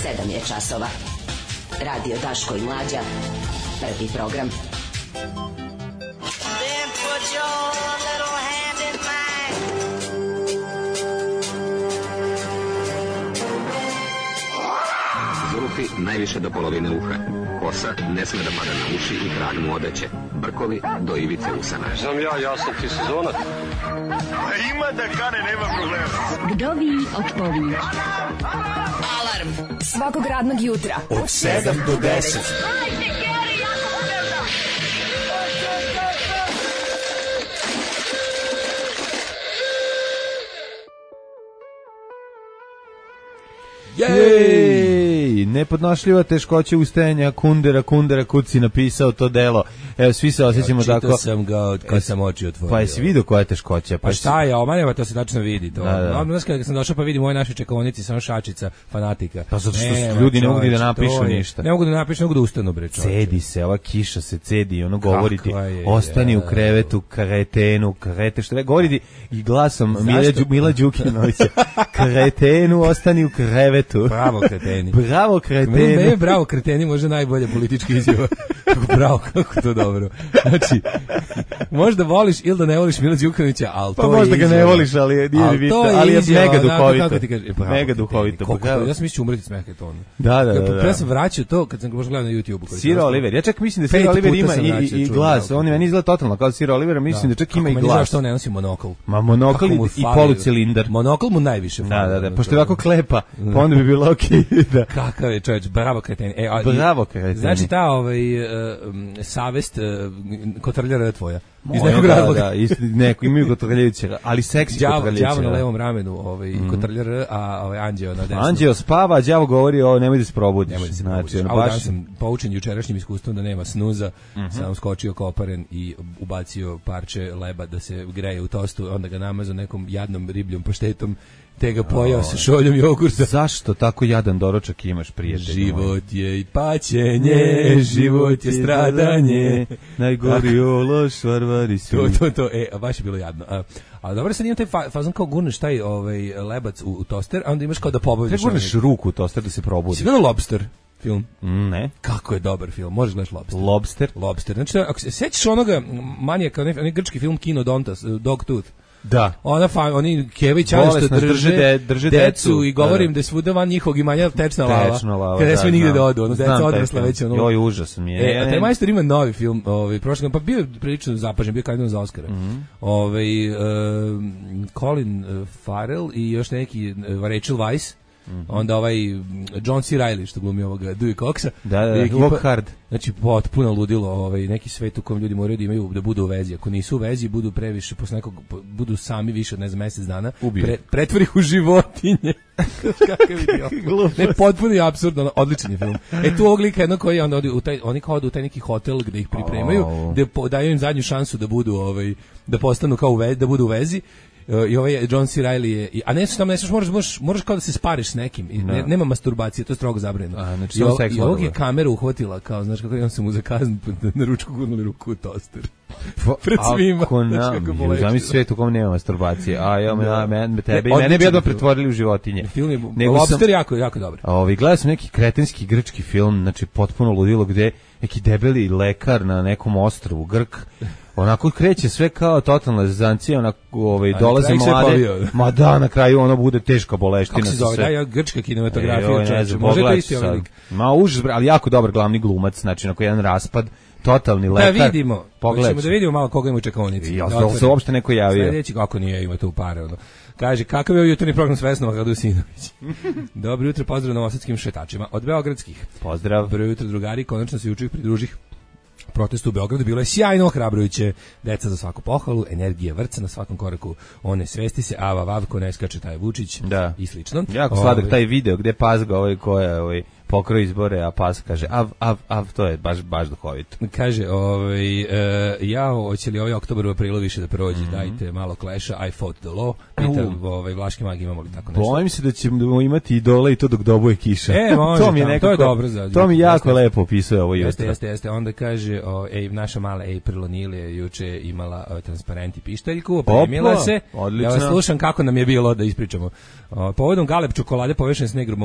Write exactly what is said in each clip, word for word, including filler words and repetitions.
sedam je časova. Radio Daško i Mlađa. Prvi program. Then put your little hand in mine. Zulufi najviše do polovine uha. Kosa ne sme da pada na uši i krag mu odeće. Brkovi do ivice usana. Znam ja, ja sam ti sezonac. Ima da kane, nema problema. Vdovi odpovi. Alarm svakog radnog jutra od sedam do deset. Jej, nepodnošljiva teškoća ustajanja, Kundera, Kundera Kuci napisao to delo. Evo, svi se osjećamo tako. Čitao sam ga od kad sam oči otvorio. Pa jesi vidio koja je teškoća? Pa šta je, omanjava, to se tačno vidi. To. Da, da. Odmah kad sam došao pa vidim u ovoj našoj čekonici, samo šačica, fanatika. Pa zato što ne, ljudi ne mogu da napišu ništa. Ne mogu da napišu, ne mogu da ustanu, bre, čovječe. Cedi se, ova kiša se cedi, ono govori ti, ostani u krevetu, kretenu, krete, što ne, govori ti i glasom Mila, Mila Đukinovića, kretenu, ostani u krevetu. Bravo, kreteni. Bravo, kreteni. Ne, bravo, kreteni, može najbolje politički izjava. Bravo, kako to dobro. Znači, možda voliš ili da ne voliš Mila Đukanovića, ali to pa je možda ga ne voliš, ali je, ali to je, ali je izjava, mega duhovito. Kako ti kaže, bravo, mega duhovito. Koliko, ja sam mislio umreti smeh to ono. Da, da, da. da. Ja sam vraćao to kad sam ga možda gledao na YouTubeu. Sir Oliver, ja čak mislim da Sir Oliver ima i, i, i glas, on je meni izgleda totalno kao Sir Oliver, mislim da, da čak ima i glas. Meni zašto ne nosi monokl. Ma monokl i polucilindar. Monokl mu najviše fali. Da, da, da, pošto je ovako klepa, pa onda bi bilo okej. Da. Kakav je čovječ, bravo kreteni. E, a, bravo kreteni. Znači ta ovaj, uh, savest uh, kotrljara tvoja. Iz nekog da, razloga. Da, iz neko, imaju kotrljajuće, ali seksi kotrljajuće. Đavo na levom ramenu, ovaj, mm. kotrljara, a ovaj, Anđeo na desnom. Anđeo spava, a đavo govori o nemoj da se probudiš. Nemoj da se znači, probudiš. A baš sam poučen jučerašnjim iskustvom da nema snuza, mm -hmm. sam skočio koparen i ubacio parče leba da se greje u tostu, onda ga namazao nekom jadnom ribljom paštetom, te ga pojao sa šoljom jogurta. Zašto tako jadan doručak imaš, prijatelj? Život je i paćenje, život je stradanje, najgori ološ, varvari su. To, to, to, e, a baš je bilo jadno. A, a dobro sad imam taj fa, fazon kao gurneš taj ovaj, lebac u, u toster, a onda imaš kao da pobavljaš. Kako gurneš ruku u toster da se probudi? Si gledao Lobster film? Mm, ne. Kako je dobar film, možeš gledaš Lobster. Lobster? Lobster, znači ako se sećaš onoga manijaka, onaj, onaj grčki film Kinodontas, Dogtooth. Da. Ona fa, oni Kević što drže, drže, drže decu, decu i govorim da, da. da svuda van njihovog imanja tečna lava. Tečna lava. Kada da, sve nigde da odu, ono deca odrasla već ono. Joj, užas mi je. E, a taj majstor ima novi film, ovaj prošle pa bio prilično zapažen, bio kandidat za Oskara. Mm -hmm. Ovaj uh, Colin Farrell i još neki uh, Rachel Weisz. Mm -hmm. Onda ovaj John C. Reilly što glumi ovoga Dewey Coxa. Da, da, Walk Hard. Znači potpuno ludilo, ovaj neki svet u kojem ljudi moraju da imaju da budu u vezi. Ako nisu u vezi, budu previše posle nekog budu sami više od ne znam mesec dana, pre, pretvori ih u životinje. Kakav idiot. Ne, potpuno apsurdno, odličan je film. E tu ovog lika jedno koji onda odi u taj oni kao u taj neki hotel gde ih pripremaju, oh. gde daju im zadnju šansu da budu ovaj da postanu kao u vezi, da budu u vezi. I ovaj John C. Reilly je, a ne su tamo, ne su, moraš, moraš, moraš kao da se spariš s nekim, I ne, nema masturbacije, to je strogo zabranjeno. A, znači, I, o, i ovog je kameru uhvatila, kao, znaš kako, on se mu za kaznu na ručku gurnuli ruku u toster. Pred svima. Ako nam, zamisli svijet u kom nema masturbacije, a ja, me, me, tebe i mene bi jedno pretvorili u životinje. Film je, Nego Lobster sam, jako, jako dobro. Ovi, gledao sam neki kretenski grčki film, znači potpuno ludilo, gde neki debeli lekar na nekom ostrvu, Grk, onako kreće sve kao totalna zezancija, onako ovaj dolaze mlade, ma da, na kraju ono bude teška boleština. Kako se zove, da, ja, grčka kinematografija, e, čovječe, može da isti ovaj lik. Ma užas, ali jako dobar glavni glumac, znači onako jedan raspad, totalni lekar. Da vidimo, hoćemo da vidimo malo koga ima u čekaonici. Ja, da se uopšte neko javio. Sljedeći, kako nije, ima tu pare, ono. Kaže, kakav je jutarnji program s Vesnom Radosinović? Dobro jutro, pozdrav novosadskim šetačima od beogradskih. Pozdrav. Dobro jutro, drugari, konačno se juče pridružih protestu u Beogradu, bilo je sjajno, ohrabrujuće, deca za svaku pohvalu, energija vrca na svakom koraku, one svesti se, ava vav, ko ne skače taj Vučić da. I slično. Jako sladak taj video gde pazga ovaj ko je ovaj pokroji izbore, a pas kaže av, av, av, to je baš, baš duhovito. Kaže, ovaj, uh, ja, hoće li ovaj oktobar u aprilu više da prođe, mm-hmm. dajte malo Clash-a, I fought the law, pita uh. ovaj, Vlaški mag, imamo li tako nešto? Bojim se da ćemo imati idole i to dok dobuje kiša. E, može, to mi je tam, nekako, to je dobro za... To mi jako jeste, lepo opisuje ovo jutro. Jeste, jeste, jeste. Onda kaže, o, ej, naša mala April O'Neil je juče imala o, transparent i pištaljku, opremila se. Odlično. Ja vas slušam kako nam je bilo da ispričamo. O, povodom Galeb čokolade povešene s negro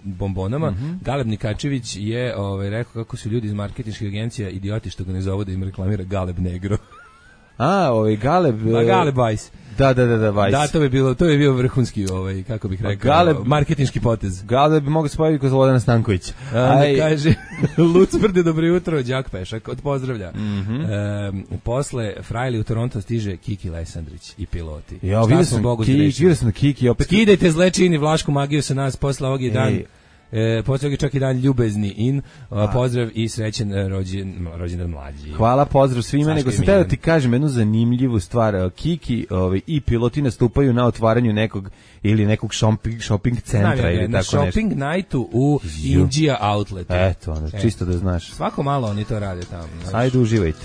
bombonama, mm-hmm. Galeb Nikačević je ovaj, rekao kako su ljudi iz marketinških agencija idioti što ga ne zovu da im reklamira Galeb negro. A, ovaj Galeb... Ma Galeb Weiss. Da, da, da, da, Weiss. Da, to bi bilo, to je bio vrhunski, ovaj, kako bih rekao, Galeb, marketinški potez. Galeb bi mogao spojiti kod Slobodana Stankovića. Onda kaže, Lucvrde, dobro jutro, Đak Pešak, od pozdravlja. Mm-hmm. E, posle Frajli u Toronto stiže Kiki Lesandrić i piloti. Ja, vidio sam, Kiki, vidio sam Kiki opet... Skidajte zlečini Vlašku magiju sa nas, posle ovog je dan... E, pozdrav čak i dan ljubezni in, a, pozdrav i srećen rođen, rođendan mlađi. Hvala, pozdrav svima, Saško nego sam teo da ti kažem jednu zanimljivu stvar. Kiki ovaj, i piloti nastupaju na otvaranju nekog ili nekog shopping, shopping centra Znam, ili na tako nešto. Na shopping nightu u Indija Outletu. Eto, ono, e. čisto da znaš. Svako malo oni to rade tamo. Znaš. Ajde, uživajte.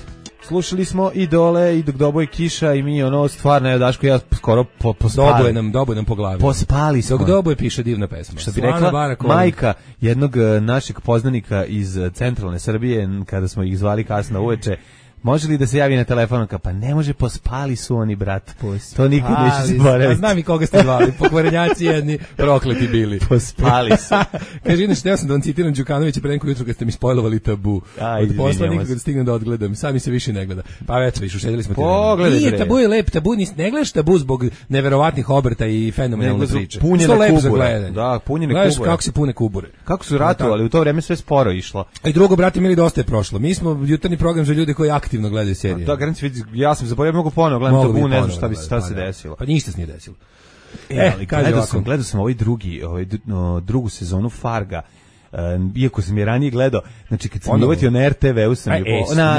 Slušali smo Idole i dok doboje kiša i mi ono stvarno je Daško ja skoro po, pospali. Doboje nam, doboje nam po glavi. Pospali smo. Dok doboje piše divna pesma. Što bi rekla majka jednog našeg poznanika iz centralne Srbije kada smo ih zvali kasno uveče. Može li da se javi na telefon? Pa ne može, pospali su oni, brat. Pospali. To nikad neće zaboraviti. A znam i koga ste zvali. Pokvarenjaci jedni, prokleti bili. Pospali su. Kaže, inače, teo sam da vam citiram Đukanovića pre neko jutro kad ste mi spojlovali Tabu. Aj, od posla nikako da stignem da odgledam. Sami se više ne gleda. Pa već, viš, ušedili smo te. Pogledaj, Nije, Tabu je lep. Tabu, nis, ne gledaš Tabu zbog neverovatnih obrta i fenomenalne priče. Punjene kubure. Da, punjene kubure. Gledaš kako se pune kubure. Kako su ratovali, u to vreme sve sporo išlo. A i drugo, brate, mili, dosta je prošlo. Mi smo jutarnji program za ljude koji aktivno gledaju serije. Da, garanci vidi, ja sam zaboravio, mogu ponovo gledam Tabu, ne znam šta bi šta se desilo. Pa ništa se nije desilo. E, ali gledao sam, gledao sam ovaj drugi, ovaj drugu sezonu Farga. Uh, iako sam je ranije gledao, znači kad sam dovatio na er te ve u sam je po, na, na,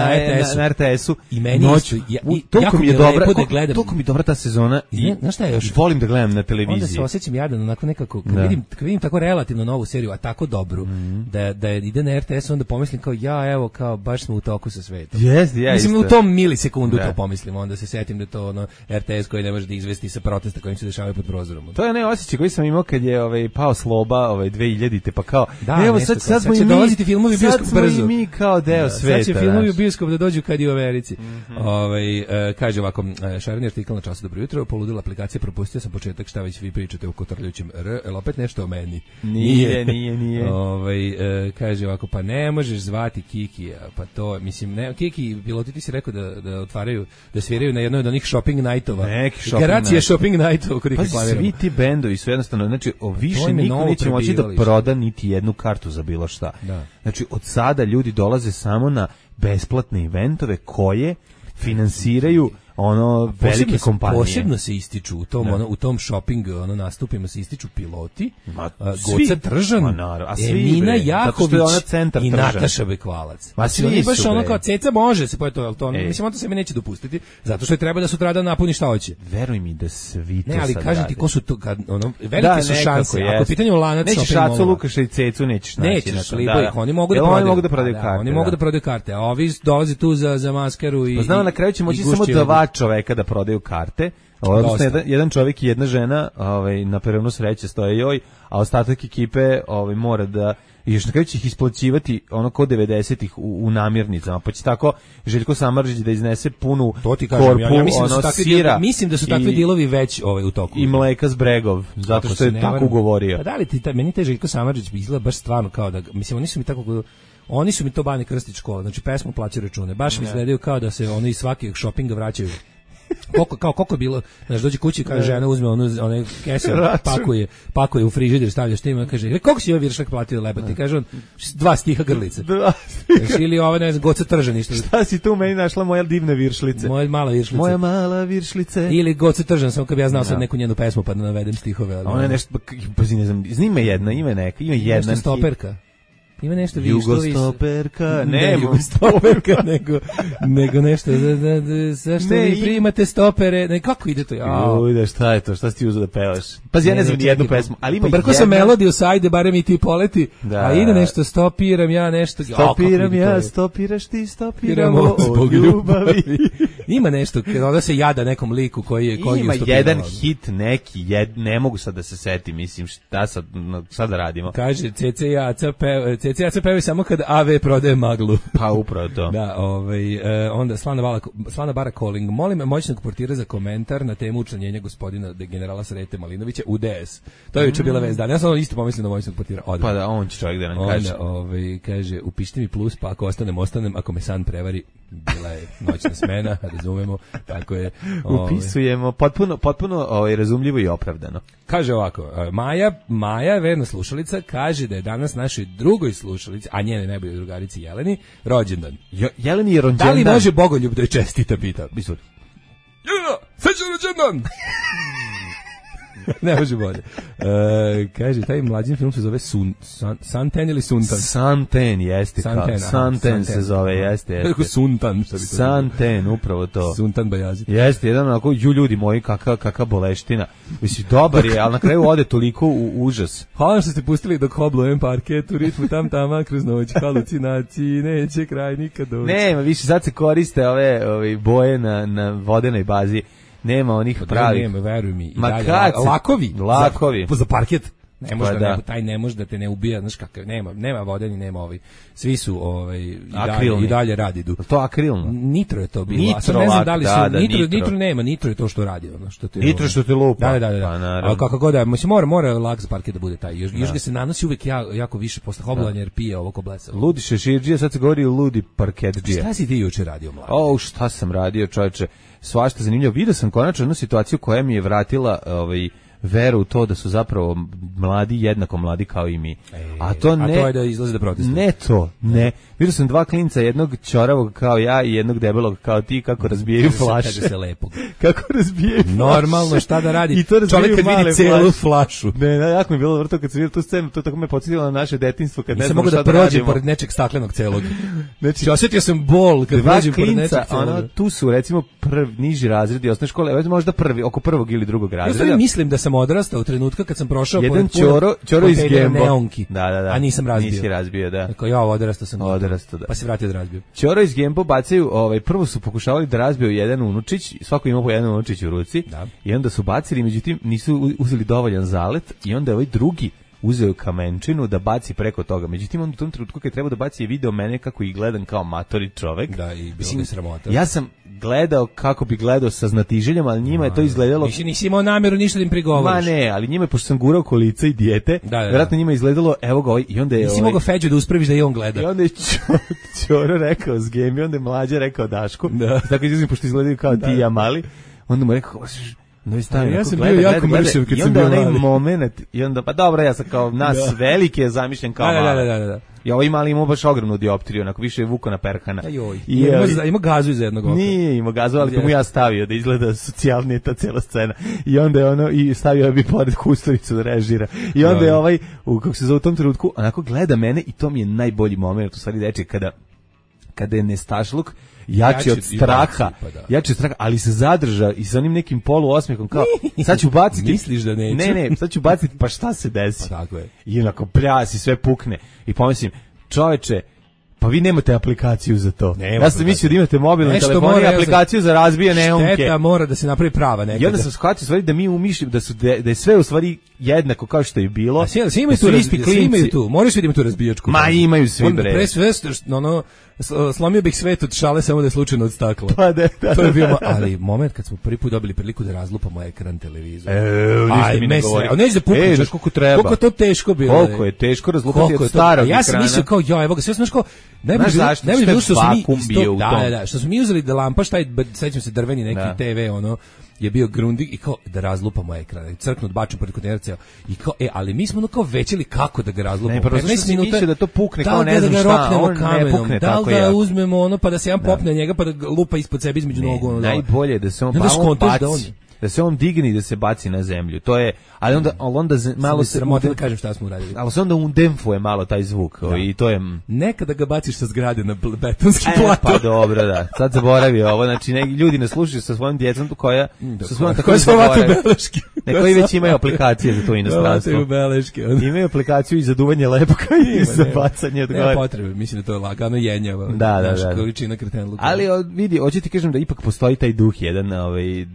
na er te esu i meni noć, ja, i, toliko mi je dobra, da gledam, toliko mi je dobra ta sezona i znaš šta je još? Volim da gledam na televiziji. Onda se osjećam jadan, onako nekako, kad, da. vidim, kad vidim tako relativno novu seriju, a tako dobru, mm-hmm. da, da ide na er te es, onda pomislim kao, ja, evo, kao, baš smo u toku sa svetom. Yes, ja, Mislim, isto. u tom milisekundu da. to pomislim, onda se setim da to ono, er te es koji ne može da izvesti sa protesta kojim se dešavaju pod prozorom. To je onaj osjećaj koji sam imao kad je ovaj, pao Sloba ovaj, dve hiljadite, pa kao, da, evo, sad, sad smo i dolaziti filmovi u bioskop brzo. Sad smo i mi kao deo da, sveta. Sad će filmovi u bioskop da dođu kad i u Americi. Mm-hmm. Ovaj, e, kaže ovako, e, šareni artikl na Času, dobro jutro, poludila aplikacija, propustio sam početak, šta već vi pričate o kotrljućem R, el opet nešto o meni. Nije, nije, nije. Ovaj, e, kaže ovako, pa ne možeš zvati Kiki, pa to, mislim, ne, Kiki, piloti ti si rekao da, da otvaraju, da sviraju na jednoj od onih shopping nightova. Neki shopping Garancija night. Shopping nightova kod ih reklamiramo. Svi ti bendovi su jednostavno, znači, o više niko neće moći da proda niti jednu kartu za bilo šta. Da. Znači, od sada ljudi dolaze samo na besplatne eventove koje finansiraju ono velike posebno, kompanije. Posebno se ističu u tom, ono, u tom shopping ono, nastupima se ističu piloti, Ma, Goca Tržan, Ma, naravno, a svi, Emina bre, Jaković i Nataša Bekvalac. Ma svi oni baš su, ono kao ceca može se, pa je to, to ono, mislim, on to se mi neće dopustiti, zato što je treba da sutradan napuni šta hoće. Veruj mi da svi to ne, ali sad kažem radi. ti ko su to, kad, ono, velike da, su šanse, ako je pitanje u lanac nećeš Šacu, Lukaša i Cecu, nećeš naći. Nećeš, libo ih, oni mogu da prodaju. Oni mogu da prodaju karte. Oni mogu da prodaju karte, a ovi dolaze tu za, za maskaru i... Pa znamo, na kraju će moći samo dva čoveka da prodaju karte. Odnosno, jedan, jedan čovjek i jedna žena ovaj, na peronu sreće stoje joj, a ostatak ekipe ovaj, mora da i još na kraju će ih isplaćivati ono kod devedesetih u, u namirnicama, pa će tako Željko Samardžić da iznese punu kažem, korpu, ja, ja mislim, ono, da su takvi sira. Dijelovi, mislim da su takvi dilovi već ovaj, u toku. I mleka s bregov, zato što je tako ugovorio. Pa da li ti, ta, meni taj Željko Samardžić izgleda baš stvarno kao da, mislim, oni su mi tako... Oni su mi to Bane Krstić škola, znači pesmu plaća račune. Baš mi izgledaju kao da se oni iz svakih šopinga vraćaju. Koliko kao koliko je bilo, znači dođe kući kaže žena uzme onu one kese, pakuje, pakuje u frižider, stavlja što ima, kaže koliko si ovaj viršak platio lebati, kaže on dva stiha grlice. Dva stiha. Ili ova ne znam Goca Tržan ništa. Šta si tu meni našla moja divne viršlice? Moja mala viršlica. Moja mala viršlice. Ili Goca Tržan, samo kad bi ja znao sad neku njenu pesmu pa da navedem stihove, ali ona je nešto, pa ne znam, znima jedna, ima neka, ima jedna stoperka. Ima nešto više što više. Jugostoperka, ne, ne, jugostoperka, nego, nego nešto, da, da, da, zašto ne, vi primate stopere, ne, kako ide to? Uj, da, šta je to, šta si ti uzeo da pevaš? Pazi, ja ne, ne znam ni jednu pesmu, ali ima Pobrko jedna... sam melodiju, sajde, barem i ti poleti, da. A ide nešto, stopiram ja nešto. Stopiram ja, ja stopiraš ti, stopiramo zbog ljubavi. Ima nešto, kada se jada nekom liku koji je koji ima je jedan hit neki, jed, ne mogu sad da se setim, mislim, šta sad, sad da radimo. Kaže, C C J A C P, C C J A C pevaju samo kad A V prodaje maglu. Pa upravo to. Da, ovaj, e, onda Slana, Vala, Slana Bara Calling. Molim moćnog portira za komentar na temu učlanjenja gospodina generala Srete Malinovića u D S. To je juče bila vest dana. Ja sam isto pomislio na moćnog portira. Odmah. Pa da, on će čovjek da nam onda, kaže. Ovaj, kaže, upišite mi plus, pa ako ostanem, ostanem, ako me san prevari, bila je noćna smena, razumemo, tako je. Ovaj. Upisujemo, potpuno, potpuno ovaj, razumljivo i opravdano. Kaže ovako, Maja, Maja, verna slušalica, kaže da je danas našoj drugoj slušalici, a njene najbolje drugarici Jeleni, rođendan. Jo, Jeleni je rođendan. Da li može Bogoljub da je čestita, pita? Izvoli. Jelena, srećan rođendan! Ne može bolje. E, kaže, taj mlađin film se zove Sun, San, Santen ili Suntan? Santen, jeste. Santen, kao, Santen se zove, jeste. jeste. Kako Suntan? Što bi to Santen, bilo? Upravo to. Suntan Bajazit. Jeste, jedan onako, ju ljudi moji, kakva kaka boleština. Mislim, dobar je, ali na kraju ode toliko u užas. Hvala što ste pustili dok hoblujem parket u ritmu tam tama kroz noć, halucinaciji, neće kraj nikad doći. Nema, više sad se koriste ove, ove boje na, na vodenoj bazi. Nema onih pravih. Nema, veruj mi. I Ma dalje, kad se... lakovi. Lakovi. Za, za parket. Ne može pa da, da. Ne, taj ne može da te ne ubija, znaš kakav, nema, nema vodeni, nema ovi. Svi su ovaj i akrilni. dalje, i dalje radi du. To akrilno. Nitro je to bilo. Nitro, a sad ne znam da li su da, da, nitro, nitro, nitro nema, nitro je to što radi, ono što te Nitro što te lupa. Da, da, da. da. Pa, a kako god da, mislim mora mora lak za parket da bude taj. Još, još ga se nanosi uvek ja, jako više posle hoblovanja jer pije ovo ko blesa. Ludi šeširđija, sad se govori ludi parketđija. Šta si ti juče radio, mladi? O, šta sam radio, čoveče. Svašta zanimljivo. Vidio sam konačno jednu situaciju koja mi je vratila ovaj veru u to da su zapravo mladi jednako mladi kao i mi. E, a to ne a to je da izlaze da protestuju. Ne to, ne. Vidio sam dva klinca, jednog ćoravog kao ja i jednog debelog kao ti kako razbijaju flaše. Kaže se lepog. Kako razbijaju flaše. Normalno, šta da radi? I to čovjek kad vidi celu flašu. Ne, ne, jako mi je bilo vrto kad sam vidio tu scenu, to tako me podsjetilo na naše detinjstvo kad ne znam šta da radimo. Nisam mogu da prođem pored nečeg staklenog celog. Znači, osjetio sam bol kad prođem pored nečeg celog. Ono, tu su recimo prvi niži razredi osnovne škole, možda prvi, oko prvog ili drugog razreda. Ja mislim da sam odrastao u trenutku kad sam prošao jedan ćoro, ćoro iz Gembo. Neonki, da, da, da. A nisam razbio. Nisi razbio, da. Tako ja odrastao sam. Odrastao, da. Pa se vratio da razbio. Ćoro iz Gembo bacaju, ovaj prvo su pokušavali da razbiju jedan unučić, svako ima po jedan unučić u ruci. Da. I onda su bacili, međutim nisu uzeli dovoljan zalet i onda je ovaj drugi uzeo kamenčinu da baci preko toga. Međutim, on u tom trenutku kad treba da baci je video mene kako ih gledam kao matori čovek. Da, i bilo mi sramota. Ja sam gledao kako bi gledao sa znatiželjem, ali njima je to izgledalo... Nisi, nisi imao namjeru ništa da im prigovoriš. Ma ne, ali njima je, pošto sam gurao kolica i dijete, da, da, da. vjerojatno njima je izgledalo, evo ga ovaj, i onda je... Nisi ovaj, mogao Feđu da uspraviš da i on gleda. I onda je Ćoro rekao s Gemi, onda je Mlađa rekao Dašku, da. Tako izuzim, pošto izgledaju kao da. Ti i ja mali, onda mu rekao... No, stavim, ja sam gleda, bio jako gleda, mršav kad sam bio mali. I onda onaj mali. moment, i onda, pa dobro, ja sam kao nas da. Velike je zamišljen kao da, mali. Da, da, da, da. I ovaj mali imao baš ogromnu dioptriju, onako više je vuko na perhana. Ajoj, I ima, je, ima gazu iz jednog oka. Nije imao gazu, ali to mu ja stavio, da izgleda socijalnije ta cijela scena. I onda je ono, i stavio bi pored Kusturicu da režira. I onda je ovaj, u, kako se zove u tom trenutku, onako gleda mene i to mi je najbolji moment, u stvari deče, kada, kada je nestašluk, jači od straha, pa da. jači od straha, ali se zadrža i sa onim nekim polu osmehom kao, sad ću baciti. Misliš da neću? Ne, ne, sad ću baciti, pa šta se desi? Pa tako je. I onako pljasi, sve pukne. I pomislim, čoveče, pa vi nemate aplikaciju za to. Nema ja sam mislio da imate mobilni telefon i aplikaciju za razbijene neonke. Šteta mora da se napravi prava nekada. I onda sam shvatio stvari da mi umišljamo da su da, da je sve u stvari jednako kao što je bilo. A svi, svi imaju tu, isti klinci. Imaju tu. Moraš vidimo tu razbijačku. Ma imaju svi bre. Pre sve ono slomio bih svet od šale samo da je slučajno od stakla. Pa da, da, to je bio, ali moment kad smo prvi put dobili priliku da razlupamo ekran televizora. E, ništa mi ne govori. A neće da pukne, znaš koliko treba. Koliko to teško bilo. Koliko je teško razlupati od starog ekrana. Ja sam mislio kao, ja, evo ga, sve znaš kao, najbolje najbolje bilo što smo mi isto, da, da, da, što smo mi uzeli da lampaš taj, sećam se drveni neki da. Te ve ono je bio grundig i kao da razlupamo ekran, crknut bačem pored kontenera i kao e, ali mi smo ono kao većili kako da ga razlupamo. Ne, petnaest minuta da to pukne kao ne znam šta, da on ne pukne tako. Da ga uzmemo ono pa da se jedan popne njega pa da lupa ispod sebe između nogu ono. Najbolje da se on pa on baci. da se on digne i da se baci na zemlju. To je, ali onda, ali onda z- malo se sramota da kažem šta smo uradili. Ali se onda undemfuje malo taj zvuk da. I to je nekada ga baciš sa zgrade na betonski e, plato. Pa dobro, da. Sad zaboravi ovo, znači neki ljudi ne slušaju sa svojom djecom koja da, sa svojom tako zaboravaju beleške. Neki već imaju aplikacije za to inostranstvo. Beleške. Imaju aplikaciju i za duvanje lepka i za bacanje od gore. Ne potrebe, mislim da to je lagano jenjava. Da, da, da. Količina kretenluka. Ali o, vidi, hoću ti kažem da ipak postoji taj duh jedan, ovaj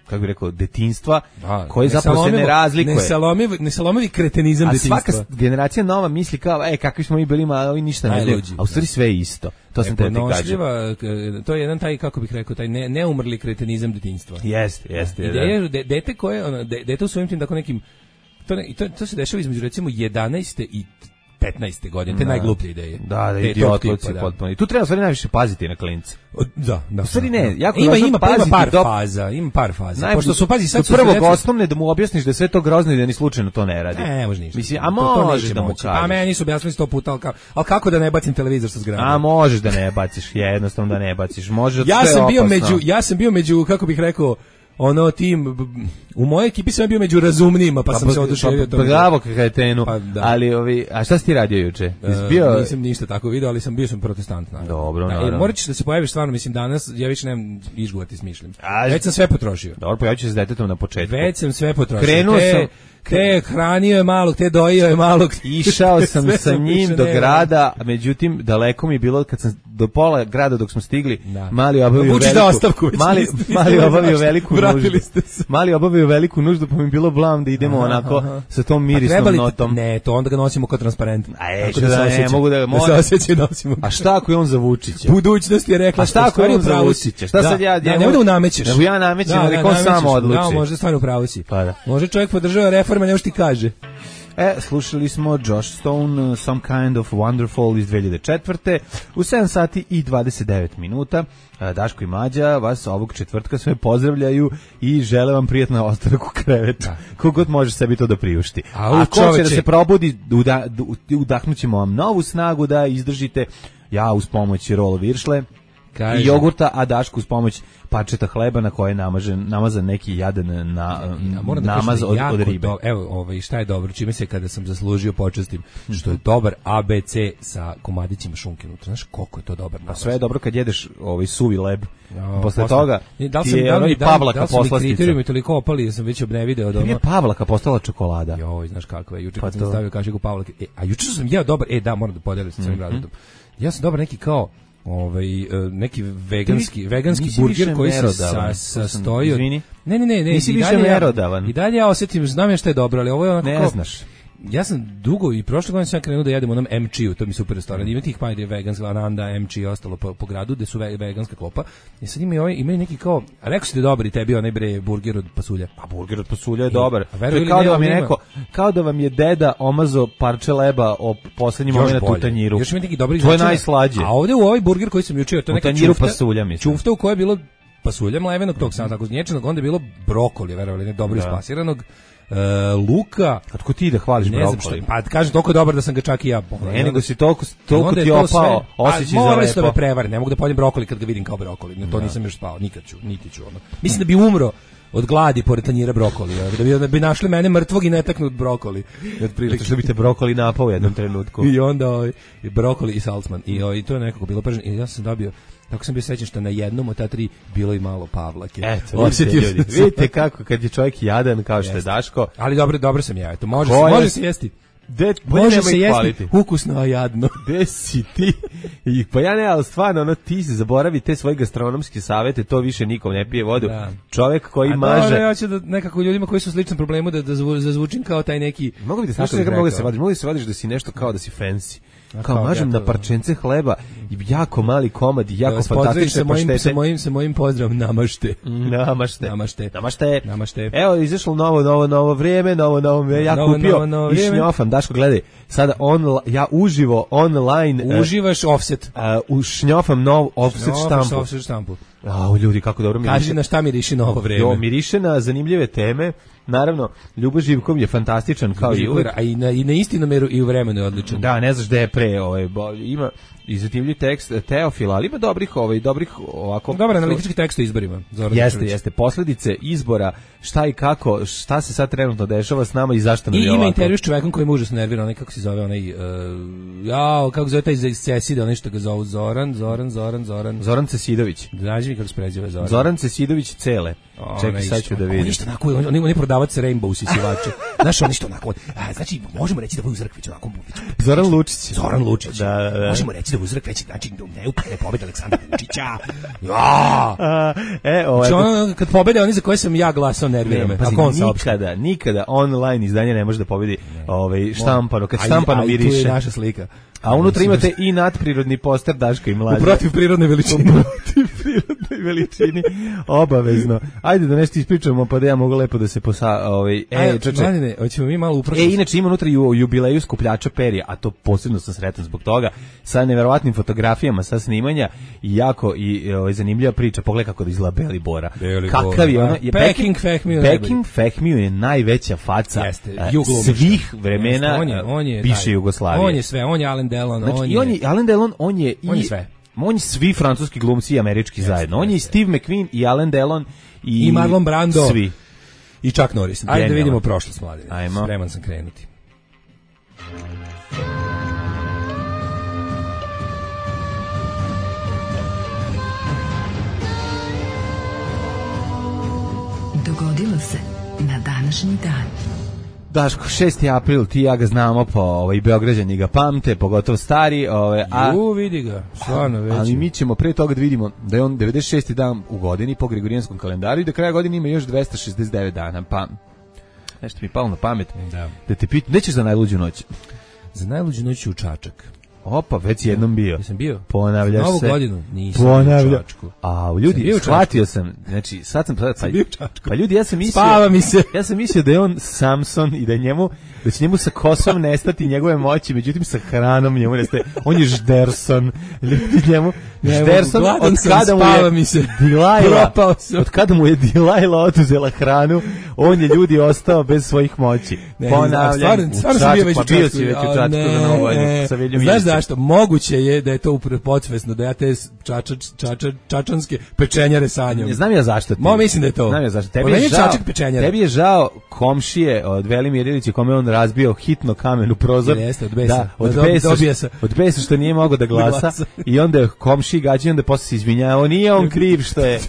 kako bih rekao, detinjstva, da, koji zapravo se ne razlikuje. Nesalomivi, nesalomivi kretenizam a detinjstva. A svaka generacija nova misli kao, e, kakvi smo mi bili, ma ovi ništa ne znaju. A u stvari sve je isto. To sam te ti kažem. To je jedan taj, kako bih rekao, taj ne, neumrli kretenizam detinjstva. Jeste, jeste. Ideja je dete koje, ono, dete u svojim tim tako nekim, to, ne, to, to se dešava između recimo jedanaeste i petnaeste godine, te da. Najgluplje ideje. Da, da, idiotluci potpuno. I tu treba stvari najviše paziti na klince. Da, da. U stvari ne, jako ima, ima, paziti ima par do... faza, ima par faza. Najbolj, pošto su, pazi, sad su prvog osnovne da mu objasniš da je sve to grozno i da ni slučajno to ne radi. Ne, može ništa. Mislim, a možeš da mu kažeš. Pa meni su objasnili sto puta, ali, ali kako da ne bacim televizor sa zgrade? A možeš da ne baciš, jednostavno da ne baciš. Može ja sve sam bio opasno. među, ja sam bio među, kako bih rekao, ono tim u mojoj ekipi sam bio među razumnijima, pa, pa sam se oduševio pa, pa, bravo kretenu, pa, ali ovi, a šta si ti radio juče? Bio... Uh, nisam ništa tako video, ali sam bio sam protestant, naravno. Dobro, da, naravno. E, morat ćeš da se pojaviš stvarno, mislim danas, ja više nemam izgovati smišljam. Već sam sve potrošio. Dobro, pojavit ću se s detetom na početku. Već sam sve potrošio. Krenuo te, sam te hranio je malog, te dojio je malog. Išao sam sa njim do grada, međutim daleko mi je bilo kad sam do pola grada dok smo stigli, da. mali obavio Uči veliku, da ostavku, mali, mali obavio veliku nuždu. Mali obavio veliku nuždu, pa mi bilo blam da idemo aha, onako aha. sa tom mirisnom notom. Ne, to onda ga nosimo kao transparent. A je, da, da ne, mogu da, da se osjeća i nosimo. A šta ako je on za Vučića? Budućnost je rekla. A šta ako je on za Vučića? Šta sad ja, ja ne da namećeš. Nego ja namećem, nek on sam odluči. Da, može stvarno pravo si. Pa da. Može čovjek podržava reforme, ne što ti kaže. E, slušali smo Josh Stone, Some Kind of Wonderful iz dve hiljade četvrte u sedam sati i dvadeset devet minuta. Daško i Mlađa vas ovog četvrtka sve pozdravljaju i žele vam prijatno ostanak u krevetu. Kogod može sebi to da priušti. A, A ko će da se probudi, uda, udahnućemo vam novu snagu da izdržite, ja uz pomoć roll viršle i jogurta, a Daško uz pomoć parčeta hleba na koje je namažen, namazan neki jadan na, ja, da namaz od, od ribe. Do, evo, ovaj, šta je dobro, čime se kada sam zaslužio počestim, što je dobar A B C sa komadićima šunke unutra. Znaš koliko je to dobar namaz? Sve je dobro kad jedeš ovaj suvi leb. Ja, posle toga da ti je ono i Pavlaka poslastica. Da li su mi kriterijumi toliko opali da sam već obnevideo od ono... Je Pavlaka postala čokolada. Joj, znaš kakva je. Juče pa kad sam stavio kašiku Pavlake. E, a juče sam jeo dobar, e da, moram da podelim sa svojim razredom. Ja sam dobar neki kao ovaj neki veganski veganski burger koji se sa, sastoji od... Ne, ne, ne, ne, nisi više merodavan. I dalje ja osetim, znam ja šta je dobro, ali ovo je onako ne kao, znaš. Ja sam dugo i prošle godine sam krenuo da jedem onom M C-u, to mi super restoran. Ima tih pa ide veganska Ananda, M C i ostalo po, po gradu gde su ve, veganska klopa. I sad imaju ovaj, imaju neki kao, rekao si da je dobar i tebi onaj bre burger od pasulja. Pa burger od pasulja je I, dobar. Je kao da vam je neko, kao da vam je deda omazo parče leba o poslednjem momentu u tanjiru. Još ima neki dobri. To je najslađe. A ovde u ovaj burger koji sam jučeo, to je neki tanjiru pasulja, mislim. Čufta u kojoj je bilo pasulja mlevenog tog sam tako znječenog, onda je bilo brokoli, verovali ne, dobro ispasiranog. Uh, luka, a tko ti da hvališ brokoli? Pa kažem toliko dobar da sam ga čak i ja pogledao. Ne, nego si toliko toliko ti opao, osjećaj za lepo. Sve, me prevari, ne mogu da pojedem brokoli kad ga vidim kao brokoli. Ne, to da. Nisam još spao, nikad ću, niti ću ono. Mislim da bi umro od gladi pored tanjira brokoli, da bi, da bi našli mene mrtvog i netaknut brokoli. Otprilike što bi te brokoli napao u jednom trenutku. I onda ovaj, brokoli i salcman. I, ovaj, to je nekako bilo prženo. I ja sam dobio, tako sam bio srećan što na jednom od ta tri bilo i malo Pavlake. Eto, vidite, ljudi, vidite kako kad je čovjek jadan kao što je Daško. Ali dobro, dobro sam ja, eto, može, se, može se jesti. De, može se jesti kvaliti. Ukusno, a jadno. Gde si ti? I, pa ja ne, ali stvarno, ono, ti se zaboravi te svoje gastronomske savete, to više nikom ne pije vodu. Da. Čovjek koji a maže... Dobro, ja ću da nekako ljudima koji su sličnom problemu da, da zazvučim kao taj neki... Mogu bi da znaš nekako mogu da se vadiš, mogu da se vadiš da si nešto kao da si fancy. Kao, kao mažem ja to... na parčence hleba, jako mali komad, jako fantastične paštete. Sa mojim, sa mojim pozdravom, namašte. Namašte. Namašte. Namašte. Namašte. Evo, izašlo novo, novo, novo vrijeme, novo, novo, ja novo, kupio novo, novo i šnjofam, Daško, gledaj, sada on, ja uživo online... Uživaš offset. Uh, u šnjofam nov offset štampu. Offset štampu. A, ljudi, kako dobro miriše. Kaži na šta miriše novo vreme. Jo, miriše na zanimljive teme. Naravno, Ljubo Živkov je fantastičan kao i uvek. A i na, i na istinomeru i u vremenu je odličan. Da, ne znaš gde je pre, ovaj, ima i zanimljiv tekst Teofila, ali ima dobrih, ovaj, dobrih ovako... Dobar analitički tekst o izborima. Zoran jeste, Mitrović. jeste. Posledice izbora, šta i kako, šta se sad trenutno dešava s nama i zašto nam je I ovako. ima intervju s čovekom koji me užasno nervira, onaj kako se zove, onaj, uh, jao, kako zove taj iz Cesida, onaj što ga zovu Zoran, Zoran, Zoran, Zoran. Zoran Cesidović. Znaš mi kako se preziva Zoran? Zoran Cesidović Cele. O, čekaj, sad ću da vidim. On je isto onako, on, on je prodavac Rainbow sisivače. Znaš, on isto onako, a, znači, možemo reći da Vuk Zrkvić onako... Zoran Lučić. Zoran Lučić. Da, da, da. Možemo reći da Vuk Zrkvić, znači, ne upane pobjede Aleksandra Vučića. Ja! A, e, ovaj, znači, on, kad pobjede oni za koje sam ja glasao, nervira me. Pazi, on nikada, nikada online izdanje ne može da pobedi ovaj, štampano. Kad štampano aj, miriše. aj, tu je naša slika. A unutra imate i nadprirodni poster Daška i Mlađe. U protiv prirodne veličine. U protiv prirodnoj veličini. Obavezno. Ajde da nešto ispričamo, pa da ja mogu lepo da se posa... Ovaj, e, Aj, čače. Mladine, hoćemo mi malo upravo... E, inače ima unutra ju, jubileju skupljača perja, a to posebno sam sretan zbog toga, sa neverovatnim fotografijama, sa snimanja i jako i ovaj, zanimljiva priča. Pogledaj kako da izgleda Beli Bora. Beli Kakav Bora, je ono... Je Peking Fehmiju najbolji. Peking Fehmiju je najveća faca Jeste, uh, svih vremena Jeste, on je, on je, bivše taj, Jugoslavije. On je sve, on je Alain Delon, znači, on i on je... je Alain Delon, on je i on je sve. On je svi francuski glumci i američki Jeste, zajedno. On je i jeste. Steve McQueen i Alain Delon i, I Marlon Brando. Svi. I Chuck Norris. Ajde Genijalno. da vidimo prošlost, Mladine. Ajmo. Spreman sam krenuti. Dogodilo se na današnji dan. Daško, šesti april, ti i ja ga znamo po ovaj, Beograđani ga pamte, pogotovo stari. Ovaj, a, Ju, vidi ga, stvarno već. ali mi ćemo pre toga da vidimo da je on devedeset šesti dan u godini po Gregorijanskom kalendaru i da kraja godine ima još dvesta šezdeset devet dana. Pa, nešto mi je palo na pamet. Da. Da te pitam, nećeš za najluđu noć? Za najluđu noć u Čačak. Opa, već si jednom bio. Jesam bio. Ponavljaš Novu se. godinu nisam Ponavlja. bio u Čačku. A, Sam ljudi, bio u Čačku. shvatio sam. Znači, sad sam... Pa, bio u Čačku. pa ljudi, ja sam mislio... Spava mi se. Ja sam mislio da je on Samson i da je njemu, da će njemu sa kosom nestati njegove moći, međutim sa hranom njemu nestaje. On je Žderson. Ljudi njemu... Žderson, od kada mu je mi se. Dilajla, od kada mu je Dilajla oduzela hranu, on je ljudi ostao bez svojih moći. Ne, Ponavljam, stvarno, stvarno sam bio već u pa bio Čačku. si već u A, Čačku ne, za Novu godinu sa Veljom znaš Ilićem. zašto? Moguće je da je to upravo podsvesno, da ja te čača, čača, čačanske pečenjare sanjam. Ne znam ja zašto ti. Mo, mislim da je to. Znam ja zašto. Tebi Pa meni je je žao, Čačak pečenjara. tebi je žao komšije od Velimir Ilića kome on razbio hitno kamen u prozor. Jeste, od besa. Da, od Da, dobi- besa, dobija se. od besa što nije mogao da glasa, glasa. i onda je komšiji gađao, onda posle se izvinjavao, nije on kriv što je.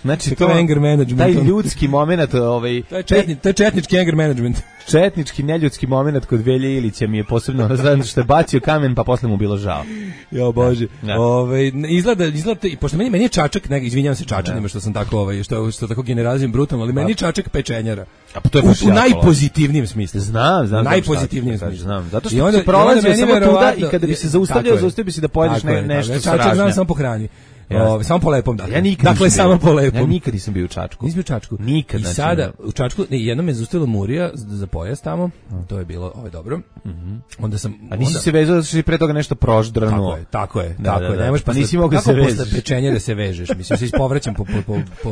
Znači to je anger management, taj on. ljudski momenat, ovaj To je, četni, to je četnički anger management. četnički neljudski momenat kod Velje Ilića mi je posebno razradan što je bacio kamen pa posle mu bilo žao. Jo bože. Da. Ovaj izgleda izgleda i pošto meni meni je Čačak, ne, izvinjavam se Čačanima što sam tako ovaj što što tako generalizujem brutalno, ali meni je Čačak pečenjara. A pa to je u, baš u jako najpozitivnijem smislu. Znam, znam. Najpozitivnijem znam šta smislu. znam. Zato I što onda- se i onda prolazio meni samo tuda verovatno- i kada bi se je- zaustavljao, tako je. zaustavio bi se da pojedeš Tako ne, je, nešto tako sa je. Čačak znam ražnja. samo po hrani. Jasno. Ovaj, samo po lepom, dakle. Ja nikad dakle, nisam samo bio. po lepom. Ja nikad nisam bio u Čačku. Nisi bio u Čačku? Nikad, I znači, sada ne. u Čačku, ne, jednom me zaustavila Murija za, za pojas tamo, to je bilo, ovo je dobro. Onda sam... A nisi onda, se vezao da si pre toga nešto proždranuo. Tako je, tako je, Da, tako da, je. da. Ne možeš Pa posle- nisi mogao kako se posle vežeš. pečenjere se vežeš, mislim, se ispovraćam po, po, po, po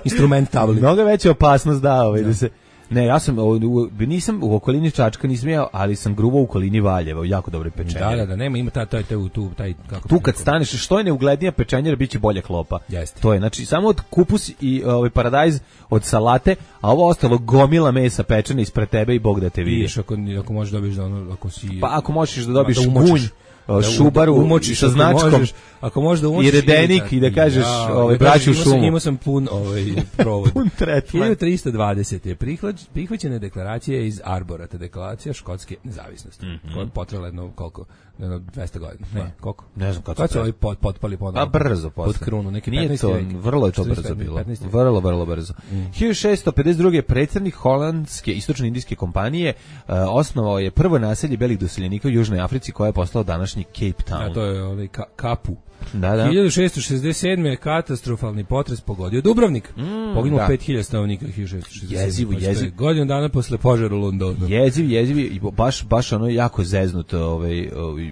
instrument tabli. Mnogo veća opasnost da, ovaj, da se... Ne, ja sam, u, u, nisam u okolini Čačka nisam jeo, ali sam gruvao u okolini Valjeva, u jako dobre pečenjere. Da, da, da, nema, ima taj, taj, taj, tu, taj, kako Tu kad staneš, što je neuglednija pečenjera, bit će bolja klopa. Jeste. To je, znači, samo od kupus i ovaj, paradajz od salate, a ovo ostalo gomila mesa pečena ispred tebe i Bog da te vidi. vidiš, ako, ako možeš dobiješ da ono, ako si... Pa ako možeš da dobiješ da umočiš. gunj, Da šubaru umočiš sa ako značkom možeš, ako možeš da umočiš i redenik i da kažeš, ovaj, braću u imao sam- šumu. Imao sam pun ovaj provod. Pun tretman. hiljadu tristo dvadeset je prihvać, prihvaćena deklaracija iz Arbora, te deklaracija škotske nezavisnosti, koja je potrajala jedno koliko, jedno dvesta godina. Ne, koliko? Ne znam kako Kad se su ovi pot, potpali ponovo. Pa brzo posle. Pod krunu, neki Nije petnaesti to, vek. vrlo je to četrnaesti, brzo bilo. petnaesti vek. Vrlo, vrlo brzo. hiljadu šessto pedeset druge predsjednik holandske istočno-indijske kompanije uh, osnovao je prvo naselje belih doseljenika u Južnoj Africi koja je postala današnja današnji Cape Town. A to je ovaj ka, Kapu. Da, da. hiljadu šessto šezdeset sedme katastrofalni potres pogodio Dubrovnik. Mm, Poginulo pet hiljada stanovnika hiljadu šessto šezdeset sedme. Jezivo, jezivo. Godinu dana posle požara u Londonu. Jeziv, jeziv i baš baš ono jako zeznut ovaj, ovaj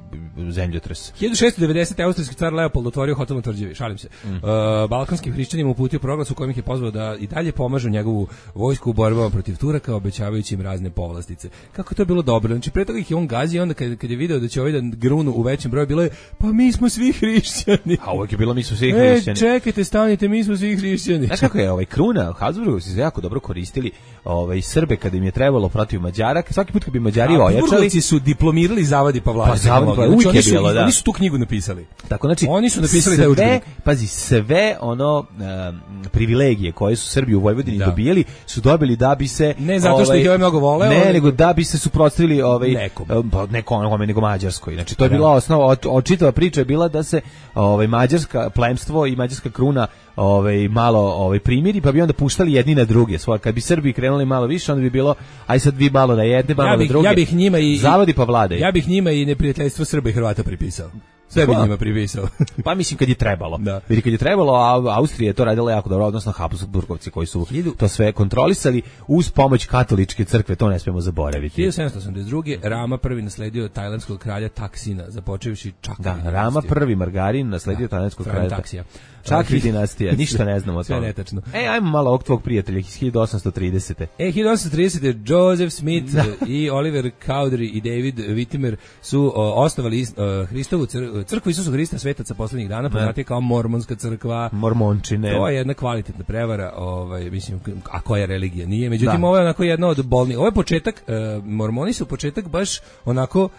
zemljotres. hiljadu šessto devedesete austrijski car Leopold otvorio hotel na Tvrđavi, šalim se. Mm. Uh, balkanskim hrišćanima uputio proglas u kojem ih je pozvao da i dalje pomažu njegovu vojsku u borbama protiv Turaka, obećavajući im razne povlastice. Kako je to bilo dobro. Znači pre toga ih je on gazio, onda kad, kad je video da će ovaj da grunu u većem broju, bilo je pa mi smo svi hrišćani. A uvijek je bilo mi smo svi e, hrišćani. Čekajte, stanite, mi smo svi hrišćani. Znaš kako je ovaj Kruna, Habsburgovi su jako dobro koristili ovaj Srbe kada im je trebalo protiv Mađara, svaki put kad bi Mađari ojačali. Habsburgovci su diplomirali zavadi Pavlaka. Pa zavadi Pavlaka, uvijek je bilo, da. Oni su tu knjigu napisali. Tako, znači, oni su napisali sve, taj udžbenik. Pazi, sve ono um, privilegije koje su Srbi u Vojvodini da. dobijali, su dobili da bi se... Ne zato što ovaj, ih je ovaj mnogo voleo. Ne, nego da bi se suprotstavili ovaj, nekom. Pa, nekom, nego Mađarskoj. Znači, to je da. bila osnova, očitava priča je bila da se ovaj, mađarska plemstvo i mađarska kruna ovaj, malo ovaj, primiri, pa bi onda puštali jedni na druge. Svoje, kad bi Srbi krenuli malo više, onda bi bilo, aj sad vi malo na jedne, malo ja bih, na druge. Ja bih njima i... Zavadi pa vladaj. Ja bih njima i neprijateljstvo Srba i Hrvata pripisao. Sve bi njima pripisao. Pa mislim kad je trebalo. Da. Vidi kad je trebalo, a Austrija je to radila jako dobro, odnosno Habsburgovci koji su to sve kontrolisali uz pomoć katoličke crkve, to ne smijemo zaboraviti. hiljadu sedamsto osamdeset druge Rama prvi nasledio tajlandskog kralja Taksina, započevši Čakri. Da, Rama prvi Margarin nasledio tajlandskog kralja Taksija. Čakri dinastija, ništa ne znamo o tome. Sve netačno. E, ajmo malo ovog tvog prijatelja iz hiljadu osamsto tridesete. E, hiljadu osamsto tridesete Joseph Smith da. i Oliver Cowdery i David Whittimer su o, osnovali uh, Hristovu cr crkvu Isusa Hrista svetaca poslednjih dana, poznati kao Mormonska crkva. Mormončine. To je jedna kvalitetna prevara, ovaj, mislim, a koja religija nije. Međutim, da. ovo je onako jedna od bolnijih. Ovo je početak, uh, Mormoni su početak baš onako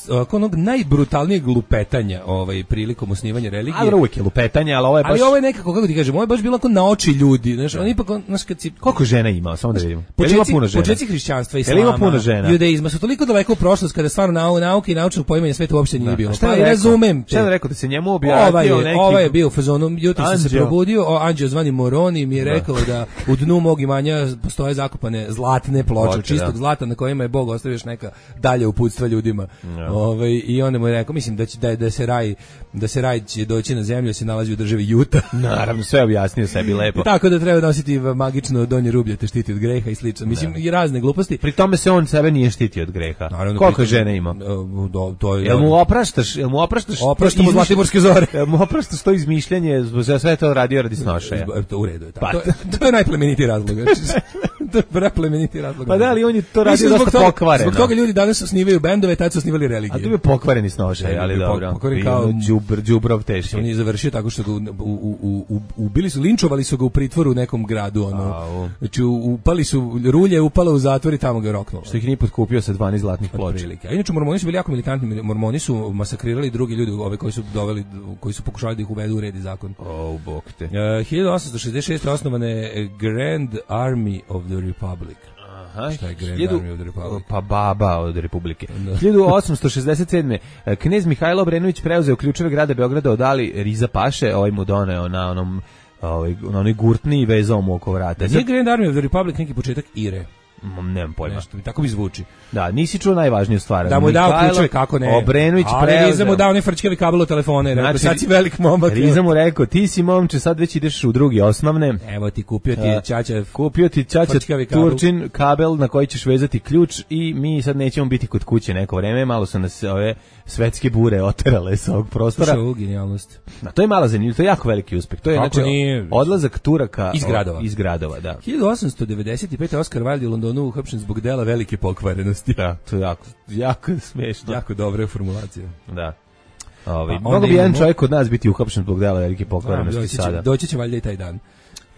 oko onog najbrutalnijeg lupetanja ovaj prilikom osnivanja religije. A uvijek je lupetanje, ali ovo je baš... Ali ovo je nekako, kako ti kažem, ovo je baš bilo ako na oči ljudi, znaš, oni ipak, znaš, kad si... Koliko žena ima, samo da vidimo. Početci, ima puno žena? Početci hrišćanstva, islama, ima puno žena? Judaizma su toliko daleko u prošlost kada stvarno nau, nauke i naučnog poimanja sveta uopšte nije bilo. Pa ja razumem. Šta je rekao da se njemu objavio ovaj neki... Ovaj je bio u fazonu, jutro sam se probudio, o, anđeo zvani Moroni mi je rekao da u dnu mog imanja postoje zakopane zlatne ploče, čistog zlata na kojima je Bog ostavio još neka dalje uputstva ljudima. Ovaj i onda mu je rekao, mislim da će da, da se raj da se raj će doći na zemlju, se nalazi u državi Juta. Naravno, sve objasnio sebi lepo. Tako da treba nositi magično donje rublje te štiti od greha i slično. Mislim, i razne gluposti. Pri tome se on sebe nije štitio od greha. Naravno, koliko žene ima? Do, to je. Jel mu opraštaš? Jel mu opraštaš? Opraštam mu Zlatiborske zore. Jel mu opraštaš to izmišljanje, za sve to radio radi snošaja? To u redu je. Pa. To, to je najplemenitiji razlog. To je preplemeniti razlog. Pa da li on je to radio dosta pokvareno. Zbog toga ljudi danas osnivaju bendove, tad su osnivali religije. A to je pokvareni snošaj, ali dobro. Pokvaren kao đubr, đubrov teški. On je završio tako što ga u, u, u, ubili su, linčovali su ga u pritvoru u nekom gradu, ono. Znači upali su rulje, upala u zatvor i tamo ga roknulo. Što ih nije potkupio sa dvanaest zlatnih ploča. A inače Mormoni su bili jako militantni, Mormoni su masakrirali drugi ljudi, ove koji su doveli, koji su pokušali da ih uvedu u red i zakon. O, bog te. Uh, hiljadu osamsto šezdeset šeste osnovana je Grand Army of the Republic. Aha, šta je Grand hiljadu, Army of the Republic? Pa baba od Republike. Da. hiljadu osamsto šezdeset sedme knez Mihajlo Obrenović preuzeo ključeve grada Beograda od Ali Riza Paše, ovaj mu doneo na onom ovaj, na onoj gurtni i vezao mu oko vrata. Nije Grand Army of the Republic neki početak Ire? Nemam pojma. Nešto, tako mi zvuči. Da, nisi čuo najvažniju stvar. Da mu je dao ključeve, kako ne. Obrenović preuzeo. Ali Riza mu dao onaj frčkavi kabel od telefona i rekao, znači, sad si velik momak. Riza mu rekao, ti si momče, sad već ideš u drugi osnovne. Evo ti, kupio ti ćaća. Kupio ti ćaća Turčin kabel na koji ćeš vezati ključ i mi sad nećemo biti kod kuće neko vreme, malo su nas ove svetske bure oterale sa ovog prostora. Što je genijalnost. Na, to je mala zanimljivost, to je jako veliki uspeh. To je kako znači nije... odlazak Turaka iz gradova. Iz gradova, da. hiljadu osamsto devedeset pete Oscar Wilde u Londonu uhapšen zbog dela velike pokvarenosti. Da, to je jako, jako smešno. Jako dobra formulacija. Da. Ovi, pa, mogu bi jedan čovjek kod nas biti uhapšen zbog dela velike pokvarenosti doći će, sada. Doći će valjda i taj dan.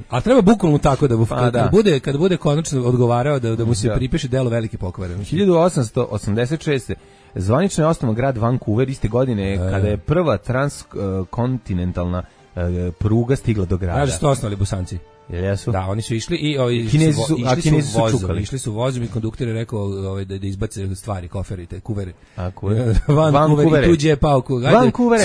A treba bukvalno tako da, pa, kad, da. bude kad bude konačno odgovarao da da mu se da. pripiše delo velike pokvarenosti. hiljadu osamsto osamdeset šeste zvanično je osnovan grad Vancouver iste godine e. kada je prva transkontinentalna uh, pruga stigla do grada. Kaže su to osnovali Bosanci. Jel jesu? Da, oni su išli i ovi Kinezi su, išli a Kinezi su, su vozom, čukali. Išli su vozom i kondukter je rekao ovaj, da, da izbace stvari, koferi, te kuvere. A kuver? Vancouver i tuđe je pao kuver.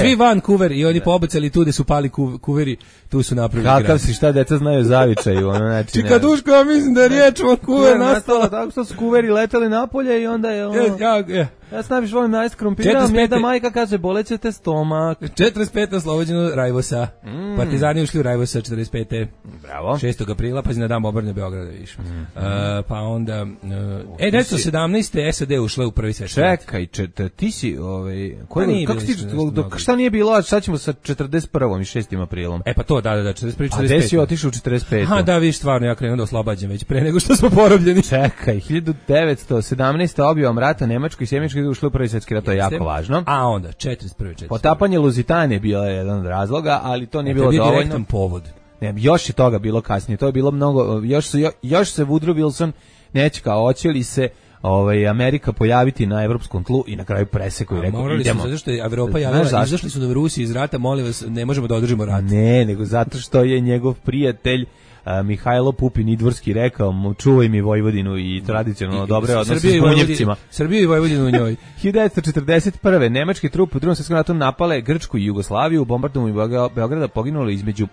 Svi Vancouver i oni pobacali tu gde su pali kuveri, tu su napravili grad. Kakav si, šta deca znaju zavičaju, ono znači. Čika Duško, ja mislim da je riječ Vancouver nastala tako što su kuveri leteli napolje i onda je ono... Ja, ja, Ja se najviše volim najest krompira, mjeda majka kaže boleće te stomak. četrdeset pete oslobođeno Rajvosa. Mm. Partizani ušli u Rajvosa četrdeset pete. Bravo. šestog aprila, pa na dan obrane Beograda više. Mm -hmm. uh, pa onda... Uh, e, devetsto sedamnaeste. S A D ušle u prvi svetski rat. Čekaj, čet, ti si... Ovaj, koji, kako ti, dok, šta nije bilo, a šta ćemo sa četrdeset prvom i šestim aprilom? E pa to, da, da, da, četrdeset prve, četrdeset pete. A gde si otišao u četrdeset pete? Aha, da, viš, stvarno, ja krenuo da oslobađam već pre nego što smo porobljeni. Čekaj, hiljadu devetsto sedamnaeste. objavom rata Nemačkoj i Sjemičkoj ušli u prvi svetski rat, to je jako važno. A onda, četrdeset prve, četrdeset prve. Potapanje Lusitane bio je jedan od razloga, ali to nije bilo dovoljno. Direktan povod. Ne, još je toga bilo kasnije, to je bilo mnogo, još, su, još se Woodrow Wilson neće kao hoće li se ovaj, Amerika pojaviti na evropskom tlu i na kraju preseku i rekao idemo. Zato što je Evropa javila, izašli su da Rusi iz rata, molim vas, ne možemo da održimo rat. Ne, nego zato što je njegov prijatelj Uh, Mihajlo Pupin Idvorski rekao mu čuvaj mi Vojvodinu i tradicionalno I, dobre odnose s Bunjevcima. Srbiju i Vojvodinu u njoj. hiljadu devetsto četrdeset prve. nemačke trupe u Drugom svjetskom ratu napale Grčku i Jugoslaviju, u bombardovanju Beograda poginulo između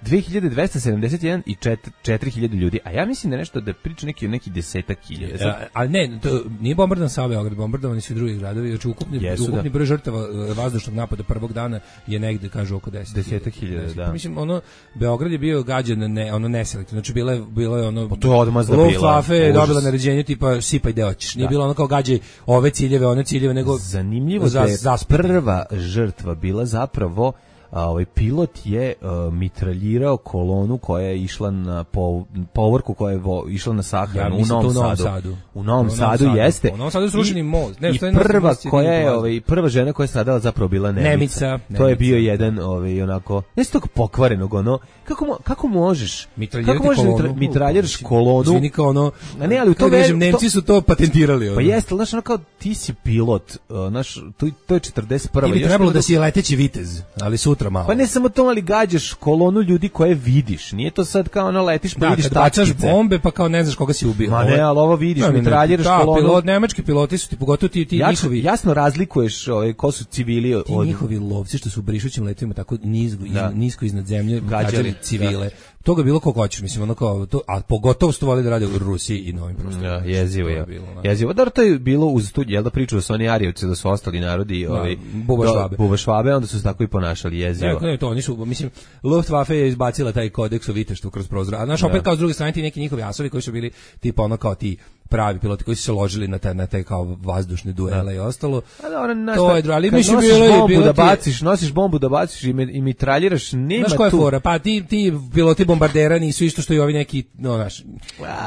dve hiljade dvesta sedamdeset jedan i četiri hiljade ljudi, a ja mislim da nešto da priča neki neki desetak hiljada. Ja, a ne, to nije bombardovan samo Beograd, bombardovani su i drugi gradovi, znači ukupni Jesu, ukupni da. broj žrtava vazdušnog napada prvog dana je negde kažu oko deset. desetak hiljada, da. Mislim ono Beograd je bio gađan ne, ono neselektivno, znači bilo je bilo je ono pa to je odmazda bila. Luftwaffe je dobila naređenje tipa sipaj gde hoćeš. Nije da. bilo ono kao gađaj ove ciljeve, one ciljeve, nego zanimljivo za, da je za prva žrtva bila zapravo a ovaj pilot je uh, mitraljirao kolonu koja je išla na po, povorku koja je vo, išla na sahranu ja, u Novom Sadu. Sadu. U Novom Sadu, Sadu jeste. U Novom Sadu je srušeni most. Ne, I prva koja je ovaj prva žena koja je stradala zapravo bila Nemica. Nemica. Nemica. To je bio jedan ovaj onako ne tog pokvarenog ono kako kako možeš kako možeš kolonu, mitraljiraš kolonu. Zvini kao ono. A ne, ali u to kažem Nemci su to patentirali. Ono. Pa jeste, znaš ono kao ti si pilot, znaš to to je četrdeset prva. Ti bi trebalo da si leteći vitez, ali sutra malo. Pa ne samo to, ali gađaš kolonu ljudi koje vidiš. Nije to sad kao ono letiš pa da, vidiš tačkice. Da, bombe pa kao ne znaš koga si ubio. Ma ne, ali ovo vidiš, mitraljiraš da, kolonu. Pilot, nemački piloti su ti pogotovo ti, ti Jač, njihovi. Jasno razlikuješ ovaj, ko su civili od... Ti njihovi lovci što su u brišućim letovima tako nizgo, da. nisko iznad zemlje gađali civile. Da. Toga je bilo kako hoćeš, mislim, ono kao to, a pogotovo što voli da rade u Rusiji i novim prostorima. Ja, jezivo je. Jezivo. Dobro, to je bilo uz tu, jel da priču da su oni Arijevci, da su ostali narodi, ovaj Buba Švabe. Buba Švabe, onda su se tako i ponašali, jezivo. Ne, ne, to oni su, mislim, Luftwaffe je izbacila taj kodeks o viteštvu kroz prozor. A znaš, opet kao s druge strane ti neki njihovi asovi koji su bili tipa ono kao ti pravi piloti koji su se ložili na taj na taj kao vazdušne duele da. i ostalo. A dobro, naš, to je drugo, ali mislim bilo je bilo da baciš, nosiš bombu da baciš i, me, i mitraljiraš, nema znaš koja je fora? Pa ti ti piloti bombardera nisu isto što i ovi neki, no znaš.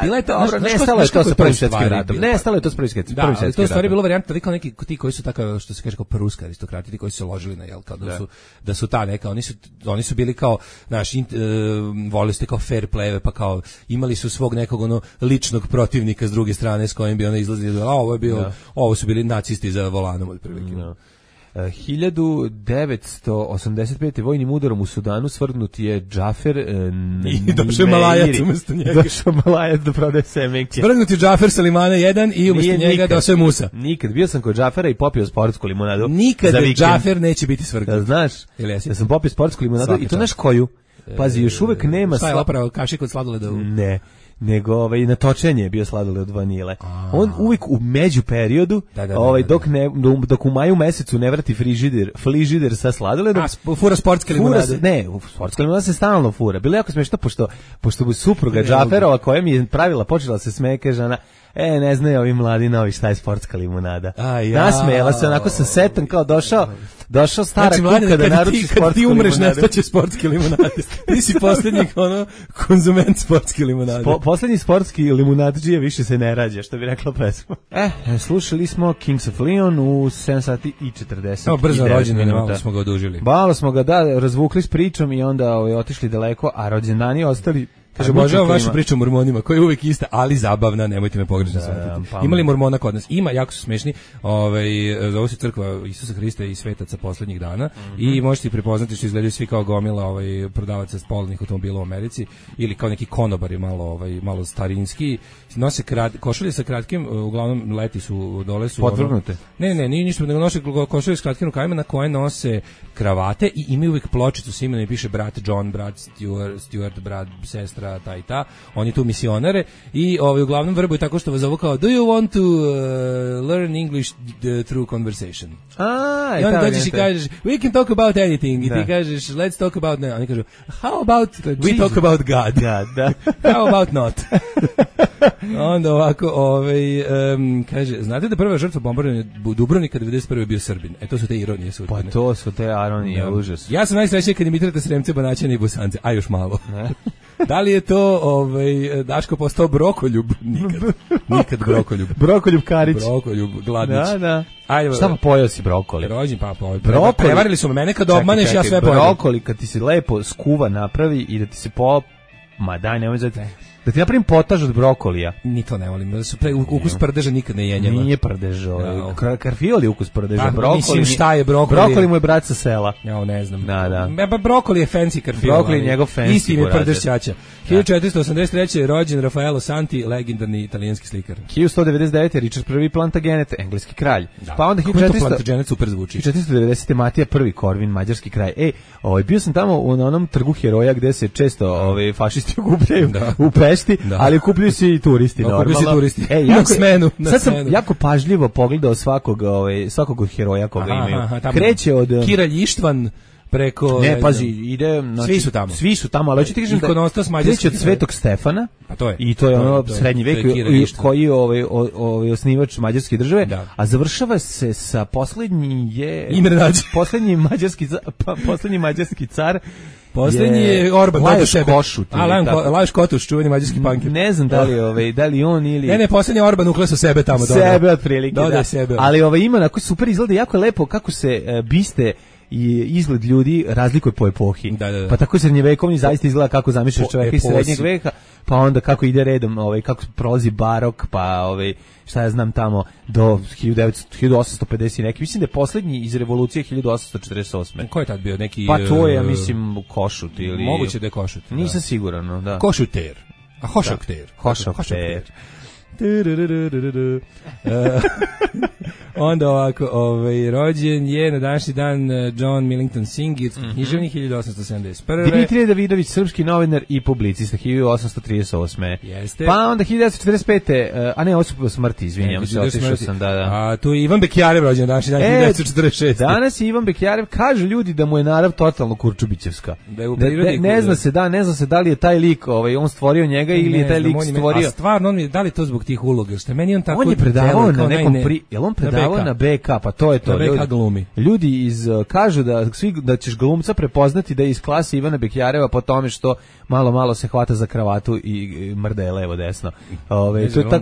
Bila je to, dobro, nestalo je to sa prvim svetskim ratom. Nestalo je to sa prvim svetskim ratom. Da, to je stvari bilo varijanta da kao neki ti koji su tako što se kaže kao pruska aristokrati, ti koji su se ložili na jel kao da, da su da su ta neka, oni su oni su bili kao naš uh, voleli ste kao fair play, pa kao imali su svog nekog ono ličnog protivnika s druge strane s kojim bi ona izlazili, a ovo je bio, da. ovo su bili nacisti za volanom otprilike. Da. Uh, hiljadu devetsto osamdeset pete. vojnim udarom u Sudanu svrgnut je Džafer uh, i došao Malajac umjesto njega. Došao Malajac da prodaje semenke. Svrgnut je Džafer sa limana jedan i umjesto Nije, njega došao je Musa. Nikad. Bio sam kod Džafera i popio sportsku limonadu. Nikad Džafer neće biti svrgnut. Da, znaš, ja sam popio sportsku limonadu Svaki i to znaš koju? Pazi, još uvek nema... Šta je opravo kašik od sladoleda? Ne. Nego ovaj na točenje je bio sladoled od vanile. A. On uvijek u među periodu, da, da, da, ovaj dok ne dok u maju mesecu ne vrati frižider, frižider sa sladoledom, a fura sportske limunade. Ne, sportska limunada se stalno fura. Bilo je jako smešno pošto pošto bu supruga Džaferova koja mi je pravila počela se smeje, kaže žena: "E, ne znaju ovi mladi novi šta je sportska limunada." Ja. Nasmejala se onako sa setom kao došao došao stara znači, kuka mlade, da naruči sportsku limunadu. Kad ti umreš, nestaće sportske limunade. Ti si poslednji ono konzument sportske limunade. Po, poslednji sportski limunadžija više se ne rađa, što bi rekla pesma. Eh, slušali smo Kings of Leon u sedam sati i četrdeset. Evo, brzo rođendan, malo smo ga odužili. Malo smo ga, da, razvukli s pričom i onda ovaj, otišli daleko, a rođendani ostali. Kaže, obožavam vašu priču o mormonima, koja je uvijek ista, ali zabavna, nemojte me pogrešno shvatiti. Da, ima li mormona kod nas? Ima, jako su smešni. Ovaj, zove se crkva Isusa Hrista i svetaca poslednjih dana mm-hmm. i možete ih prepoznati što izgledaju svi kao gomila ovaj, prodavaca spolnih automobila u Americi ili kao neki konobari malo, ovaj, malo starinski. Nose krad, košulje sa kratkim, uglavnom leti su, dole su... Podvrgnute? Ono, ne, ne, nije ništa, nego nose košulje sa kratkim rukavima na koje nose kravate i imaju uvijek pločicu sa imenom i piše brat John, brat Stuart, Stuart brat, sestra, tra ta i ta, oni tu misionare i ovaj uglavnom vrbuju tako što vas zovu kao do you want to uh, learn English through conversation. A, i onda dođeš i kažeš we can talk about anything i da. Ti kažeš let's talk about, ne, oni kažu how about we Jesus. Talk about God. Da, da. How about not? Onda ovako, ovaj, um, kaže, znate da prva žrtva bombardovanja Dubrovnika devedeset prve bio Srbin. E, to su te ironije sudbine. Pa to su te ironije, da. Užas. Ja sam najsrećniji kad imitirate Sremce, Banaćane i Bosance, a još malo. Ne? Da li je to ovaj, Daško postao brokoljub? Nikad. Nikad brokoljub. Brokoljub Karić. Brokoljub, Gladnić. Da, da. Ajde, šta pa pojeo si brokoli? Rođen pa pojeo. Brokoli. Prevarili su me, mene kad obmaneš, ja sve pojedem. Brokoli kad ti se lepo skuva napravi i da ti se po... Ma daj, nemoj zati. Da ti napravim potaž od brokolija. Ni to ne volim. Pre, ukus prdeža nikad ne jenjava. Nije prdež, ovaj. Kar, karfiol je ukus prdeža. Pa, brokoli. Mislim šta je brokoli? Brokoli mu je brat sa sela. Ja ne znam. Da, da. Ba, brokoli je fancy karfiol. Brokoli je njegov fancy. Isti je prdež ćaća. hiljadu četiristo osamdeset treće je rođen Raffaello Santi, legendarni italijanski slikar. hiljadu sto devedeset devete Richard prvi Plantagenet, engleski kralj. Da. Pa onda hiljadu četiristo Plantagenet super zvuči. hiljadu četiristo devedesete Matija prvi Korvin, mađarski kralj. Ej, ovaj bio sam tamo u, na onom trgu heroja gde se često ovaj fašisti okupljaju da. U Pešti, da. Ali okupljaju se i turisti da, normalno. Okupljaju se turisti. Ej, jako, na smenu, na sad sam smenu. jako pažljivo pogledao svakog ovaj svakog od heroja koga aha, imaju. Aha, kreće od Kiralj Ištvan preko ne pazi ide znači, svi su tamo svi su tamo ali hoćete ti kažem da kreće od Svetog Stefana pa to je i to je ono srednji vek koji je ovaj ovaj osnivač mađarske države da. A završava se sa poslednji je Imre Nadž poslednji mađarski pa, poslednji mađarski car poslednji je Orban Lajos Košut Lajos Kotuš čuveni mađarski punker ne znam da li ovaj da li on ili ne ne poslednji Orban uklesao sebe tamo sebe otprilike da sebe ali ovaj ima na koji super izgleda jako lepo kako se biste i izgled ljudi razlikuje po epohi. Da, da, da. Pa tako srednjevekovni zaista izgleda kako zamišljaš čovjeka iz srednjeg veka, pa onda kako ide redom, ovaj kako prolazi barok, pa ovaj šta ja znam tamo do hiljadu osamsto pedeset neki. Mislim da je poslednji iz revolucije hiljadu osamsto četrdeset osme. Ko je tad bio neki Pa to je ja mislim Košut ili moguće da je Košut. Nisam da. Siguran, no, da. Košuter. A Hošakter. Hošakter. Onda ovako, ovaj, rođen je na današnji dan John Millington Synge, mm-hmm. književnik hiljadu osamsto sedamdeset prve. Dimitrije Davidović, srpski novinar i publicista hiljadu osamsto trideset osme. Jeste. Pa onda hiljadu devetsto četrdeset pete, a ne, ovo su po smrti, izvinjam se, otišao sam, da, da. A tu je Ivan Bekjarev rođen na današnji dan, e, hiljadu devetsto četrdeset šeste. Danas je Ivan Bekjarev, kažu ljudi da mu je narav totalno Kurčubićevska. Da je u prirodi, ne, ne zna se, da, ne zna se da li je taj lik, ovaj, on stvorio njega ili ne, je taj lik stvorio. A stvarno, on je, da li to zbog tih uloga, što meni on tako on je predavao na nekom pri, jel on predavao na B K, pa to je to. Ljudi, glumi. Ljudi iz kažu da svi da ćeš glumca prepoznati da je iz klase Ivana Bekjareva po tome što malo malo se hvata za kravatu i mrde levo desno. Ove to je ta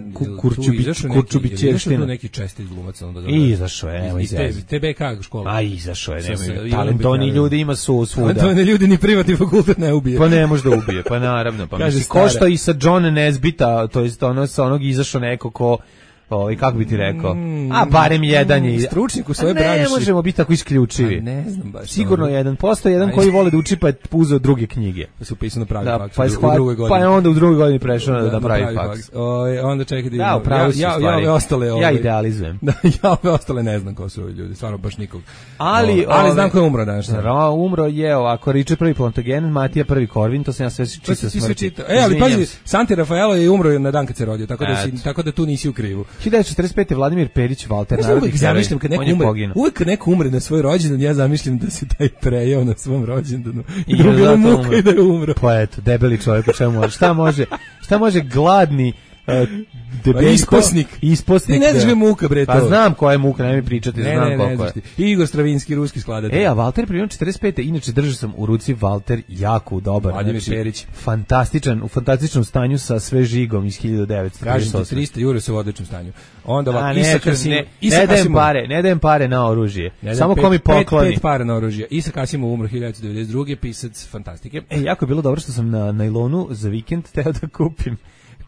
kurčubićevština. Neki česti glumac onda da. I izašao je, evo iz te B K škola. A izašao je, nema. Talentovani ljudi ima su svuda. Talentovani ljudi ni privatni fakultet ne ubije. Pa ne može da ubije, pa naravno, pa mislim košta i sa John Nesbita, to jest ono sa onog izašao neko ko ovaj kako bi ti rekao? Mm, a barem jedan je stručnjak u svojoj branši. Ne možemo biti tako isključivi. A ne znam baš. Sigurno jedan posto jedan koji vole da uči pa je uzeo druge knjige. Pa se upisao na pravi da, faks pa u, shvat, u drugoj godini. Pa je onda u drugoj godini prešao da, da pravi, pravi faks. Oj, onda čekaj da ja, ja, ja, ja, ja ostale ovaj. Ja idealizujem. Da, ja ove ostale ne znam ko su ovi ljudi, stvarno baš nikog. Ali, o, ali znam ko je umro danas. Ra, umro je ovako Richard prvi Plantagenet, Matija prvi Korvin, to sam ja sve čitao smrti. E, ali pazi, Santi Raffaello je umro na dan kad se rodio, tako da si, tako da tu nisi u krivu. hiljadu devetsto četrdeset pete Vladimir Perić Valter, ja uvijek zamišljam kad neko umre, uvijek kad neko umre na svoj rođendan, ja zamišljam da se taj prejao na svom rođendanu i da mu bilo muka i da je umro. Pa eto, debeli čovjek, čemu, šta može, šta može gladni Uh, debeljko, isposnik. Isposnik. Ne znaš ga muka, bre, to. Pa znam koja je muka, nemoj mi pričati, ne, znam ne, koliko ne, je. Igor Stravinski, ruski skladatelj. E, a Valter primjer četrdeset pete inače držao sam u ruci Valter jako dobar. Vladimir znači, Perić. Fantastičan, u fantastičnom stanju sa sve žigom iz hiljadu devetsto trideset osme. Kažem ti, trista jure se u odličnom stanju. Onda ovako, Isak Kasimov. Ne, ne dajem pare, ne dajem pare na oružje. Samo ko mi pokloni. Pet pare na oružje. Isak Kasimov umro hiljadu devetsto devedeset druge, pisac fantastike. E, jako je bilo dobro što sam na najlonu za vikend teo da kupim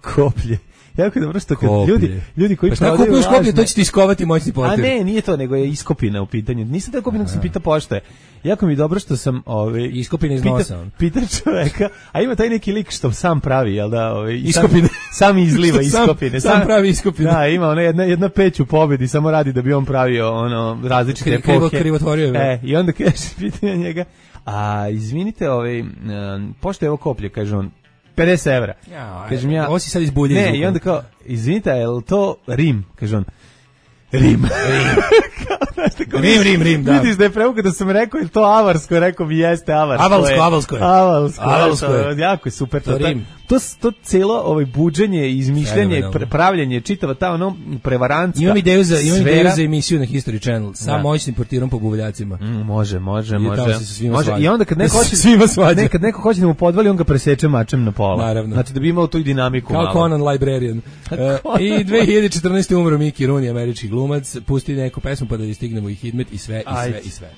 koplje. Jako je dobro što kad ljudi, ljudi koji pa šta kupuješ koplje, to će ti iskovati moćni portir. A ne, nije to, nego je iskopina u pitanju. Nisam da kupim, nego sam pitao pošto. Jako mi je dobro što sam ovaj iskopina iz nosa. Pita čoveka, a ima taj neki lik što sam pravi, jel da, ovaj iskopine, sam, sam izliva iskopine. Sam, sam pravi iskopine. Da, ima ona jedna jedna peć u pobedi, samo radi da bi on pravio ono različite epohe. Krivo, krivotvorio je. E, i onda kaže pitanje njega, a izvinite, ovaj pošto je ovo koplje, kaže on, pedeset evra. Ja, Kažem ja, ovo si sad izbuljen. Ne, i onda kao, izvinite, je li to Rim? Kaže on, Rim. Rim, Rim, Rim, da. Vidiš da je preuka da sam rekao, je to avarsko, rekao mi jeste avarsko. Avalsko, avalsko je. Avalsko, avalsko je. Jako je super. To, to Rim. To, to cijelo ovaj buđenje, izmišljanje, pre, pravljenje, čitava ta ono prevarantska. Imam ideju za, imam ideju za emisiju na History Channel sa moćnim portirom po buvljacima. Mm, može, može, I može. može. I onda kad neko hoće svima svađa. Nekad neko hoće da mu podvali, on ga preseče mačem na pola. Naravno. Znači da bi imao tu i dinamiku kao malo. Conan Librarian. uh, I dve hiljade četrnaeste. umro Mickey Rooney, američki glumac. Pusti neku pesmu pa da stignemo i Hidmet i sve, i sve, Ajde. i sve.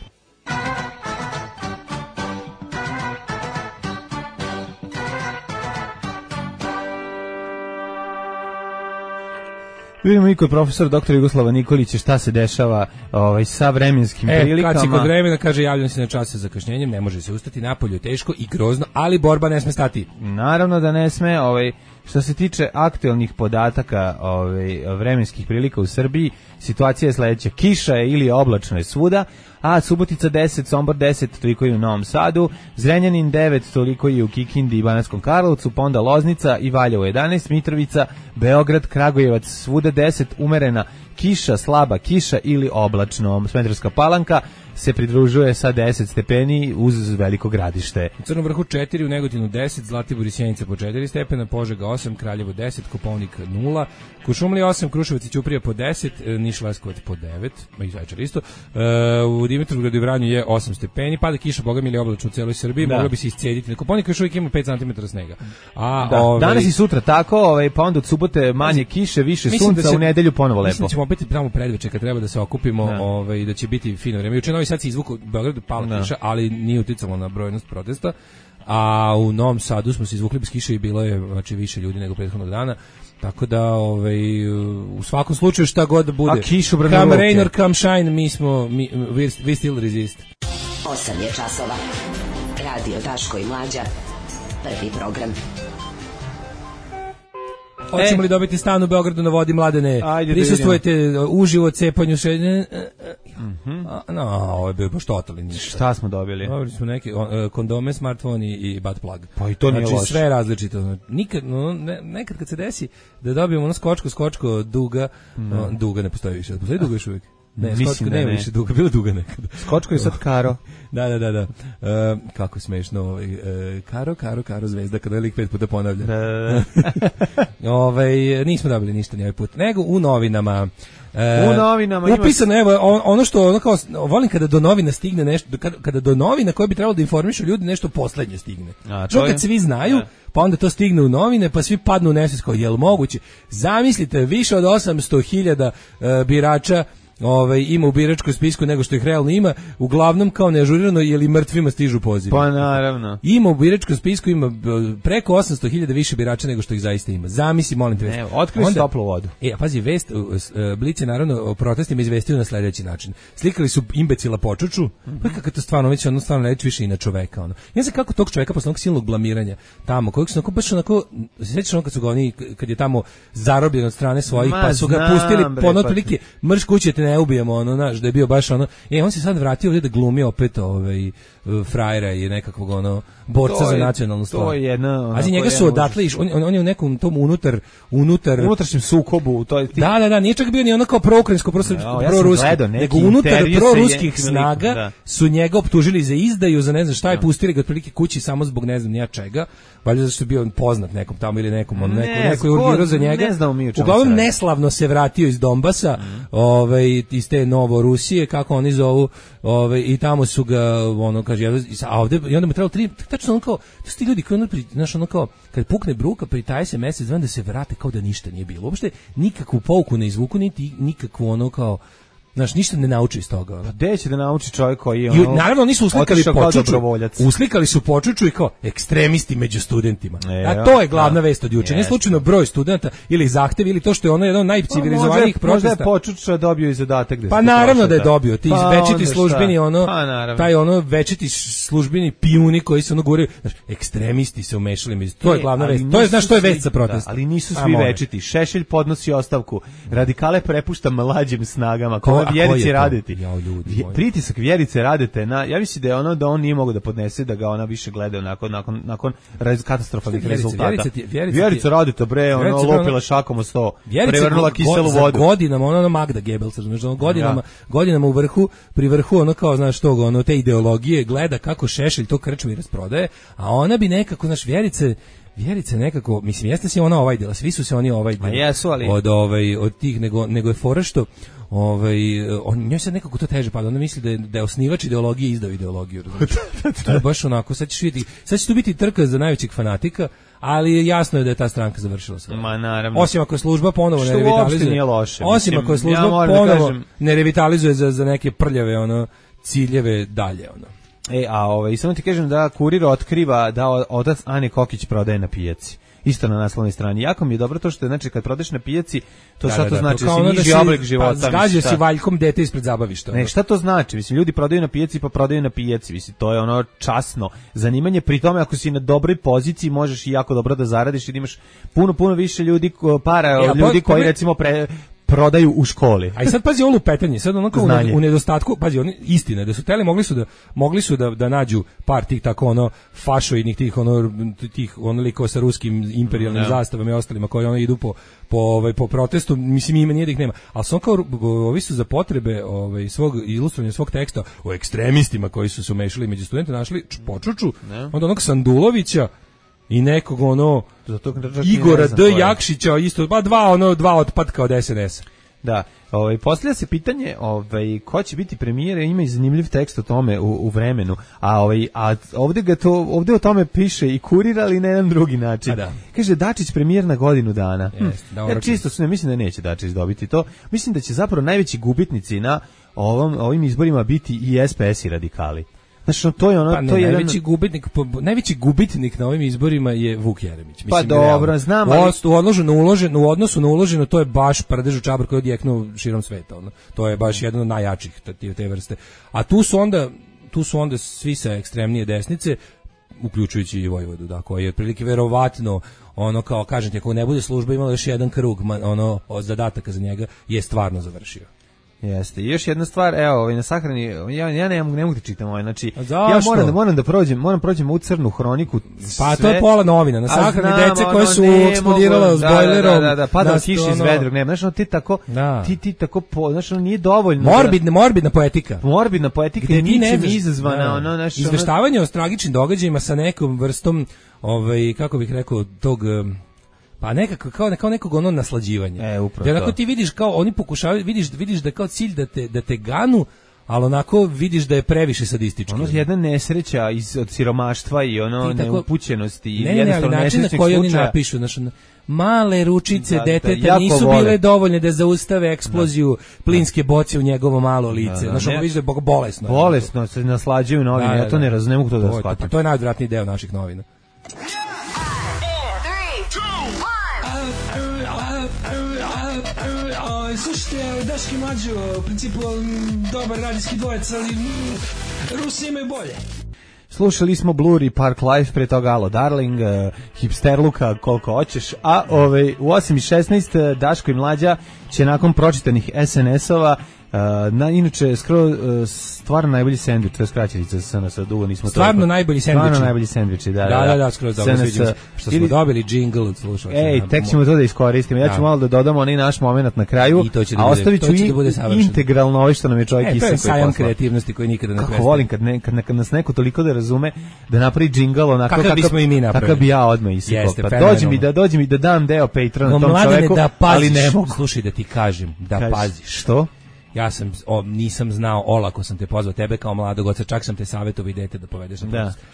Vidimo i kod profesora doktora Jugoslava Nikolića šta se dešava ovaj, sa vremenskim e, prilikama. Kad si kod vremena, kaže, javljam se na čas sa zakašnjenjem, ne može se ustati, napolju je teško i grozno, ali borba ne sme stati. Naravno da ne sme, ovaj, što se tiče aktuelnih podataka ovaj, vremenskih prilika u Srbiji, situacija je sledeća, kiša je ili oblačno je svuda, a Subotica deset, Sombor deset, toliko je u Novom Sadu, Zrenjanin devet, toliko je u Kikindi i Banatskom Karlovcu, pa onda Loznica i Valjevo jedanaest, Mitrovica, Beograd, Kragujevac, svuda deset, umerena kiša, slaba kiša ili oblačno. Smederevska Palanka se pridružuje sa deset stepeni uz Veliko Gradište. U Crnom Vrhu četiri, u Negotinu deset, Zlatibor i Sjenica po četiri stepena, Požega osam, Kraljevo deset, Kopaonik nula, Kuršumlija osam, Kruševac i Ćuprija po deset, Niš Leskovac po devet, ma i Zaječar isto. U Dimitrovgradu i Vranju je osam stepeni, pada kiša, boga mi ili oblačno u celoj Srbiji, da. Moglo bi se iscediti. Na Kopaonik još uvijek ima pet centimetara snega. A, da. Ove, danas i sutra tako, ovaj, pa onda od subote manje kiše, više sunca, da se, u nedelju ponovo lepo. Mislim da ćemo opet tamo predveče kad treba da se okupimo, da. Ovaj, da će biti fino vreme. Juče Novi Sad se izvukao, u Beogradu pala kiša, ali nije uticalo na brojnost protesta. A u Novom Sadu smo se izvukli bez kiše i bilo je znači više ljudi nego prethodnog dana. Tako da ovaj u svakom slučaju šta god da bude. A kišu come rain or come shine, mi smo mi we, we still resist. osam je časova. Radio Daško i Mlađa. Prvi program. Hoćemo li dobiti stan u Beogradu na vodi, Mladene? Prisustvujete uživo cepanju še... Mm-hmm. No, ovo je bio baš totalni. Šta smo dobili? Dobili smo neke kondome, smartfon i, i butt plug. Pa i to nije znači, loše. Sve različito. Nikad, no, ne, nekad kad se desi da dobijemo ono skočko, skočko, duga, no. No, duga ne postoji više. Postoji duga još uvijek? Ne, Mislim skočko da nema ne. više duga, bilo duga nekada. Skočko je sad Karo. Da, da, da, da. Uh, kako smešno, ovaj, uh, Karo, Karo, Karo zvezda, kada je lik pet puta ponavlja. Da, da, da. ovaj, nismo dobili ništa ni ovaj put, nego u novinama. Uh, u novinama upisano, imaš... evo, ono što, ono kao, volim kada do novina stigne nešto, kada, kada do novina koje bi trebalo da informišu ljudi nešto poslednje stigne. A, to kad svi znaju, ja. Pa onda to stigne u novine, pa svi padnu u nesvest kao, je li moguće? Zamislite, više od osamsto hiljada uh, birača Ove, ima u biračkom spisku nego što ih realno ima, uglavnom kao neažurirano je li mrtvima stižu pozivi. Pa naravno. Ima u biračkom spisku ima preko osamsto hiljada više birača nego što ih zaista ima. Zamisli, molim te. Ne, otkrij onda, toplu vodu. E, a pazi, vest, Blic je naravno o protestima izvestio na sledeći način. Slikali su imbecila Počuču, mm-hmm. pa kako to stvarno, već ono stvarno neće više i na čoveka. Ono. Ja znam kako tog čoveka posle onog silnog blamiranja tamo, kojeg su onako baš onako, se sjećaš ono kad su ga oni, kad je tamo zarobljen od strane svojih, Ma, pa su ga znam, pustili bre, po ono otprilike, mrš kuće te ne ubijemo, ono, znaš, da je bio baš ono, e, on se sad vratio ovdje da glumi opet ovaj, frajera i nekakvog ono, borca je, za nacionalnu stvar. To je jedna... Azi, njega su odatle iš, on, on je u nekom tom unutar, unutar... unutrašnjem sukobu. To je ti... Da, da, da, nije čak bio ni ono kao pro-ukrajinsko, pro-ruski, ja nego unutar pro-ruskih snaga da. Su njega optužili za izdaju, za ne znam šta, je pustili ga otprilike kući samo zbog ne znam nija čega, valjda zašto je bio poznat nekom tamo ili nekom, on, neko, ne, neko je urgirao za njega. Ne znamo mi u čemu uglavnom neslavno se vratio iz Donbasa, mm. ovaj, iz te Novorusije, kako oni zovu, ovaj, i tamo su ga, ono, kaže, a ovde, i onda mu trebalo tri, tačno ono kao, to su ti ljudi koji, ono, znaš, ono kao, kad pukne bruka, pritaje se mesec, da se vrate kao da ništa nije bilo. Uopšte nikakvu pouku ne izvuku, niti nikakvu ono kao, znaš, ništa ne nauči iz toga. Pa gde će da nauči čovjek koji je ono... I, naravno, oni su uslikali Počuču, uslikali su Počuču i kao ekstremisti među studentima. E, a to je glavna ja, vest od juče. Nije slučajno broj studenta ili zahtev ili to što je ono jedan od najcivilizovanijih protesta. Možda je Počuča dobio i zadatak. Da pa naravno da je dobio. Ti pa večiti službeni, ono, pa, taj ono večiti službeni pijuni koji se ono guraju. Znaš, ekstremisti se umešali među. To je glavna vest. To je, znaš, to je vest za protest. Da, ali nisu svi večiti. Šešelj podnosi ostavku. Radikale prepušta mlađim snagama. Vjerice Radeti. Ja, ljudi, pritisak Vjerice Radete na, ja mislim da je ono da on nije mogao da podnese da ga ona više gleda nakon nakon nakon katastrofalnih rezultata. Vjerica Radeta bre, ono lopila šakom o sto, prevrnula kiselu vodu. Godinama ona ona Magda Goebbels, znači ono godinama godinama u vrhu, pri vrhu ono kao znaš tog ono te ideologije gleda kako Šešelj to krčmi rasprodaje, a ona bi nekako naš Vjerice Vjerice nekako, mislim, jeste se ona ovaj dela, svi su se oni ovaj dela jesu, ali... od, ovaj, od tih, nego, nego je fora što ovaj, on, njoj sad nekako to teže pada, ona misli da je, da je osnivač ideologije izdao ideologiju. To je baš onako, sad ćeš vidjeti, sad će tu biti trka za najvećeg fanatika, ali jasno je da je ta stranka završila sve. Ma naravno. Osim ako je služba ponovo što ne revitalizuje. Nije loše. Osim mislim, ako je služba ja ponovo da kažem... ne revitalizuje za, za neke prljave ono, ciljeve dalje. Ono. E, a ovaj, samo ti kažem da Kurir otkriva da otac Ane Kokić prodaje na pijaci. Isto na naslovnoj strani. Jako mi je dobro to što je, znači, kad prodeš na pijaci, to da, šta da, to da, znači? To da si niži oblik života. Pa zgađa si valjkom dete ispred zabavišta. Ne, šta to znači? Mislim, ljudi prodaju na pijaci pa prodaju na pijaci. Mislim, to je ono časno zanimanje. Pri tome, ako si na dobroj poziciji, možeš i jako dobro da zaradiš i da imaš puno, puno više ljudi, para od ljudi koji, recimo, pre... prodaju u školi. A i sad pazi ovo lupetanje, sad onako u, u nedostatku, pazi, oni istina da su teli mogli su da mogli su da da nađu par tih tako ono fašoidnih tih ono tih ono likova sa ruskim imperijalnim no. zastavama i ostalima koji ono idu po po ovaj po protestu, mislim ima nije da ih nema. Al su kao ovi su za potrebe ovaj svog ilustrovanja svog teksta o ekstremistima koji su se umešali među studente našli počuču, no. onda onog Sandulovića i nekog ono Igora D. Jakšića isto, ba dva ono dva otpatka od S N S. Da, ovaj postavlja se pitanje, ovaj ko će biti premijer, ima i zanimljiv tekst o tome u, u Vremenu, a ovaj a ovde ga to ovde o tome piše i Kurir, ali na jedan drugi način. Da. Kaže Dačić premijer na godinu dana. Jest, hm. Ja čisto se ne mislim da neće Dačić dobiti to. Mislim da će zapravo najveći gubitnici na ovom ovim izborima biti i S P S i radikali. Znači, to je ono, pa ne, to je najveći jedan... gubitnik, najveći gubitnik na ovim izborima je Vuk Jeremić. Mislim, pa dobro, znam, ali... U, odloženo, uloženo, u odnosu na uloženo, to je baš prdež u čabar koji je odjeknuo širom sveta. Ono. To je baš jedan od najjačih te, te vrste. A tu su onda, tu su onda svi sa ekstremnije desnice, uključujući i Vojvodu, da, koji je otprilike verovatno, ono kao, kažem ti, ako ne bude služba imala još jedan krug, ono, od zadataka za njega, je stvarno završio. Jeste. I još jedna stvar, evo, ovaj na sahrani, ja ja ne mogu ne mogu da čitam ovaj, znači ja moram da moram da prođem, moram prođem u crnu hroniku. Pa sve. To je pola novina, na sahrani deca koje su eksplodirale s bojlerom. Da, da, da, padala kiša iz vedra, ne, znači ti tako, da. ti ti tako, po, znači nije dovoljno. Morbidna, morbidna poetika. Morbidna poetika je ničim izazvana, da. ono naše izveštavanje o tragičnim događajima sa nekom vrstom, ovaj kako bih rekao, tog pa nekako kao kao nekog ono naslađivanja. E, upravo. Jer onako ti vidiš kao oni pokušavaju, vidiš vidiš da kao cilj da te da te ganu, ali onako vidiš da je previše sadistički. Ono je jedna nesreća iz od siromaštva i ono tako, neupućenosti i ne, jednostavno ne, način na koji oni napišu, znači male ručice da, deteta da, nisu vole. bile dovoljne da zaustave eksploziju da. plinske boce u njegovo malo lice. Da, da, znači ono vidiš da je bolesno. Bolesno se naslađuju novine, da, da, ja to ne razumem, ne mogu to da shvatim. Pa to je najodvratniji deo naših novina. Slušajte, Daški Mlađo, u principu dobar radijski dvojec, ali Rusi imaju bolje. Slušali smo Blur i Park Life, pre toga Alo Darling, uh, Hipsterluka, koliko hoćeš, a ove, u osam i šesnaest Daško i Mlađa će nakon pročitanih S N S-ova Uh, na, inače, skoro, uh, stvarno najbolji sendvič, to je skraćenica sa nas, dugo nismo stvarno toliko. najbolji sendviči. Stvarno najbolji sendviči, da, da, da, da, skoro dobro, sviđa se, što smo ili... dobili džingl od slušalca. Ej, tek ćemo to da iskoristimo, ja ću da. malo da dodamo onaj naš moment na kraju, I to će da a bude, ostavit ću i, da integralno ovo što nam je čovjek e, Isak koji poslao. Sajam kreativnosti koji nikada ne prestaje. Kako volim, kad, ne, kad, kad nas neko toliko da razume, da napravi džingl onako kakav bismo i mi napravili. Kakav bi ja odmah isikao. Pa dođi mi da, dođi mi da dam deo Patreona tom čoveku, ali ne mogu. Slušaj da ti kažem, da paziš. Što? Ja sam o, nisam znao, olako sam te pozvao, tebe kao mladog oca, čak sam te savjetovao idete da povedeš na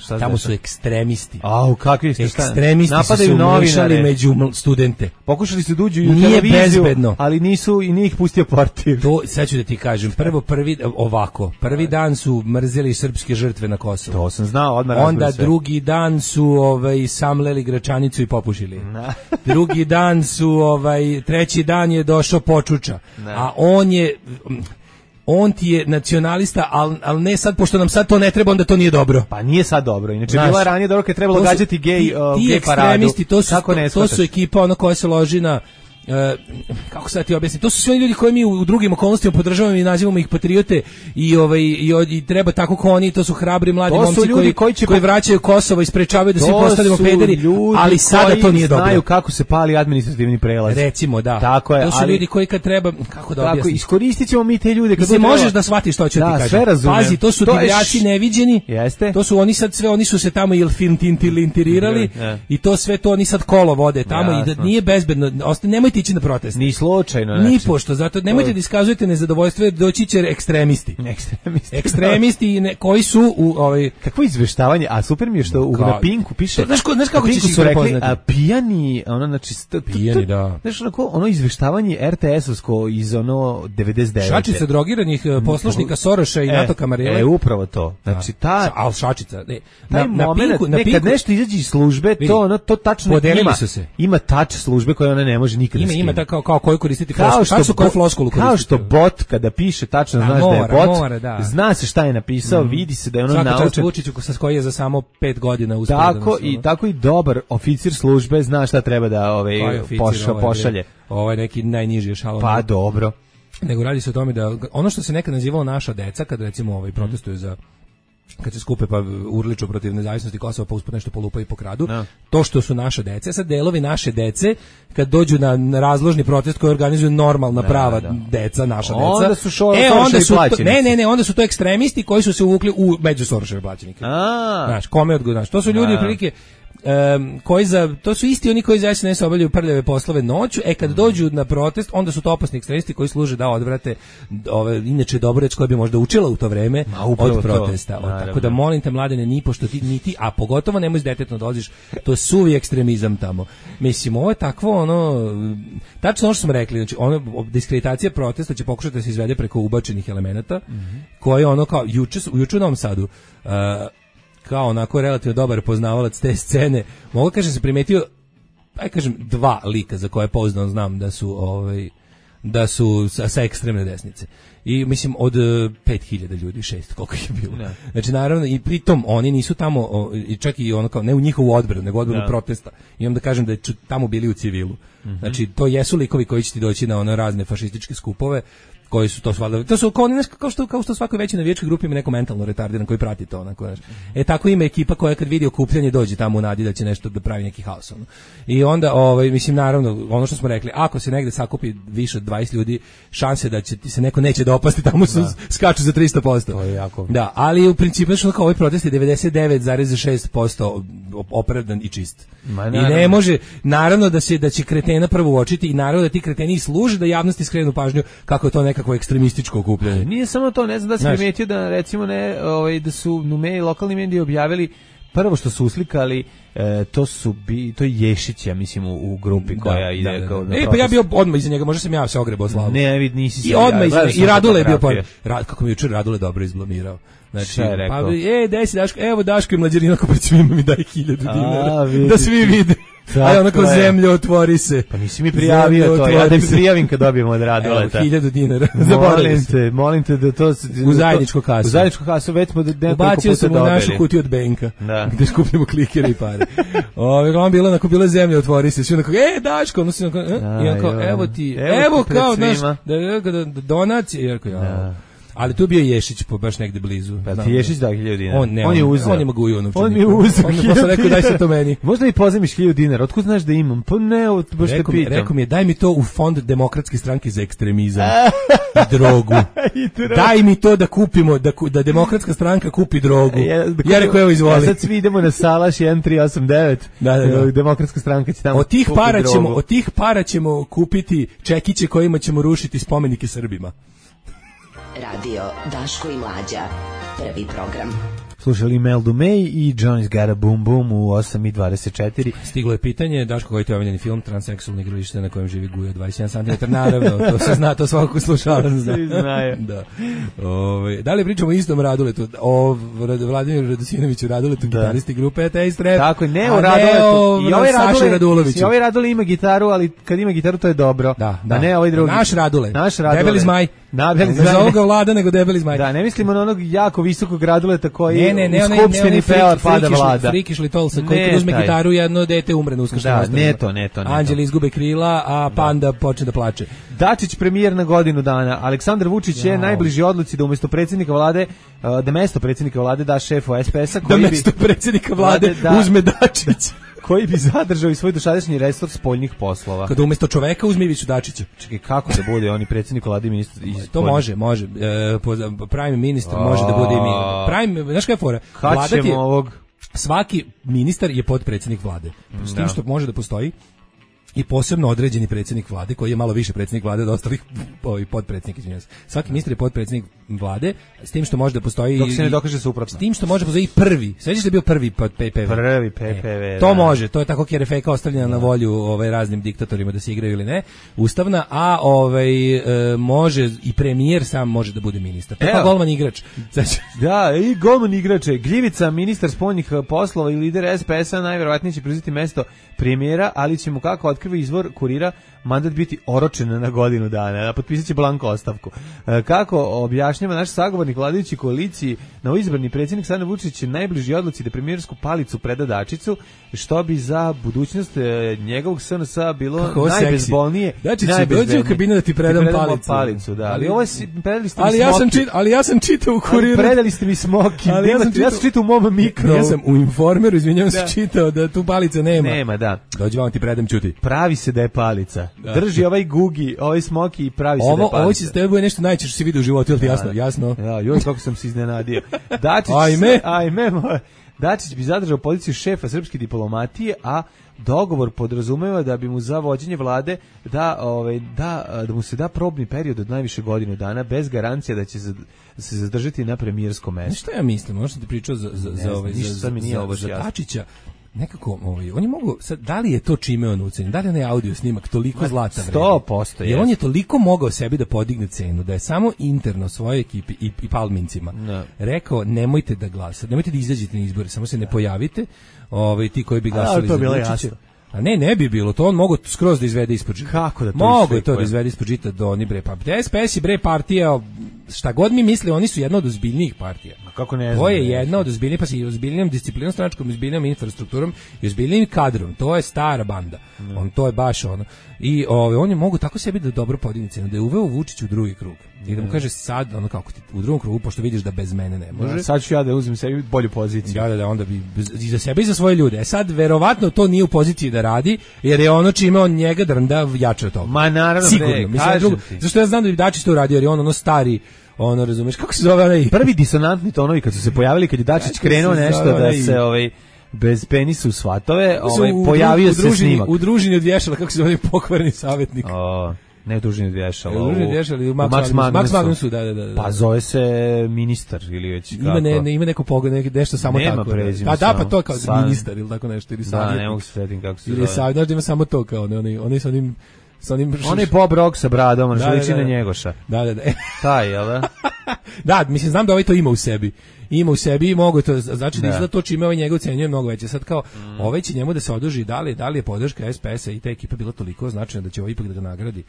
da, tamo su ekstremisti. Au, kakvi ste šta? Ekstremisti napadaju su novinare među studente. Pokušali su da uđu u nije televiziju, bezbedno. Ali nisu i nije ih pustio portir. To sad ću da ti kažem. Prvo prvi ovako, prvi dan su mrzeli srpske žrtve na Kosovu. To sam znao, odmah onda drugi dan su ovaj samleli Gračanicu i popušili. Na. Drugi dan su ovaj treći dan je došao Počuča. Na. A on je on ti je nacionalista, ali al ne sad, pošto nam sad to ne treba, onda to nije dobro. Pa nije sad dobro, inače bila ranije dobro kad trebalo gađati gej, ti, uh, ti gej paradu. To su, to, to su ekipa ono koja se loži na E, kako sad ti objasnim, to su sve oni ljudi koji mi u drugim okolnostima podržavamo i nazivamo ih patriote i ovaj i, i treba tako kao oni, to su hrabri mladi momci koji, koji, će koji vraćaju Kosovo i sprečavaju da se postavimo pederi, ali sada to nije dobro. Znaju kako se pali administrativni prelaz. Recimo, da. Tako je, to su ali, ljudi koji kad treba, kako da objasnim. Tako, iskoristit ćemo mi te ljude kad se možeš da shvatiš što ću da, ti kažem. Pazi, to su divljaci neviđeni. Jeste. To su oni sad sve, oni su se tamo ilfintintilintirirali i to sve to oni sad kolo vode tamo ja, i da nije bezbedno. Osta, nemojte ići na protest. Ni slučajno. Ni pošto, zato nemojte da iskazujete nezadovoljstvo, doći će ekstremisti. Ekstremisti. Ekstremisti ne, koji su u ovaj kakvo izveštavanje, a super mi je što u na Pinku piše. To, znaš, ko, znaš kako ćeš ih prepoznati? A pijani, ono znači pijani, da. Znaš onako, ono izveštavanje er te esovsko iz ono devedeset devete. Šačica drogiranih poslušnika Soroša i NATO kamarele. E, upravo to. Znači ta al šačica, ne. Na, na Pinku, na Pinku, kad nešto izađe iz službe, to ono to tačno ima. Ima tač službe koje ona ne može nikad. Ima ima tako kao koju koristiti floskulu. Kao što koju floskulu koristiti. Kao što bot kada piše tačno znaš da je bot. Zna se šta je napisao, vidi se da je ono naučen. Svaka čast Vučiću sa koji je za samo pet godina uspeo. Tako i tako i dobar oficir službe zna šta treba da ovaj pošalje. Ovo je neki najniži ešalon. Pa dobro. Nego radi se o tome da ono što se nekad nazivalo naša deca, kad recimo ovaj protestuju za kad se skupe pa urliču protiv nezavisnosti Kosova pa usput nešto polupaju i pokradu, no. To što su naše dece, sad delovi naše dece kad dođu na, na razložni protest koji organizuju normalna da, prava da. deca, naša deca. Onda su šor, e, onda su to, ne, ne, ne, onda su to ekstremisti koji su se uvukli u među Soroševe plaćenike. Znaš, kome odgovornaš? To su ljudi prilike Um, koji za, to su isti oni koji za es en es obavljaju prljave poslove noću, e kad dođu na protest, onda su to opasni ekstremisti koji služe da odvrate ove, inače dobroreć koja bi možda učila u to vreme od protesta. To, tako da molim te mladene, ni pošto ti, ni ti, a pogotovo nemoj s detetom dolaziš, to je suvi ekstremizam tamo. Mislim, ovo je takvo ono, tačno ono što smo rekli, znači ono, diskreditacija protesta će pokušati da se izvede preko ubačenih elemenata, mm-hmm. koje ono kao, juče, juče u Novom Sadu, uh, kao onako relativno dobar poznavalac te scene, mogu kažem se primetio, aj kažem dva lika za koje pouzdano znam da su ovaj da su sa, sa ekstremne desnice. I mislim od pet hiljada ljudi, šest koliko je bilo. Ne. Znači naravno i pritom oni nisu tamo o, i čak i ono kao ne u njihovu odbranu, nego odbranu ne. protesta. I onda kažem da je tamo bili u civilu. Mm-hmm. Znači to jesu likovi koji će ti doći na one razne fašističke skupove koji su to svalda. To su kao, kao što kao što svakoj većoj navijačkoj grupi ima neko mentalno retardiran koji prati to onako, znači. E tako ima ekipa koja kad vidi okupljanje dođe tamo u nadi da će nešto da pravi neki haos ono. I onda ovaj mislim naravno ono što smo rekli, ako se negde sakupi više od dvadeset ljudi, šanse da će ti se neko neće dopasti, tamo su da. skaču za tristo posto. To je jako. Da, ali u principu što kao ovaj protest je devedeset devet zarez šest posto opravdan i čist. Ma, I ne može naravno da se da će kretena prvo uočiti i naravno da ti kreteni služe da javnosti skrenu pažnju kako je to nekako ekstremističko okupljanje. Nije samo to, ne znam da se primetio da recimo ne, ovaj da su nume lokalni mediji objavili prvo što su uslikali e, to su bi to je Ješić, ja mislim u, u grupi koja da, ide da, da, kao da. E pa ja bio odmah iza njega, možda sam ja se ogrebao slavu. Ne, vid nisi se. I odmah iza i Radule je bio pa Rad, kako mi jučer Radule dobro izblamirao. Znači, pa ej, daj si Daško, evo Daško i mlađarina ko pred svima mi daj hiljadu dinara. Da svi vide. Aj onako zemlja otvori se. Pa nisi mi prijavio to, ja da mi prijavim kad dobijemo od Raduleta. hiljadu dinara. Molim te, molim te da to... U zajedničku kasu. U zajedničku kasu, već smo nekoliko puta dobili. Ubacio sam u našu kutiju od Benka, gde skupljamo klikere i pare. Ove, gledam, bila onako, bila zemlja, otvori se. Svi onako, e, Daško, ono si onako, i onako, evo ti, evo kao, znaš, da donacije, jer ja... Ali tu bio Ješić po baš negde blizu. Pa ti Ješić dao hiljadu dinara. On, ne, on, on je uzeo. On je maguju ono. On mi je uzeo. On mi posle rekao daj se to meni. Možda mi pozajmiš hiljadu dinara. Otkud znaš da imam? Pa ne, baš te pitam. Rekao mi je daj mi to u fond Demokratske stranke za ekstremizam i drogu. Daj mi to da kupimo, da, da Demokratska stranka kupi drogu. Ja, da ja rekao evo izvoli. Ja sad svi idemo na Salaš jedan tri osam devet. Da, da, da. Demokratska stranka će tamo. Od tih para ćemo, od tih para ćemo kupiti čekiće kojima ćemo rušiti spomenike Srbima. Radio Daško i Mlađa, prvi program. Slušali Meldu May i Johnny's Got a Boom Boom u osam i dvadeset četiri. Stiglo je pitanje, Daško, koji je to omiljeni film, transseksualno igralište na kojem živi Gujo dvadeset jedan centimetar, naravno, to se zna, to svakako slušala zna. Svi znaju. Da. Ove, da li pričamo o istom Raduletu, o Vladimiru Radosinoviću Raduletu, da. Gitaristi grupe Taste Rap, tako, ne o Raduletu, i ovaj Radule, Raduloviću. I ovaj Radule ima gitaru, ali kad ima gitaru to je dobro. Da, da. A ne ovaj drugi. Naš Radule, Naš Radule. Debeli zmaj. Nabeli Ne za ovoga vlada, nego debeli zmaj. Da, ne mislimo na onog jako visokog graduleta koji ne, ne, ne, u skupštini peva pada vlada. Frikišli tolsa, koji kad uzme taj gitaru, jedno dete umre na uskršnjem da, ostavima. Ne to, ne to, ne to. Anđeli izgube krila, a panda da. počne da plače. Dačić premijer na godinu dana. Aleksandar Vučić ja. je najbliži odluci da umjesto predsjednika vlade, da mesto predsjednika vlade da šefu es pe es-a, koji da mesto bi predsjednika vlade da, uzme Dačić. Koji bi zadržao i svoj dosadašnji resor spoljnih poslova. Kada umjesto čoveka uzme Iviću Dačića. Čekaj, kako da bude oni predsjednik vlade i ministar? To može, može. E, prime ministar može da bude i mi. Prime, znaš kada je fora? Kad ćemo ovog? Svaki ministar je potpredsjednik vlade. S tim što može da postoji i posebno određeni predsjednik vlade koji je malo više predsjednik vlade od ostalih ovaj potpredsjednika, izvinjavam se. Svaki ministar je potpredsjednik vlade, s tim što može da postoji dok se ne dokaže suprotno. S tim što može da postoji i prvi. Sećaš se da je bio prvi pod pe pe ve? Prvi pe pe ve. E, to može, to je tako kerefeka ostavljena na volju ovaj raznim diktatorima da se igraju ili ne. Ustavna, a ovaj e, može i premijer sam može da bude ministar. To je golman igrač. Znači, da, i golman igrač. Gljivica, ministar spoljnih poslova i lider es pe es-a najverovatnije će preuzeti mesto premijera, ali će mu kako otkriva izvor Kurira mandat biti oročen na godinu dana, a potpisat će blanko ostavku. Kako objašnjava naš sagovornik vladajući koaliciji, novoizabrani predsjednik Aleksandar Vučić je najbliži odluci da premijersku palicu preda Dačiću, što bi za budućnost njegovog es en es-a bilo najbezbolnije. Dačić će dođe u kabinu da ti predam, ti predam palicu. palicu da. Ali, ovo je, predali ste mi ali, ja sam čit, ali ja sam čitao u Kuriru. Ali predali ste mi smoki. Ali ja sam čitao, ja sam čitao u mom mikro. Ja sam u Informeru, izvinjavam se, čitao da tu palice nema. Nema, da. Dođi vam ti predam, čuti. Pravi se da je palica. Da. Drži ovaj gugi, ovaj smoki i pravi se ovo, da je palica. Ovo će s tebe bude nešto najčešće što si vidio u životu, ili ti jasno? Jasno. Ja, joj, kako sam se iznenadio. Dačić, ajme. Ajme, moj. Dačić bi zadržao poziciju šefa srpske diplomatije, a dogovor podrazumeva da bi mu za vođenje vlade da, ovaj, da, da mu se da probni period od najviše godinu dana bez garancije da će se zadržati na premijerskom mestu. Što ja mislim, ono što ti pričao za, za, za, ovaj, za, za, za, za Dačića, nekako, ovaj, oni mogu, sad, da li je to čime on ucenjen, da li je onaj audio snimak toliko zlata vredi? sto posto je. Jer on je toliko mogao sebi da podigne cenu, da je samo interno svojoj ekipi i, i palmincima no. rekao, nemojte da glasate, nemojte da izađete na izbore, samo se ne pojavite, ovaj, ti koji bi glasali za Vučića. A ne, ne bi bilo, to on mogu skroz da izvede ispod žita. Kako da to mogu to da izvede ispod žita do oni bre, pa es pe es i bre partija, šta god mi misle, oni su jedna od ozbiljnijih partija. Kako ne znam. To je jedna od ozbiljnijih, pa si ozbiljnijom disciplinom stranačkom, ozbiljnijom infrastrukturom i ozbiljnijim kadrom. To je stara banda. Mm. On to je baš ono. I ove, oni mogu tako sebi da dobro podigne cenu, da je uveo Vučić u drugi krug. I da mu kaže sad, ono kako ti, u drugom krugu, pošto vidiš da bez mene ne može. Da, sad ću ja da uzmem sebi bolju poziciju. Da, da, da, onda bi i za sebe i za svoje ljude. E sad, verovatno to nije u poziciji da radi, jer je ono čime on njega drnda jače od toga. Ma naravno, sigurno. ne, mislim, drugo, zašto ja znam da bi Dačić to uradio, jer je on ono stari, ono, razumeš, kako se zove onaj... Prvi disonantni tonovi kad su se pojavili, kad je Dačić krenuo nešto da se, ovaj, bez penisa u svatove, ovaj, pojavio se snimak. U družini od vješala, kako se zove pokvarni savjetnik. O, ne u družini od vješala. U družini od vješala, u Max, Max, Max, Max Magnusu, da, da, da. Pa zove se ministar ili već kako. Ima, ne, ne, ima neko pogled, nešto samo nema tako. Prezime, pa da, pa to kao san... ministar ili tako nešto. Ili da, ne mogu se svetim kako se zove. Ili savjetnik, znaš da ima samo to kao, oni, oni, oni sa onim... On je Bob Rock sa bradom, on liči na Njegoša. Da, da, da. Taj, jel da? Da, mislim, znam da ovaj to ima u sebi. Ima u sebi i mogu to, znači da izgleda to čime ovaj njega ocenjuje mnogo veće. Sad kao, mm. ovaj će njemu da se oduži, da li, da li je podrška es pe es-a i te ekipe bila toliko značajna da će ovaj ipak da ga nagradi.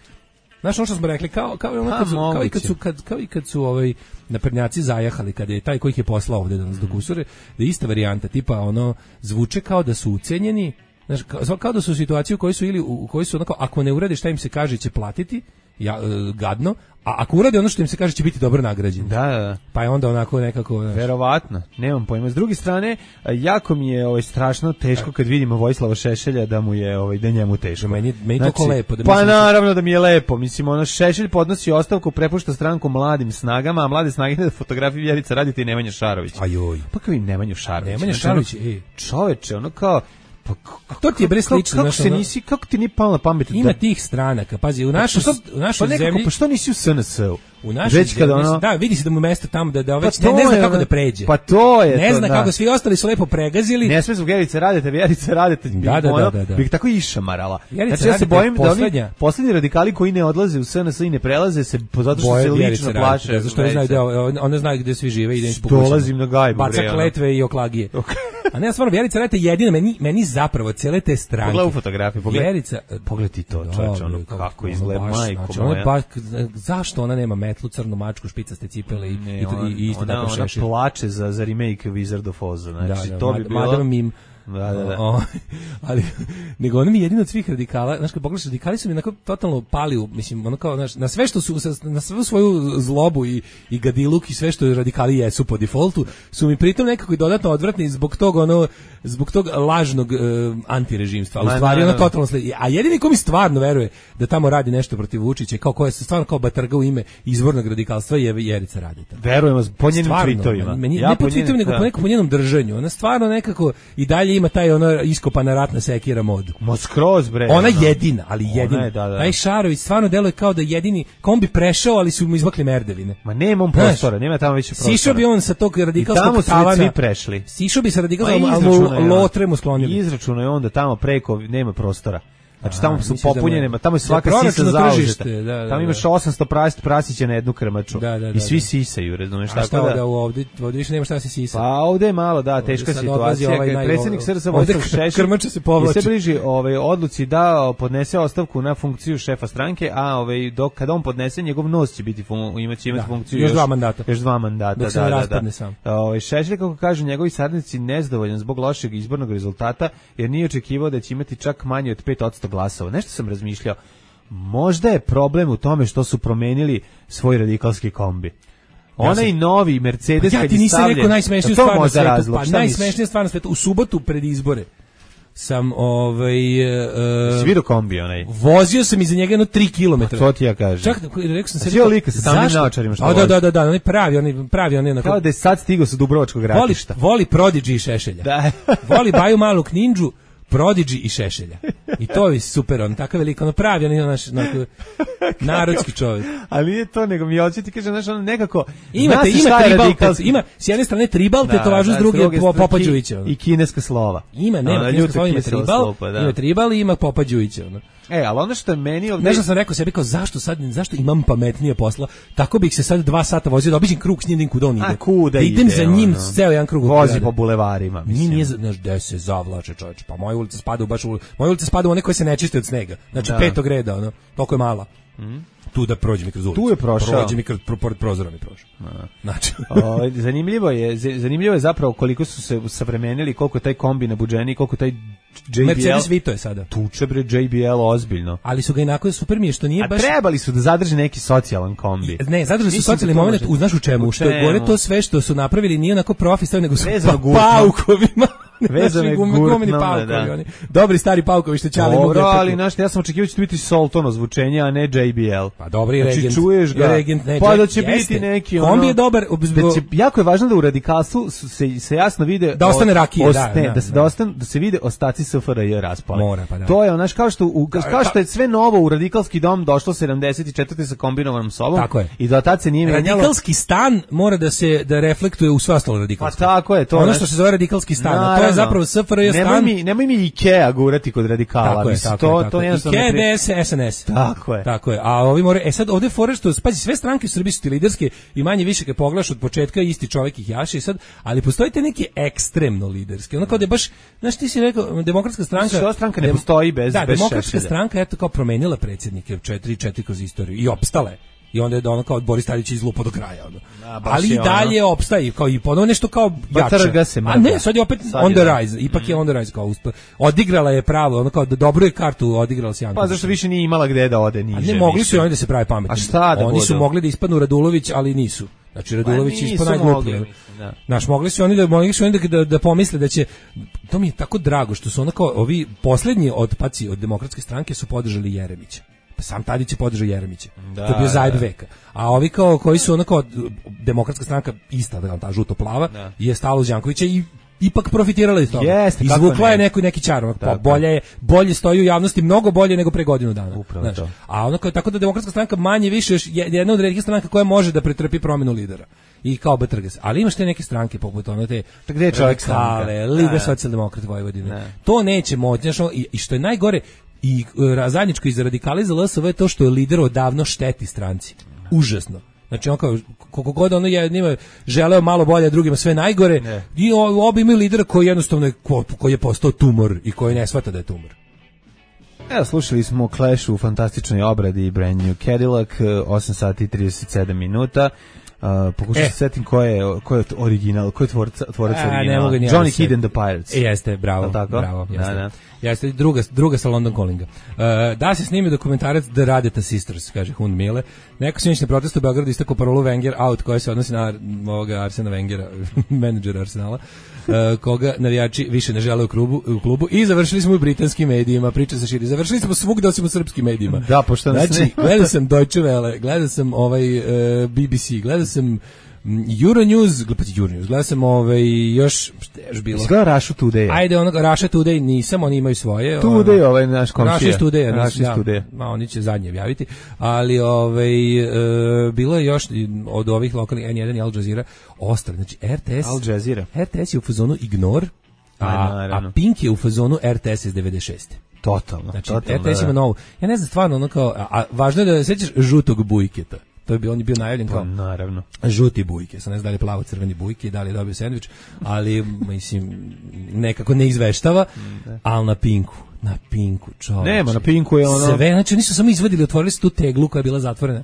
Znaš ono što smo rekli, kao, kao, ono kad su, kao, i kad su, kad, kao i kad su ovaj, naprednjaci zajahali, kada je taj koji ih je poslao ovde da nas dokusure, da je ista varijanta, tipa ono, zvuče kao da su ucenjeni, znaš, kao, kao da su u situaciji u kojoj su ili u kojoj su onako, ako ne urade šta im se kaže će platiti, ja, e, gadno, a ako urade ono što im se kaže će biti dobro nagrađeni. Da, da. Pa je onda onako nekako... Znaš. Verovatno, nemam pojma. S druge strane, jako mi je ovaj, strašno teško kad vidimo Vojislava Šešelja da mu je ovaj, da njemu teško. Meni, meni znači, to lepo. Da pa naravno da mi je lepo. Mislim, ono, Šešelj podnosi ostavku, prepušta stranku mladim snagama, a mlade snage da fotografiji Vjerica Radita i Nemanja Šarović. Ajoj. Pa kao i Nemanju Šarović. Nemanja Šarović, ej. Čoveče, ono kao... Pa, a to ti je bre slično, kako, se nisi, kako ti nije palo na pamet? Ima da... tih stranaka, pazi, u našoj u našoj pa zemlji. Pa što nisi u es en es-u? U našoj zemlji, ono... da, vidi se da mu mesto tamo da da već pa ne, ne zna kako da pređe. Pa to je ne to, zna da. Kako, svi ostali su lepo pregazili. Ne sme zbog Vjerice Radete, Vjerice Radete, da, da, ono, da, da. bih tako išamarala. Vjerica znači ja se bojim poslednja. da oni poslednji radikali koji ne odlaze u es en es i ne prelaze se zato što se lično plaše. Da, zašto ne znaju da one znaju gde svi žive i da im dolazim na gajbu. Baca kletve i oklagije. A ne, stvarno, Vjerica Radeta jedina, meni, meni zapravo cijele te stranke. Pogledaj u fotografiji, pogledaj. Vjerica, pogledaj ti to, čoveče, ono kako izgleda, majko znači, moja. Baš, zašto ona nema metlu, crnu mačku, špicaste cipele i, ne, i, ona, i, i isto ona, tako šešir. Ona plače za, za remake Wizard of Oz, znači, da, da, to bi bilo... Madame Mim. Da, da, da. O, ali, nego ono mi jedino od svih radikala, znaš, kad pogledaš, radikali su mi onako totalno pali, u, mislim, ono kao, znaš, na sve što su, na svu svoju zlobu i, i gadiluk i sve što radikali jesu po defaultu, su mi pritom nekako i dodatno odvratni zbog tog, ono, zbog tog lažnog uh, antirežimstva, u stvari ono totalno sledi. A jedini ko mi stvarno veruje da tamo radi nešto protiv Vučića, kao koja se stvarno kao batrga u ime izvornog radikalstva je Vjerica Radeta. Verujem vas, po njenim stvarno, tweetovima. Meni, ja ne po tweetovima, nego po, neko, po njenom držanju. Ona stvarno nekako i dalje ima taj ono iskopana ratna sekira modu. Mo skroz bre. Ona ono. jedina, ali jedina. Je, da, da. Taj Šarović stvarno deluje kao da jedini, kao on bi prešao, ali su mu izmakli merdevine. Ma nema on prostora, nema tamo više prostora. Sišao bi on sa tog radikalskog tavana. tamo su svi prešli. Sišao bi sa radikalskog, ali lotre mu sklonili. Izračuno je onda tamo preko nema prostora. Znači tamo su popunjene, da tamo je svaka da sisa zauzeta. Da, da, tamo imaš osamsto prasti prasića na jednu krmaču. Da, da, da, i svi sisaju, razumeš, tako šta da ovde, ovde više nema šta se sisa. Pa ovde je malo, da, teška situacija. Ovaj naj, predsjednik S R S Vojislav Šešelj krmača se povlači. Se bliži ovaj odluci da podnese ostavku na funkciju šefa stranke, a ovaj dok kad on podnese njegov nos će biti fun, imaće imati funkciju još dva mandata. Još dva mandata, dok se da, raspadne sam. Ovaj Šešelj, kako kažu njegovi saradnici, nezadovoljan zbog lošeg izbornog rezultata jer nije očekivao da će imati čak manje od pet posto glasova. Nešto sam razmišljao, možda je problem u tome što su promenili svoj radikalski kombi. Onaj ja novi Mercedes pa ja kad ti nisam rekao najsmešniju stvar na svetu, razlog, pa najsmešnija stvar na svetu, u subotu pred izbore sam ovaj uh, vidio kombi onaj. Vozio sam iza njega jedno tri kilometra. To ti ja kažem. Čak rekao sam se rekao lika sa tamnim naočarima što. A da da da da, onaj pravi, onaj pravi, onaj onako. Kao da je sad stigao sa Dubrovačkog ratišta. Voli, voli Prodigy i Šešelja. Da. Voli Baju Malog Ninđu, Prodigy i Šešelja. I to je super, on tako veliko, ono pravi, on je naš narodski čovjek. Ali nije to, nego mi hoće ti kaže, znaš, ono nekako... Imate, ima tribal, ima s jedne strane tribal, te to važu s druge Popa Đujića. I kineska slova. Ima, nema, kineska slova, ima tribal, ima tribal i ima Popa Đujića, ono. E, ali ono što je meni ovdje... Nešto sam rekao sebi kao, zašto sad, zašto imam pametnije posla, tako bih se sad dva sata vozio da obiđem krug s njim kuda on ide. A kuda da idem ide, za njim ono, ceo jedan krug. Vozi po bulevarima, mislim. Nije, znaš, gde se zavlače, čovječ, pa moja ulica spada u baš u... Moja ulica spada u one koje se ne čiste od snega. Znači, da. petog reda, ono, toliko je mala. Mm. Tu da prođe mi kroz ulicu. Tu je prošao. Prođe mi kroz pored prozora mi prošao. Znači, o, zanimljivo je, zanimljivo je zapravo koliko su se savremenili, koliko je taj kombi nabuđeni, koliko taj J B L. Mercedes Vito je sada. Tuče bre J B L ozbiljno. Ali su ga inako super mi je što nije A baš. A trebali su da zadrže neki socijalan kombi. Ne, zadržali su socijalni momenat, u znaš u čemu, što je gore to sve što su napravili nije onako profesionalno, nego su pa, paukovima. Vezane gurtnom, da. Oni. Dobri stari paukovi što čali. Dobro, ali znaš, ja sam očekivao da će biti Solton ozvučenje, a ne J B L. Pa dobri znači, regent. Čuješ ga, regent, ne, pa da će jeste. Biti neki ono... Kombi je dobar. Da će, jako je važno da u radikalstvu se, se jasno vide... Da ostane rakije, oste, da, da, da, se, da, ostane, da se vide ostaci S F R J raspali. Mora, pa da. To je, znaš, kao što, u, kao što je sve novo u radikalski dom došlo sedamdeset četvrte sa kombinovanom sobom. Tako je. I do tad se nije menjalo. Radikalski stan mora da se da reflektuje u sve ostalo radikalsko. Pa tako je to. Ono što se zove radikalski stan, to je zapravo S F R J stan. Nemoj mi, nemoj mi Ikea gurati kod radikala. Tako je, tako to, je. To Ikea, D S, S N S. Tako je. Tako je. A ovi more, e sad ovde fore što, pazi, sve stranke u Srbiji su ti liderske i manje više kad pogledaš od početka isti čovjek ih jaše i sad, ali postoji te neke ekstremno liderske. Ono kao da je baš, znaš ti si rekao, demokratska stranka... Što stranka ne postoji bez Da, bez demokratska Šešelja. stranka je to kao promenila predsjednike četiri četiri kroz istoriju i opstala je. I onda je ono kao Boris Tadić izlupo do kraja. Ono. A, ali i dalje ono... opstaje, kao i ponovo nešto kao jače. Se a ne, sad je opet sad on the rise, ipak mm. je on the rise kao uspio. Odigrala je pravo, ono kao da dobro je kartu odigrala s Jankom. Pa zašto više nije imala gde da ode niže. A ne mogli su oni da se prave pametni. A šta da Oni budu? su mogli da ispadnu Radulović, ali nisu. Znači Radulović pa ispao najgluplji. Da. Naš mogli su oni da mogli su oni da, da pomisle da će, to mi je tako drago što su onako ovi poslednji otpaci od demokratske stranke su podržali Jeremića. Pa sam Tadić je podržao Jeremića. Da, to je bio zajeb da. veka. A ovi kao koji su onako demokratska stranka ista, da ta žuto plava, da. je stalo uz Jankovića i ipak profitirala iz toga. Jeste, izvukla je neki neki čar, pa bolje je, bolje stoji u javnosti, mnogo bolje nego pre godinu dana. Upravo to. A ono kao tako da demokratska stranka manje više još jedna od retkih stranaka koja može da pretrpi promenu lidera. I kao Betrges. Ali imaš te neke stranke poput one te gde je čovjek Kale, Liga socijaldemokrata Vojvodine. Ne. To neće moći, i, i što je najgore i uh, zajedničko iz radikali za L S V je to što je lider odavno šteti stranci. Užasno. Znači on kao koliko god ono jednima želeo malo bolje, drugima sve najgore. Ne. I obi imaju lidera koji jednostavno je, koji je postao tumor i koji ne shvata da je tumor. Evo, slušali smo Clash u fantastičnoj obradi Brand New Cadillac, osam sati i trideset sedam minuta. Uh, pokušam e. se setim ko je, ko je original, ko je tvorac, tvorac originala. Johnny Kidd and the Pirates. E, jeste, bravo, bravo, jeste. Da, da. Jeste, druga, druga sa London Callinga. Uh, da se snimi dokumentarac The Radeta Sisters, kaže Hund Mile. Neko sinoćni protest u Beogradu istakao parolu Wenger out, koja se odnosi na ovoga Arsena Wengera, menadžera Arsenala, uh, koga navijači više ne žele u klubu, u klubu. I završili smo u britanskim medijima, priča se širi. Završili smo svugde osim u srpskim medijima. Da, pošto nas znači, ne... gledao sam Deutsche Welle, gledao sam ovaj, uh, B B C, gledao sam Euronews, gledaj Euronews, gledao sam ovaj, još, šta je još bilo? Izgleda Russia Today. Ajde, onoga, Russia Today nisam, oni imaju svoje. Today, ono, ovaj naš komšija. Russia Today, Russia Today. Ma, oni će zadnje objaviti, ali ovaj, e, bilo je još od ovih lokalnih N jedan i Al Jazeera ostali, znači R T S, Al Jazeera. R T S je u fazonu Ignore, a, a Pink je u fazonu R T S iz devedeset šeste. Totalno. Znači, totalno, R T S ima novu. Ja ne znam stvarno, ono kao, a, a važno je da sećaš žutog Bujketa. To je bio, on je bio najavljen kao naravno žuti Bujke, sa ne znam da li plavo crveni Bujke, da li je dobio sendvič, ali mislim nekako ne izveštava, ali na Pinku, na Pinku, čovječe. Nema, na Pinku je ono sve, znači oni su samo izvadili, otvorili su tu teglu koja je bila zatvorena.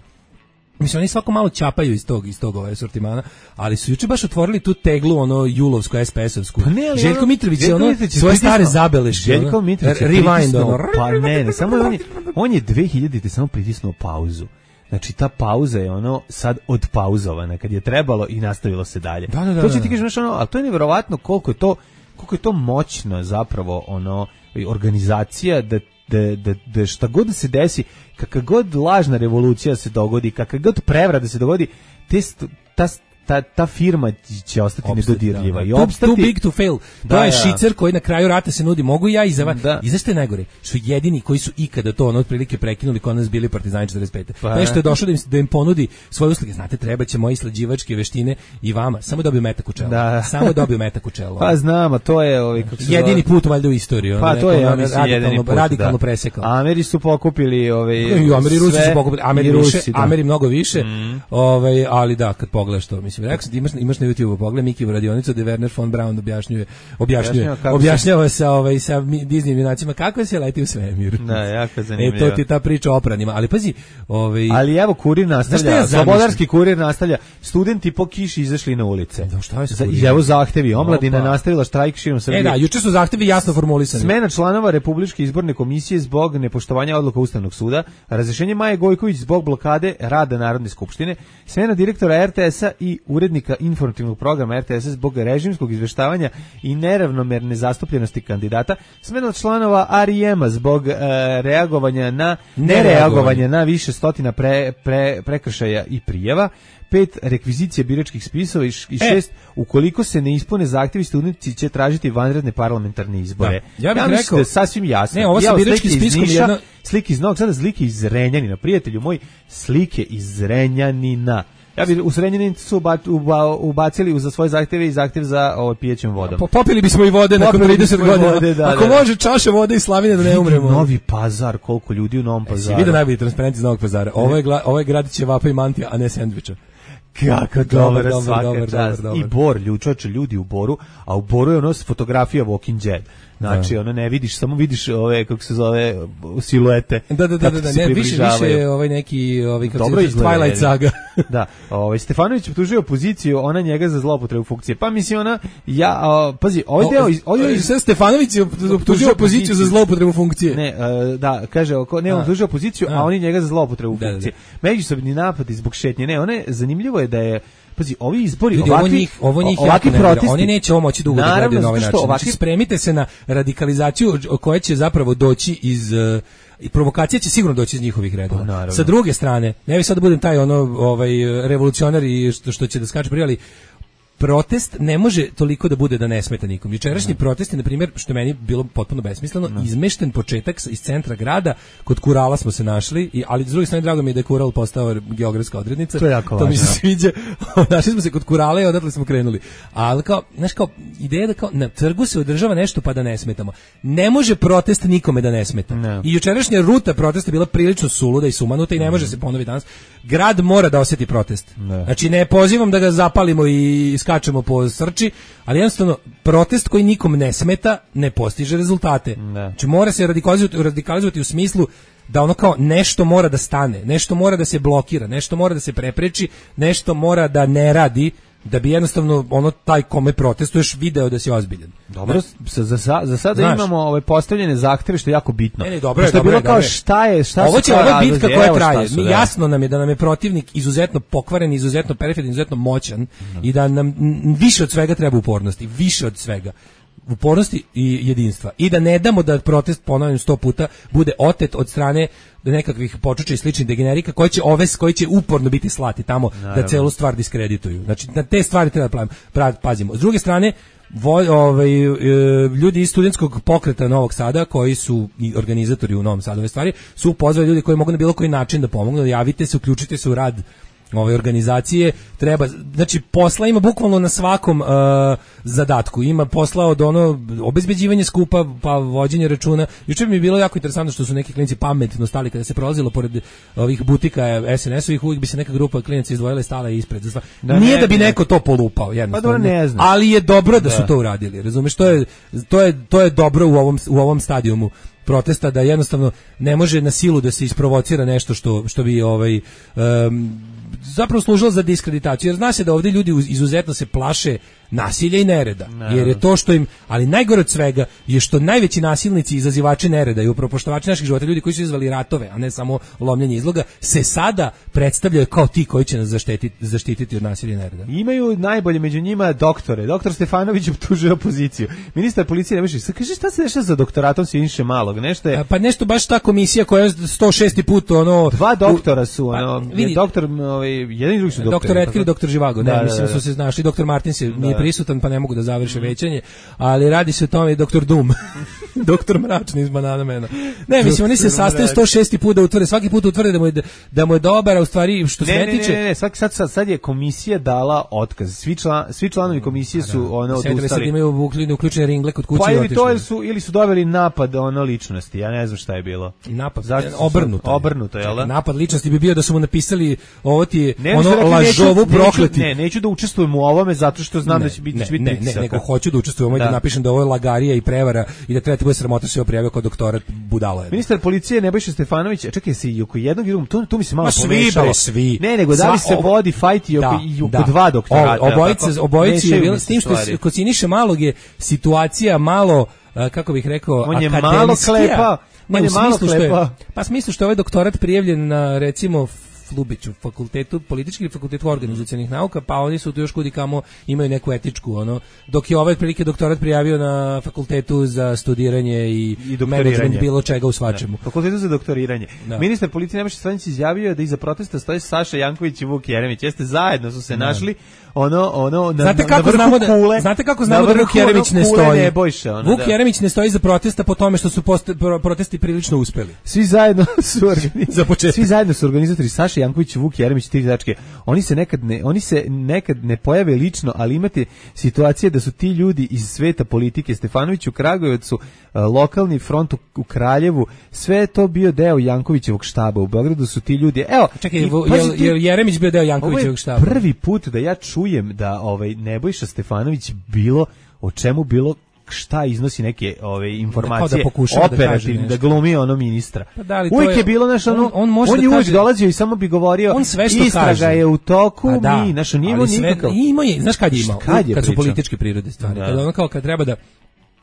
Mislim, oni svako malo čapaju iz tog, iz tog ovaj sortimana, ali su juče baš otvorili tu teglu, ono, julovsku, es pe esovsku. Pa ne, Željko ono, Mitrović je ono, svoje stare zabeleške. Željko Mitrović je pritisnuo, pa ne, ne, samo on je, on je dve hiljadite samo pritisnuo pauzu. Znači, ta pauza je ono sad odpauzovana kad je trebalo i nastavilo se dalje. Da, da, da, to će ti kažeš, ono, ali to je nevjerovatno koliko je to, koliko je to moćno zapravo ono, organizacija da, da, da, da šta god da se desi, kakva god lažna revolucija se dogodi, kakva god prevrada se dogodi, te, ta Ta, ta firma će ostati Obstati, nedodirljiva da, da. i opstati. Too big to fail. Da, to je ja. Šicer koji na kraju rata se nudi. Mogu ja i za vas. I zašto je najgore? Što jedini koji su ikada to ono otprilike prekinuli kod nas bili partizani četrdeset pete. Pa nešto je došlo da im, da im ponudi svoje usluge. Znate, treba će moje slađivačke veštine i vama. Samo dobiju metak u čelo. Da. Samo dobiju metak u čelo. Pa znam, a to je ovaj, kako se jedini put valjda u istoriji. Pa to je ono, radikalno, put, radikalno da. presekao. Ameri su pokupili ovaj, I Ameri Rusi su pokupili. Ameri, Rusi, više, da. Ameri mnogo više. Mm. Ovaj, ali da, kad pogledaš to, mislim, rekao sam, imaš, imaš na YouTube pogledaj Miki radionicu gde Werner von Braun objašnjuje objašnjuje objašnjava se ovaj sa Disney junacima kako se leti u svemir. Da, jako zanimljivo. E to ti ta priča o opranima, ali pazi, ovaj ali evo kurir nastavlja, ja slobodarski kurir nastavlja. Studenti po kiši izašli na ulice. Da, šta je sa I evo zahtevi, omladina Opa. nastavila štrajk širom Srbije. E da, juče su zahtevi jasno formulisani. Smena članova Republičke izborne komisije zbog nepoštovanja odluka Ustavnog suda, razrešenje Maje Gojković zbog blokade rada Narodne skupštine, smena direktora R T S-a i urednika informativnog programa R T S zbog režimskog izveštavanja i neravnomerne zastupljenosti kandidata, smena članova R I M-a zbog e, reagovanja na nereagovanje na više stotina pre, pre, prekršaja i prijava, pet rekvizicija biračkih spisova i šest e. ukoliko se ne ispune zahtjevi, studenti će tražiti vanredne parlamentarne izbore. Da. Ja bih ja rekao da sasvim jasno. Ne, ovo sa biračkim spiskom je jedna slike iz Novog Sada, slike iz Zrenjanina, prijatelju moj, slike iz Zrenjanina. Ja bi u Zrenjaninu su ubacili za svoje zahtjeve i zahtjev za ovo pijećem vodom. Po, popili bismo i vode nakon trideset godina. Vode, da, Ako da, može čaša vode i slavine da ne umremo. Novi Pazar, koliko ljudi u Novom Pazaru. Vidio najbolji transparent iz Novog Pazara. Ovo je, ovo je grad ćevapa i mantija, a ne sendviča. Kako dobar, dobar, dobar, dobar, dobar. I Bor, ljučače, ljudi u Boru, a u Boru je ono fotografija Walking Dead. Znači, ono ne vidiš, samo vidiš ove, kako se zove, siluete. Da, da, da, da, da ne, više, više ovaj neki, ovaj, kako se zove, Twilight Saga. Da, ovaj, Stefanović optužuje opoziciju, ona njega za zloupotrebu funkcije. Pa mislim, ona, ja, a, pazi, ovaj deo... Ovaj, sve Stefanović optužuje opoziciju za zloupotrebu funkcije. Ne, a, da, kaže, ne, on optužuje opoziciju, a, a oni njega za zloupotrebu funkcije. Da, da. Međusobni napadi zbog šetnje. Ne, one, zanimljivo je da je pazi, ovi izbori, ljudi, ovakvi, ovo njih, ovo njih ovakvi protesti, oni neće ovo moći dugo da gledaju na ovaj način. Ovakvi... Znači, spremite se na radikalizaciju koja će zapravo doći iz... I provokacija će sigurno doći iz njihovih redova. Pa, sa druge strane, ne bih sad da budem taj ono, ovaj, revolucionar i što, što će da skače prije, ali protest ne može toliko da bude da ne smeta nikom. Jučerašnji protest je, na primjer, što je meni bilo potpuno besmisleno, no. izmešten početak iz centra grada, kod Kurala smo se našli, i, ali s druge strane drago mi je da je Kural postao geografska odrednica. To je jako to važno. Mi se sviđa. Našli smo se kod Kurala i odatle smo krenuli. Ali kao, znaš, kao, ideja da kao na trgu se održava nešto pa da ne smetamo. Ne može protest nikome da ne smeta. No. I jučerašnja ruta protesta je bila prilično suluda i sumanuta i ne može se ponoviti danas. Grad mora da osjeti protest. No. Znači, ne pozivam da ga zapalimo i skačemo po srči, ali jednostavno protest koji nikom ne smeta ne postiže rezultate. Ne. Znači mora se radikalizovati, radikalizovati u smislu da ono kao nešto mora da stane, nešto mora da se blokira, nešto mora da se prepreči, nešto mora da ne radi, da bi jednostavno ono taj kome protestuješ video da si ozbiljan. Dobro, za, za, za sada Znaš, imamo ove postavljene zahteve što je jako bitno. Ne, ne, dobro je, što je bilo dobro kao je. šta je, šta ovo će, ovo je bitka koja evo traje. su, Mi da. jasno nam je da nam je protivnik izuzetno pokvaren, izuzetno periferan, izuzetno moćan mm. i da nam m, više od svega treba upornosti, više od svega. Upornosti i jedinstva. I da ne damo da protest, ponavljam sto puta, bude otet od strane nekakvih počuča i sličnih degenerika koji će ove koji će uporno biti slati tamo Naravno. da celu stvar diskredituju. Znači na te stvari treba da pazimo. S druge strane, Voj, ovaj, ljudi iz studentskog pokreta Novog Sada, koji su i organizatori u Novom Sadu ove stvari, su pozvali ljudi koji mogu na bilo koji način da pomognu, da javite se, uključite se u rad ove organizacije. Treba, znači posla ima bukvalno na svakom uh, zadatku. Ima posla od ono obezbeđivanje skupa, pa vođenje računa. Juče mi je bilo jako interesantno što su neki klinci pametno stali kada se prolazilo pored ovih butika es en es-ovih, uvijek bi se neka grupa klinaca izdvojila i stala ispred. Da, Nije ne, da bi ne. neko to polupao, jednostavno. Pa ne znam. Ali je dobro da, da su to uradili. Razumeš, to je to je to je dobro u ovom u ovom stadijumu protesta, da jednostavno ne može na silu da se isprovocira nešto što što bi ovaj um, zapravo služilo za diskreditaciju, jer zna se da ovdje ljudi izuzetno se plaše nasilja i nereda, no. jer je to što im, ali najgore od svega je što najveći nasilnici, izazivači nereda i upropaštovači naših života, ljudi koji su izvali ratove, a ne samo lomljenje izloga, se sada predstavljaju kao ti koji će nas zaštititi, zaštititi od nasilja i nereda. Imaju najbolje među njima doktore. Doktor Stefanović optužuje opoziciju. Ministar policije ne može, kaže šta se dešava za doktoratom Siniše Malog? Nešto je... A, pa nešto baš ta komisija koja je sto šesti put ono... Dva doktora su, ono, pa, vidi, doktor, ovaj, jedan i drugi su doktori. Doktor Etker i doktor Živago, da, ne, mislim da, da. su se našli, doktor Martin se nije prisutan, pa ne mogu da završe mm. većanje, ali radi se o tome i doktor Dum, doktor Mračni iz Banana Mena. Ne, mislim, oni se sastaju sto šesti put da utvrde, svaki put utvrde da mu je, da mu je dobar, a u stvari što se ne, ne tiče... Ne, ne, ne, sad, sad, sad je komisija dala otkaz. Svi, član, svi članovi komisije su ono odustali. Sad imaju uključene ringle kod kuće. Pa ili to su, ili su doveli napad ono ličnosti, ja ne znam šta je bilo. Napad, obrnuto. Obrnuto, jel da? Napad ličnosti bi bio da su mu napisali ovo ti je ono lažovu prokleti. Ne, neću da učestvujem u ovome zato što znam ne, da će biti, ne, će biti ne, ne, nego hoću da učestvujem da. da napišem da ovo je lagarija i prevara i da treba ti bude sramota se oprijavio kao doktorat budala. Ministar policije Nebojša Stefanović, čekaj se i oko jednog i drugog, tu, tu mi se malo Ma pomešalo. Svi, bre, svi. Ne, nego da li se ob... vodi fajt i oko, da, i oko da. dva doktorata. Obojice, obojice je bilo, s tim što kod Siniše Malog je situacija malo, kako bih rekao, on je akademskija. Malo klepa, ne, on je malo klepa. Pa smislu što je ovaj doktorat prijavljen na, recimo, Lubiću, fakultetu političkih i fakultetu organizacionih nauka, pa oni su tu još kudi kamo imaju neku etičku, ono, dok je ovaj prilike doktorat prijavio na fakultetu za studiranje i, I menadžment bilo čega u svačemu. Da. Fakultetu za doktoriranje. Da. Ministar policije Nebojša Stefanović izjavio da iza protesta stoje Saša Janković i Vuk Jeremić. Jeste zajedno su se da. našli ono ono na, znate kako na znamo da kule, znate kako znamo da Vuk Jeremić ne stoji. Ne bojše, ono, Vuk da. Jeremić ne stoji za protesta po tome što su post, pro, protesti prilično uspeli. Svi zajedno su za početak. Svi zajedno su organizatori Saša Janković i Vuk Jeremić tri tačke. Oni se nekad ne oni se nekad ne pojave lično, ali imate situacije da su ti ljudi iz sveta politike, Stefanović u Kragujevcu, lokalni front u, u Kraljevu, sve je to bio deo Jankovićevog štaba. U Beogradu su ti ljudi. Evo, čekaj, i, je, je Jeremić bio deo Jankovićevog štaba? Prvi put da ja čujem da ovaj Nebojša Stefanović bilo o čemu bilo šta iznosi neke ove informacije da operativne, da, da glumi ono ministra. Pa da, uvijek je, je bilo naš ono, on, on, on da je uvijek kaže, dolazio i samo bi govorio istraga je u toku, pa da, mi, naš, nije imao nikakav. Ima je, znaš kad je imao? Kad, je kad su političke prirode stvari. Da. Kad ono kao kad treba da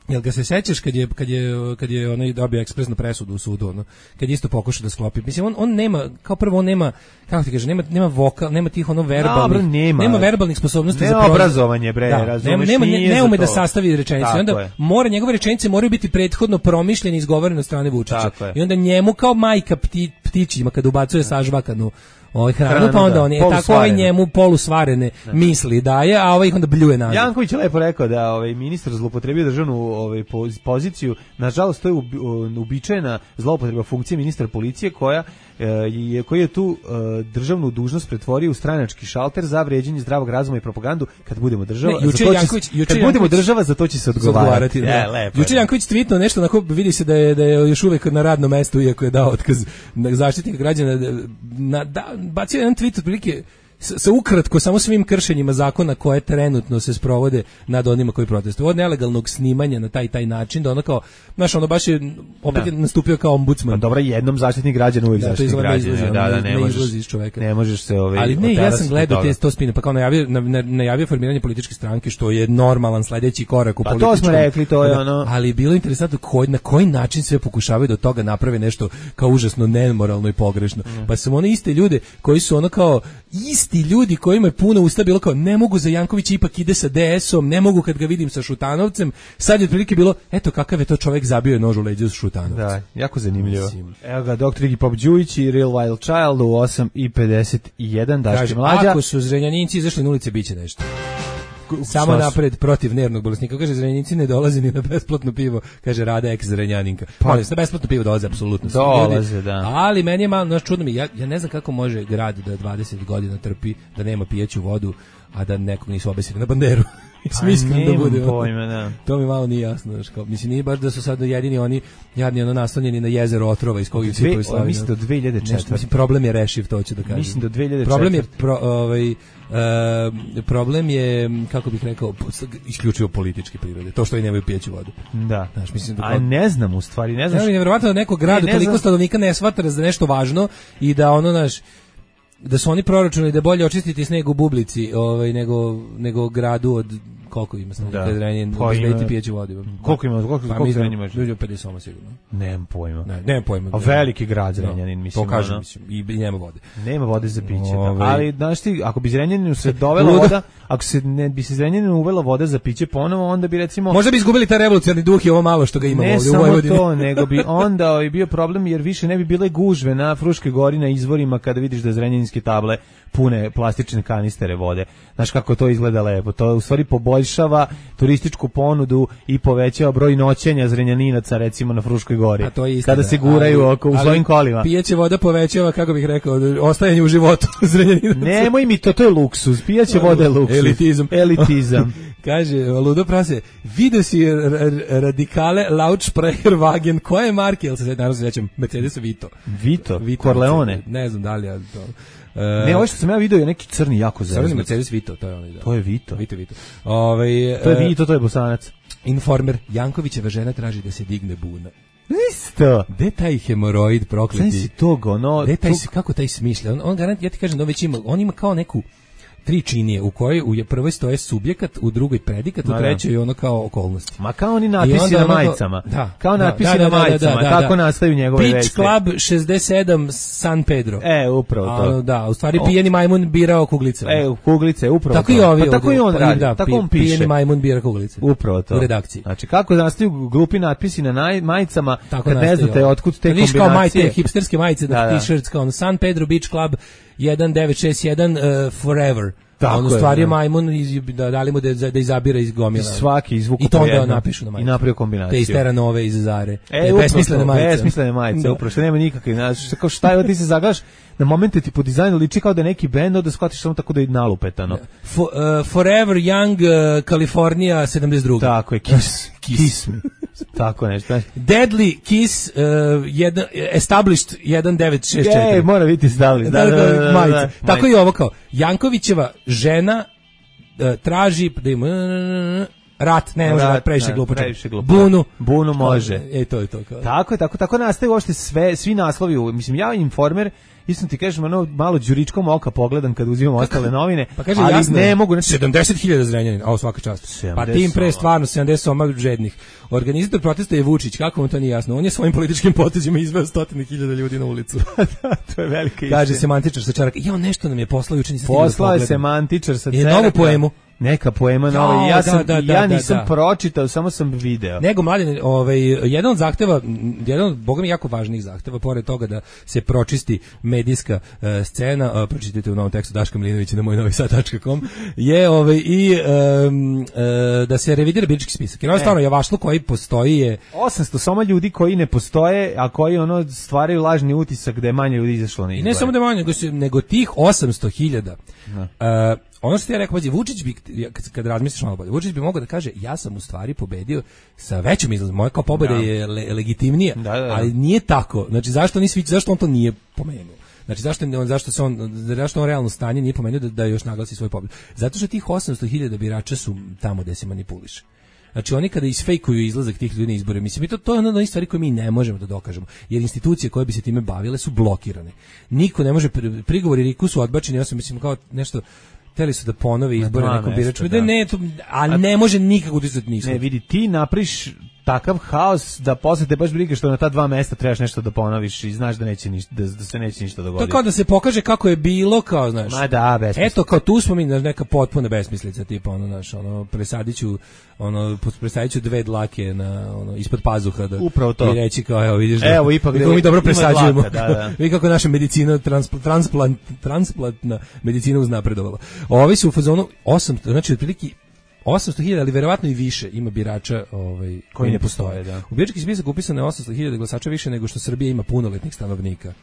jel ga se sećaš kad je kad je kad je onaj dobio ekspresnu presudu u sudu, ono, kad je isto pokušao da sklopi. Mislim on on nema, kao prvo on nema, kako ti kaže, nema nema vokal, nema tih ono verbalnih, Dobro, nema. nema verbalnih sposobnosti nema za obrazovanje, bre, da, razumeš, nema, ne, ne ume da to. sastavi rečenicu. I onda je. mora njegove rečenice moraju biti prethodno promišljene i izgovorene od strane Vučića. I onda njemu kao majka pti, ptićima kad ubacuje sažvakanu ovaj hranu, pa onda on je tako ovaj njemu polusvarene misli daje, a ovaj ih onda bljuje nazad. Janković je lepo rekao da ovaj ministar zloupotrebio državnu ovaj poziciju. Nažalost, to je uobičajena zloupotreba funkcije ministra policije koja je koji je tu državnu dužnost pretvorio u stranački šalter za vređanje zdravog razuma i propagandu. Kad budemo država, ne, juče Janković, juče kad budemo država, za to će se odgovarati. Da. Lepo. Juče Janković tvitnuo nešto, onako vidi se da je da je još uvek na radnom mestu, iako je dao otkaz Zaštitnika građana. Na, da, bacio jedan tweet otprilike sa ukratko samo svim kršenjima zakona koje trenutno se sprovode nad onima koji protestuju. Od nelegalnog snimanja na taj taj način, da ono kao, znaš, ono baš je opet je nastupio kao ombudsman. Pa dobro, jednom Zaštitnik građana, uvijek da, Zaštitnik građana. Da, da, da, ne, ne možeš, iz čoveka. Ne možeš se ovaj. Ali ne, ja sam gledao te sto spine, pa kao najavio, najavio formiranje političke stranke, što je normalan sledeći korak u pa političkom. To smo rekli, to je ono. Ali bilo interesantno koji, na koji način sve pokušavaju da od toga naprave nešto kao užasno nemoralno i pogrešno. Mm. Pa su one iste ljude koji su ono kao isti ljudi kojima je puno usta bilo kao ne mogu za Jankovića, ipak ide sa D S-om, ne mogu kad ga vidim sa Šutanovcem. Sad je otprilike bilo, eto kakav je to čovjek, zabio je nož u leđa sa Šutanovcem. Da, jako zanimljivo. Mislim. Evo ga, doktor Iggy Pop Đujić i Real Wild Child u osam i pedeset jedan, Daške mlađa. Ako su Zrenjaninci izašli na ulice, biće nešto. Samo napred protiv nervnog bolesnika. Kaže, Zrenjaninci ne dolaze ni na besplatno pivo. Kaže, Rada ex Zrenjaninka. Pa, na besplatno pivo dolaze, apsolutno. Dolaze, da. Ali meni je malo, znaš, čudno mi, ja, ja ne znam kako može grad da dvadeset godina trpi, da nema pijeću vodu, a da nekog nisu obesili na banderu. Mislim da bude. Pojma, da. To mi malo nije jasno, znači kao mislim nije baš da su sad jedini oni jadni ono naslonjeni na jezero otrova iz kog ih svi proislavljaju. Mislim do dve hiljade četvrte. Mislim problem je rešiv, to ću da kažem. Mislim do dve hiljade četvrte. Problem je pro, ovaj Uh, problem je, kako bih rekao, isključivo političke prirode. To što i nemaju pijeću vodu. Da. Znaš, mislim da a ne znam u stvari, ne znam. Ne, nevjerovatno da neko gradu ne, ne toliko stanovnika ne shvata da je nešto važno i da ono, naš da su oni proračunali da je bolje očistiti sneg u bublici ovaj, nego, nego gradu od koliko ima sam da Zrenjanin obezbediti pijeću vodu. Koliko ima, koliko pa, koliko Zrenjanin ima? Ljudi pedeset soma sigurno. Nemam pojma. Ne, nemam pojma. A veliki grad Zrenjanin, mislim. To kažem, mislim, i nema vode. Nema vode za piće, da. Ali znaš ti, ako bi Zrenjaninu se dovela voda, ako se ne bi se Zrenjaninu uvela voda za piće ponovo, onda bi recimo možda bi izgubili taj revolucionarni duh i ovo malo što ga ima ovdje u Vojvodini. Ne samo to, nego bi onda i bio problem jer više ne bi bile gužve na Fruškoj gori na izvorima kada vidiš da zrenjaninske table pune plastične kanistere vode. Znaš kako to izgleda lepo. To u stvari poboljšava turističku ponudu i povećava broj noćenja Zrenjaninaca recimo na Fruškoj gori. A to je istina, kada se guraju ali, oko u svojim kolima. Pijeća voda povećava, kako bih rekao, ostajanje u životu Zrenjaninaca. Nemoj mi to, to je luksuz. Pijeća voda je luksuz. Elitizam. Elitizam. Kaže, ludo prase, vidio si radikale Lautsprecher Wagen, koje marke, jel se sad naravno sećam, Mercedes Vito. Vito? Vito Corleone? Ne znam da li ja to... Uh, ne, ovo što sam ja vidio je neki crni jako zeznut. Crni Mercedes Vito, to je onaj da. To je Vito. Vito, Vito. Ove, to je Vito, to je Bosanac. Informer, Jankovićeva žena traži da se digne buna. Isto. Gde taj hemoroid prokleti? Sve si tog, ono... Gde taj, tog... kako taj smišlja? On, on garant, ja ti kažem da on već ima, on ima kao neku tri činije u kojoj u prvoj stoje subjekat, u drugoj predikat, u trećoj ono kao okolnosti. Ma kao oni natpisi na majicama. Da, kao natpisi da, na majicama, da, da, da, tako da. Nastaju njegove vesti. Beach Club šezdeset sedam San Pedro. E, upravo to. A, da, u stvari pijeni majmun birao kuglice. E, kuglice, upravo tako to. I ovi, pa tako i on radi, da, tako on piše. Pijeni majmun bira kuglice. Upravo to. U redakciji. Znači, kako nastaju glupi natpisi na naj, majicama, tako kad ne znate otkud te kombinacije. Viš kao majte, hipsterske majice, da, da. T-shirts kao San Pedro Beach Club jedan devet šest jedan uh, Forever. Tako on u stvari je majmun iz, da dali mu da, da izabira iz gomila. I svaki izvuku i to onda napišu na majicu. I napravio kombinaciju. Te iz Teranove iz Zare. E, besmislene majice. Besmislene majice, upravo što nema nikakve. Znači, kao šta je, ti se zagaš na momente ti po dizajnu liči kao da je neki bend, onda shvatiš samo tako da je nalupetano. For, uh, Forever Young uh, California sedamdeset dva. Tako je, Kiss. Kiss me. Tako nešto. Deadly Kiss uh, jedan, Established jedan devet šest četiri. Ej, mora biti Established. Da, da, da, da, da, da. Tako i ovo kao. Jankovićeva žena uh, traži da ima rat, ne može rat, previše glupo. Bunu. Bunu može. E, to je to. Kao. Tako je, tako, tako nastaje uopšte sve, svi naslovi. Mislim, ja Informer, istom ti kažem, ono malo đuričkom oka pogledam kad uzimam ostale novine, pa kaže, ali jasno, ne mogu. Znači, sedamdeset hiljada Zrenjanina, a svaka čast. Pa tim pre stvarno sedamdeset soma žednih. Organizator protesta je Vučić, kako vam to nije jasno? On je svojim političkim potezima izveo stotine hiljada ljudi na ulicu. Da, to je velika istina. Kaže semantičar sa Čaraka. Ja, nešto nam je poslao juče, nisam stigao da pogledam. Poslao je semantičar sa Čaraka. Je novu poemu. Neka poema nova. Ja sam da, da, ja nisam da, da. pročitao, samo sam video. Nego mladen, ovaj jedan od zahteva, jedan od bogami jako važnih zahteva, pored toga da se pročisti medijska uh, scena, uh, pročitajte u novom tekstu Daška Milinovića na moj novi sad tačka com, je ovaj, i um, uh, da se revidira birački spisak. Jer ono stvarno javašluk koji postoji je... osamsto samo ljudi koji ne postoje, a koji ono stvaraju lažni utisak da je manje ljudi izašlo na izbore. I ne samo da je manje, nego, su, nego tih osamsto hiljada. Uh, ono što ti ja rekao, pazi, Vučić bi, kad, kad razmisliš malo bolje, Vučić bi mogao da kaže, ja sam u stvari pobedio sa većom izlazom, moja kao pobeda da. je le, legitimnija, da, da, da. Ali nije tako. Znači, zašto, nisi, zašto on to nije pomenuo? Znači, zašto, zašto, se on, zašto on realno stanje nije pomenuo da, da još naglasi svoj pobjed? Zato što tih osamsto hiljada birača su tamo gde se manipuliše. Znači oni kada isfejkuju izlazak tih ljudi na izbore, mislim, to, to je ono od onih stvari koje mi ne možemo da dokažemo, jer institucije koje bi se time bavile su blokirane. Niko ne može, prigovori Riku su odbačeni, ja sam mislim kao nešto, hteli su da ponove izbore nekom biraču, da. ne, to, a ne može nikako utjecati ništa. Ne, vidi, ti napriš takav haos da posle te baš briga što na ta dva mesta trebaš nešto da ponoviš i znaš da neće ništa, da, da se neće ništa dogoditi. To kao da se pokaže kako je bilo, kao znaš. Ma da, besmislica. Eto, kao tu smo mi neka potpuna besmislica, tipa ono naš, ono presadiću, ono presadiću dve dlake na ono ispod pazuha da upravo to. I reći kao evo vidiš da. Evo ipak da mi dobro presađujemo. Dlaka, da, da. Vidi kako naša medicina transplant transplant transplantna medicina uznapredovala. Ovi su u fazonu osamsto, znači otprilike osamsto hiljada, ali verovatno i više ima birača ovaj, koji, koji ne postoje. Da. U birački spisak upisano je osamsto hiljada glasača više nego što Srbija ima punoletnih stanovnika.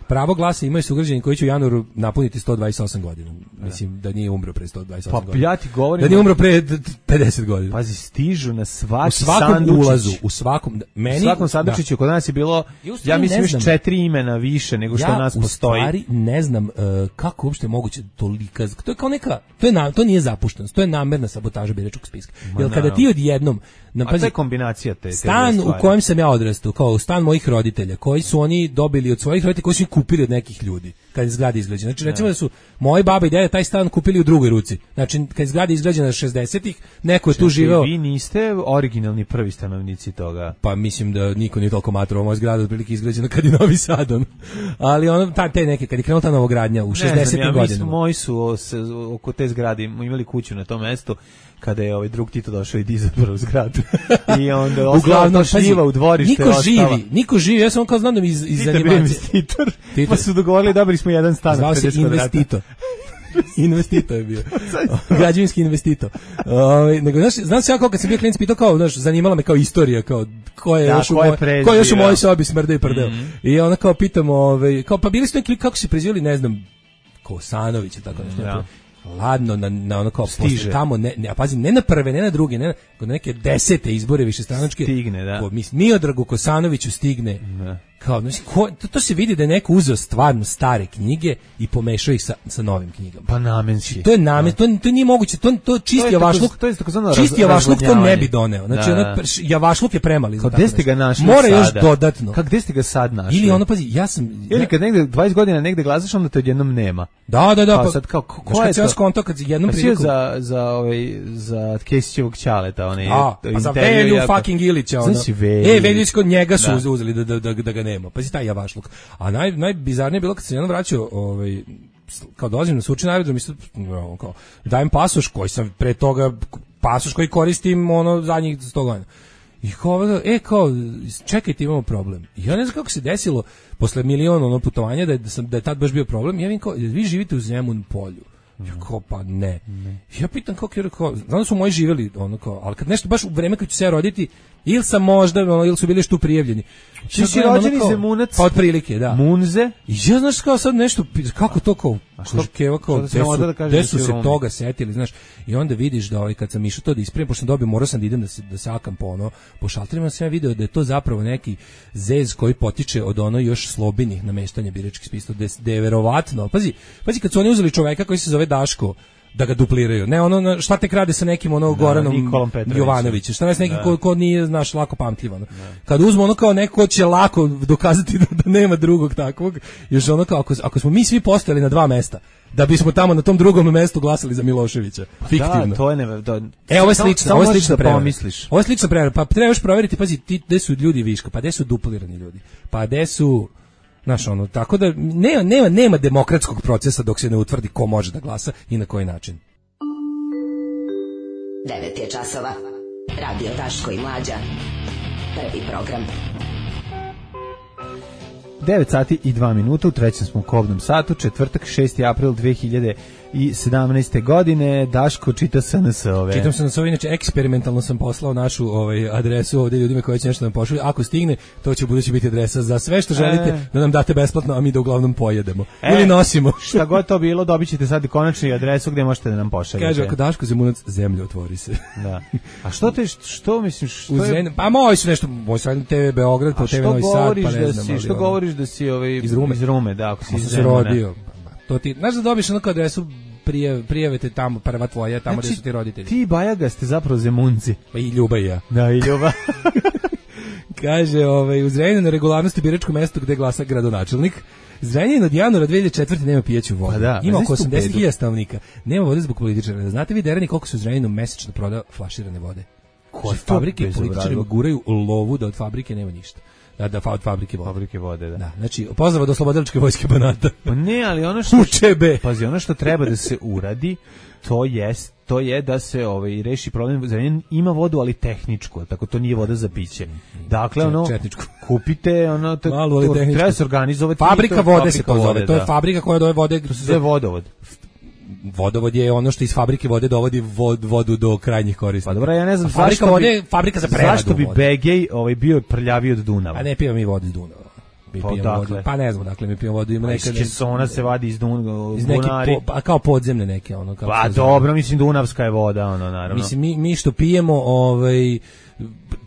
Pravo glasa imaju sugrađani koji će u januaru napuniti sto dvadeset osam godina. Mislim da nije umro pre sto dvadeset osam pa, godina. Ja ti govorim, da nije umro pre pedeset godina. Pazi, stižu na svaki u svakom sandučić. ulazu, u svakom meni, u svakom sandučiću kod nas je bilo, ja, ja mislim još četiri imena više nego što ja, nas postoji. Ja u stvari ne znam uh, kako uopšte je moguće tolika, to je kao neka, to je na, to nije zapuštenost, to je namerna sabotaža biračkog spiska. Jer kada ti odjednom na, pazi, a to je kombinacija te, te stan u kojem sam ja odrastao, kao stan mojih roditelja, koji su oni dobili od svojih roditelja, koji su ih kupili od nekih ljudi kad je zgrada izgrađena. Znači recimo da su moji baba i deda taj stan kupili u drugoj ruci. Znači kad je zgrada izgrađena šezdesetih, neko je tu živeo. Vi niste originalni prvi stanovnici toga. Pa mislim da niko nije toliko matrovao, moja zgrada otprilike izgrađena kad je Novi Sad. On. Ali ono ta te neke kad je krenula ta novogradnja u šezdesetim ja, godinama. Moji su se, oko te zgrade imali kuću na tom mestu kada je ovaj drug Tito došao i izabrao zgradu. I onda uglavnom šljiva u dvorište. Niko živi, niko živi. Ja sam kao znam da mi iz, iz animacije. Investitor. Pa su dogovorili dobili smo jedan stan. Zvao se investitor. Investitor je bio. Građevinski investitor. Ovaj nego znaš, znam se ja kao kad sam bio klinac pitao kao, znaš, zanimala me kao istorija, kao ko je da, još u moj, ko je još u mojoj sobi smrde i prdeo. Mm-hmm. I ona kao pitamo, ovaj kao pa bili ste neki kako se prezivali, ne znam, Kosanović i tako nešto. Ja. Ladno na, na ono kao posle tamo ne, ne, a pazi, ne na prve, ne na druge, ne na, na neke desete izbore višestranačke stigne, da. Ko, mis, Miodragu Kosanoviću stigne. Da. Kao, znači, ko, to, to se vidi da je neko uzeo stvarno stare knjige i pomešao ih sa, sa novim knjigama. Pa namenski. To je namen, to, to nije moguće, to, to čisti javašluk, to je čisti javašluk to ne bi doneo. Znači, da. Ono, javašluk je premali. Kao, gde ste ga našli mora sada? Još dodatno. Kako, gde ste ga sad našli? Ili ono, pazi, ja sam... Ili kad negde, dvadeset godina negde glasaš, onda te odjednom nema. Da, da, da. Pa, pa, sad, kao, ko, ko je to? Skonto, kad jednom priliku... za, za, ovaj, za Kesićevog ćaleta, onaj... A, pa za Velju fucking Ilića, ono. E, Veljić kod njega su uzeli da, da, da, da ga nema. Pazi, taj javašluk. A naj, najbizarnije je bilo kad se jednom vraćao, ovaj, kao dolazim na Surčin aerodrom, mislim, kao, dajem pasoš koji sam pre toga, pasoš koji koristim ono zadnjih sto godina. I kao, e, kao, čekajte, imamo problem. I ja ne znam kako se desilo, posle miliona ono putovanja, da je, da, sam, da je tad baš bio problem, ja vidim kao, vi živite u Zemun polju. Ja kao, pa ne. ne. Ja pitam kako je, kao, znam da su moji živjeli, ono kao, ali kad nešto baš u vreme kad ću se ja roditi, ili sam možda, ono, ili su bili što prijavljeni. Ti si rođeni Zemunac? Pa otprilike, da. Munze? I ja znaš kao sad nešto, kako to kao, Keva kao, gde su, da gde su se Romi. Toga setili, znaš, i onda vidiš da ovaj, kad sam išao to da ispravim, pošto sam dobio, morao sam da idem da se, da se akam po ono, po šalterima sam ja video da je to zapravo neki zez koji potiče od ono još slobinih nameštanja biračkih spisa, da je verovatno, pazi, pazi kad su oni uzeli čoveka koji se zove Daško, da ga dupliraju. Ne ono šta tek rade sa nekim ono da, Goranom Jovanovićem. Šta ne s nekim ko, ko nije znaš lako pamtljiv ono. Kad uzmu ono kao neko će lako dokazati da, da nema drugog takvog. Još ono kao ako, ako smo mi svi postojali na dva mesta da bismo tamo na tom drugom mestu glasali za Miloševića. Fiktivno. Da, to je ne, da, e, ovo je slično, ovo je slično prevara. Ovo je slično prevara. Pa trebaš provjeriti, pazi, ti gde su ljudi viška, pa gde su duplirani ljudi. Pa gde su znaš, ono, tako da nema, nema, nema demokratskog procesa dok se ne utvrdi ko može da glasa i na koji način. devet je časova. Radio Daško i Mlađa. Prvi program. devet sati i dva minuta, u trećem smo u kobnom satu, četvrtak, šesti april dve hiljade sedamnaeste. godine. Daško čita S N S-ove. Čitam S N S-ove, inače eksperimentalno sam poslao našu ovaj, adresu ovdje ljudima koji će nešto nam pošalju. Ako stigne, to će budući biti adresa za sve što želite e. da nam date besplatno, a mi da uglavnom pojedemo. E, ili nosimo. Šta god to bilo, dobit ćete sad konačnu adresu gdje možete da nam pošaljete. Kaže, ako Daško Zemunac, zemlja otvori se. Da. A što te, što misliš, što je... Zren... Pa moji su nešto, moj su T V Beograd, po T V Novi Sad, pa ne znam. Si, što ali, govoriš da si ovaj, iz Rume? Iz Rume, da, ako si iz se rodio. To ti, znaš da dobiš onako adresu, Prijav, prijavite tamo, prva tvoja, tamo znači, gde su ti roditelji. Ti Bajaga ste zapravo Zemunci. Pa i Ljuba i ja. Da, i Ljuba. Kaže, ovaj, u Zrenjaninu na regularnosti biračko mesto gde glasa gradonačelnik. Zrenjanin od januara dve hiljade četvrte nema pijeću vodu. Pa da, ima oko osamdeset hiljada stanovnika. Nema vode zbog političara. Znate vi derani koliko se u Zrenjaninu mesečno proda flaširane vode? Koje fabrike političarima guraju lovu da od fabrike nema ništa. Da, da, od fabrike vode. Fabrike vode, da. Da, znači, pozdrav od Oslobodilačke vojske Banata. Pa ne, ali ono što... Učebe! Pazi, ono što treba da se uradi, to jest, to je da se ovaj, reši problem. Zrenjanin ima vodu, ali tehničku, tako to nije voda za piće. Dakle, ono, Četničku. kupite, ono, to, Malo, to treba se organizovati. Fabrika to, vode fabrika se to zove, vode, to je da. fabrika koja doje vode... To se zove vodovod. Vodovod je ono što iz fabrike vode dovodi vod, vodu do krajnjih korisnika. Pa dobro, ja ne znam fabrika zašto vode, bi, fabrika za preradu zašto bi vode. Begej ovaj, bio prljaviji od Dunava. A ne pijemo mi vodu iz Dunava. Mi pa, pijemo vodu, pa ne znam, dakle mi pijemo vodu. Ima neka kesona se vadi iz Dunava, iz neke po, a kao podzemne neke. Ono, kao pa dobro, mislim Dunavska je voda, ono, naravno. Mislim, mi, mi što pijemo, ovaj,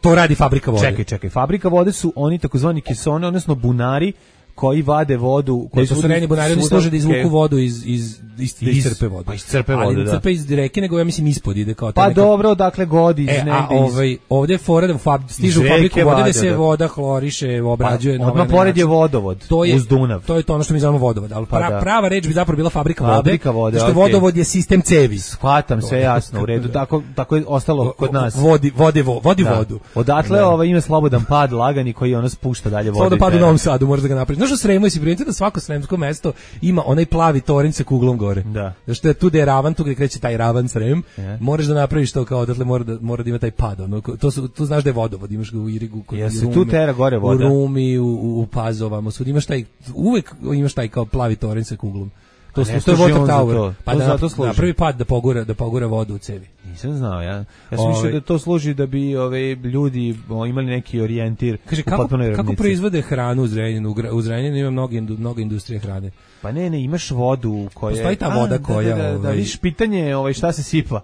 to radi fabrika vode. Čekaj, čekaj, fabrika vode su oni takozvani kesone, odnosno bunari, koji vade vodu, koji su reni bunari, oni služe da izvuku vodu iz iz iz, iz crpe vode. Pa iz crpe vode, ali da. Crpe iz reke, nego ja mislim ispod ide kao pa neka... dobro, dakle godi iz e, negde. A ovaj ovde je fora da fab, stižu u fabriku vode da se da. voda hloriše, obrađuje pa, na ovaj pored je vodovod to je, uz Dunav. To je to ono što mi zovemo vodovod, al pra, pa da. prava reč bi zapravo bila fabrika, fabrika vode. Što okay. vodovod je sistem cevi. Shvatam, sve jasno, u redu, tako tako je ostalo kod nas. Vodi vode vo, vodi da. vodu. Odatle ovaj ima slobodan pad lagani koji ona spušta dalje vodu. Slobodan pad u Novom Sadu, možeš da ga napraviš. Znaš, u Sremu si primetio da svako sremsko mesto ima onaj plavi toranj sa kuglom gore. Da. Zato je tu gde je ravan, tu gde kreće taj ravan Srem, yeah. Moraš da napraviš to kao odatle mora da mora da ima taj pad. Ono, to su tu znaš da je vodovod, imaš ga u Irigu, kod Jesi tu tera gore voda. U Rumi, u, u Pazovama, svud imaš taj uvek imaš taj kao plavi toranj sa kuglom. To su to je water tower. To. Pa to da na, na prvi pad da pogura da pogura vodu u cevi. Nisam znao, ja. Ja sam mislio da to služi da bi ove ljudi o, imali neki orijentir. Kaže kako kako proizvode hranu u Zrenjaninu? U Zrenjaninu ima mnogo mnogo industrije hrane. Pa ne, ne, imaš vodu koja postoji ta voda a, koja da, da, da, ovaj... da vidiš pitanje ovaj šta se sipa.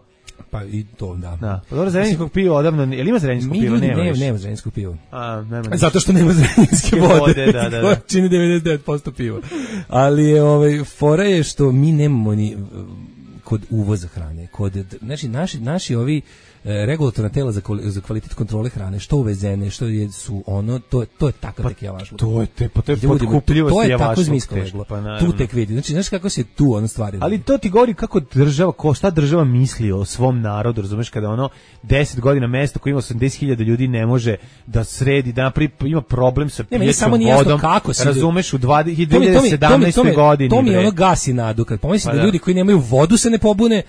Pa i to, da. Da. Pa dobro, zrenjaninskog piva odavno, jel ima zrenjaninskog piva? Nema, nema, nema zrenjaninskog piva. A, nema. Zato što nema zrenjaninske vode, vode da, da, da. čini devedeset devet posto piva. Ali je, ovaj, fora je što mi nemamo ni kod uvoza hrane, kod, znači, naši, naši ovi regulatorna tela za za kvalitet kontrole hrane, što uvezene, što je su ono, to to je takav pa, tek javašluk. To je te, pa to je potkupljivost to je javašluk. Tako zmijsko leglo. Pa, tu tek vidi. Znači, znaš kako se tu ono stvari. Ali to ti govori kako država, ko šta država misli o svom narodu, razumeš, kada ono deset godina mesto koje ima osamdeset hiljada ljudi ne može da sredi, da napravi, ima problem sa pijećom vodom. Kako se razumeš u dvadeset sedamnaeste. godini. To mi ono gasi nadu kad pomislim da ljudi koji nemaju vodu se ne pobune.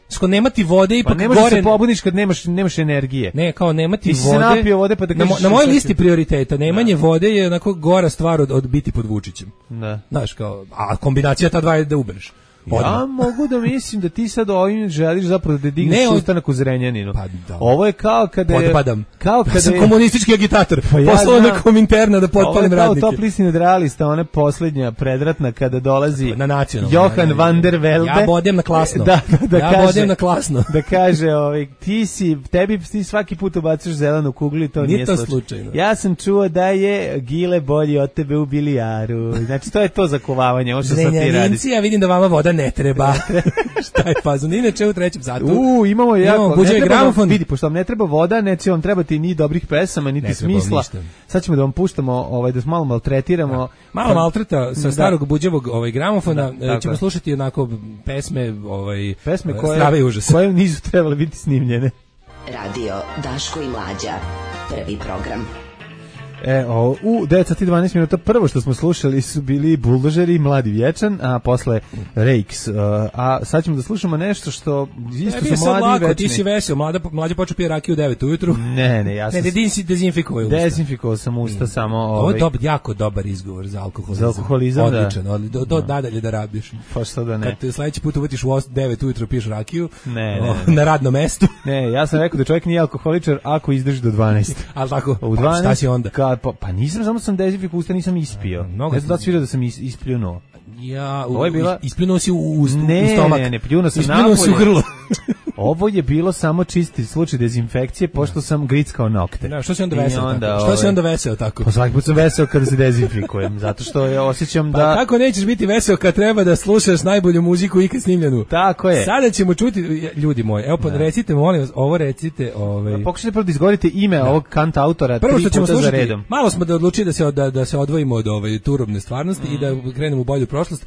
Sko nemati vode ipak pa ne gore. Pa ne se pobuniš kad nemaš nemaš energije. Ne, kao nemati ti vode. Se napio vode pa da kažeš. Na, na mojoj listi prioriteta nemanje da. vode je onako gora stvar od, od biti pod Vučićem. Da. Znaš, kao, a kombinacija ta dva je da ubereš. Odmah. Ja mogu da mislim da ti sad ovim želiš zapravo da digneš ustanak u Zrenjaninu. Pa da. Ovo je kao kada je Podpadam. Kao kada ja sam je komunistički agitator. Pa ja poslao na Kominterna da potpalim radnike. Ovo je kao top lisni nadrealista, ona posljednja predratna kada dolazi na nacionalno. Johan van der Velde. Ja bodem na klasno. Da, da, da ja kaže, bodem na klasno. Da kaže, ovaj, ti si, tebi ti svaki put ubaciš zelenu kuglu i to nije, nije to slučaj. slučajno. Ja sam čuo da je Gile bolji od tebe u bilijaru. Znači, to je to zakovavanje, ovo što sad ti radiš. Ja vidim da vama voda ne treba. Šta je fazon? Inače u trećem satu. U, imamo jako. Imamo buđe gramofon. Vidi, pošto vam ne treba voda, neće vam trebati ni dobrih pesama, niti smisla. Sad ćemo da vam puštamo, ovaj, da malo maltretiramo. Da. Malo maltreta sa starog da. buđevog ovaj, gramofona. Da, ćemo slušati onako pesme, ovaj, pesme koje, strave i užas. Koje nisu trebale biti snimljene. Radio Daško i Mlađa. Prvi program. E, o, u devet sati i dvanaest minuta prvo što smo slušali su bili Buldožeri i Mladi Vječan, a posle Rakes. Uh, a sad ćemo da slušamo nešto što isto ne, su mladi lako, i večni. Ti si vesel, mlada, mlađa počeo pije rakiju u devet ujutru. Ne, ne, ja sam... Ne, ne, dezinfikovao usta. Dezinfikovao sam usta mm. samo... Ovaj... Ovo je dob, jako dobar izgovor za alkoholizam. Za alkoholizam, odličan, da. Odličan, do, do no. nadalje da rabiš. Pa što da ne. Kad te sledeći put uvetiš u devet ujutru piješ rakiju, ne, ne, o, ne. na radnom mestu. Ne, ja sam rekao da čovjek nije alkoholičar ako izdrži do dvanaest. Ali tako, u dvanaest, pa šta si onda? Ka, pa, pa nisam, samo sam dezinfikovao usta, nisam ispio. Mnogo ne znam da si vidio da sam is, ispljunuo. Ja, Ovo je bila... ispljunuo si u, u, ne, u stomak. Ne, ne, ne, pljunuo sam ispljunuo si u grlo. Ovo je bilo samo čisti slučaj dezinfekcije, pošto sam grickao nokte. Da, što si onda veseo onda, tako? Što ove... si onda veseo tako? Pa svaki put sam veseo kada se dezinfikujem, zato što je osjećam da... Pa kako nećeš biti veseo kad treba da slušaš najbolju muziku ikad snimljenu? Tako je. Sada ćemo čuti, ljudi moji, evo pa recite, molim vas, ovo recite... Ovaj... Pokušajte prvo da izgovorite ime da. ovog kant autora prvo tri puta za redom. Malo smo da odlučili da se, da, da se odvojimo od ovaj, turobne stvarnosti mm. i da krenemo u bolju prošlost.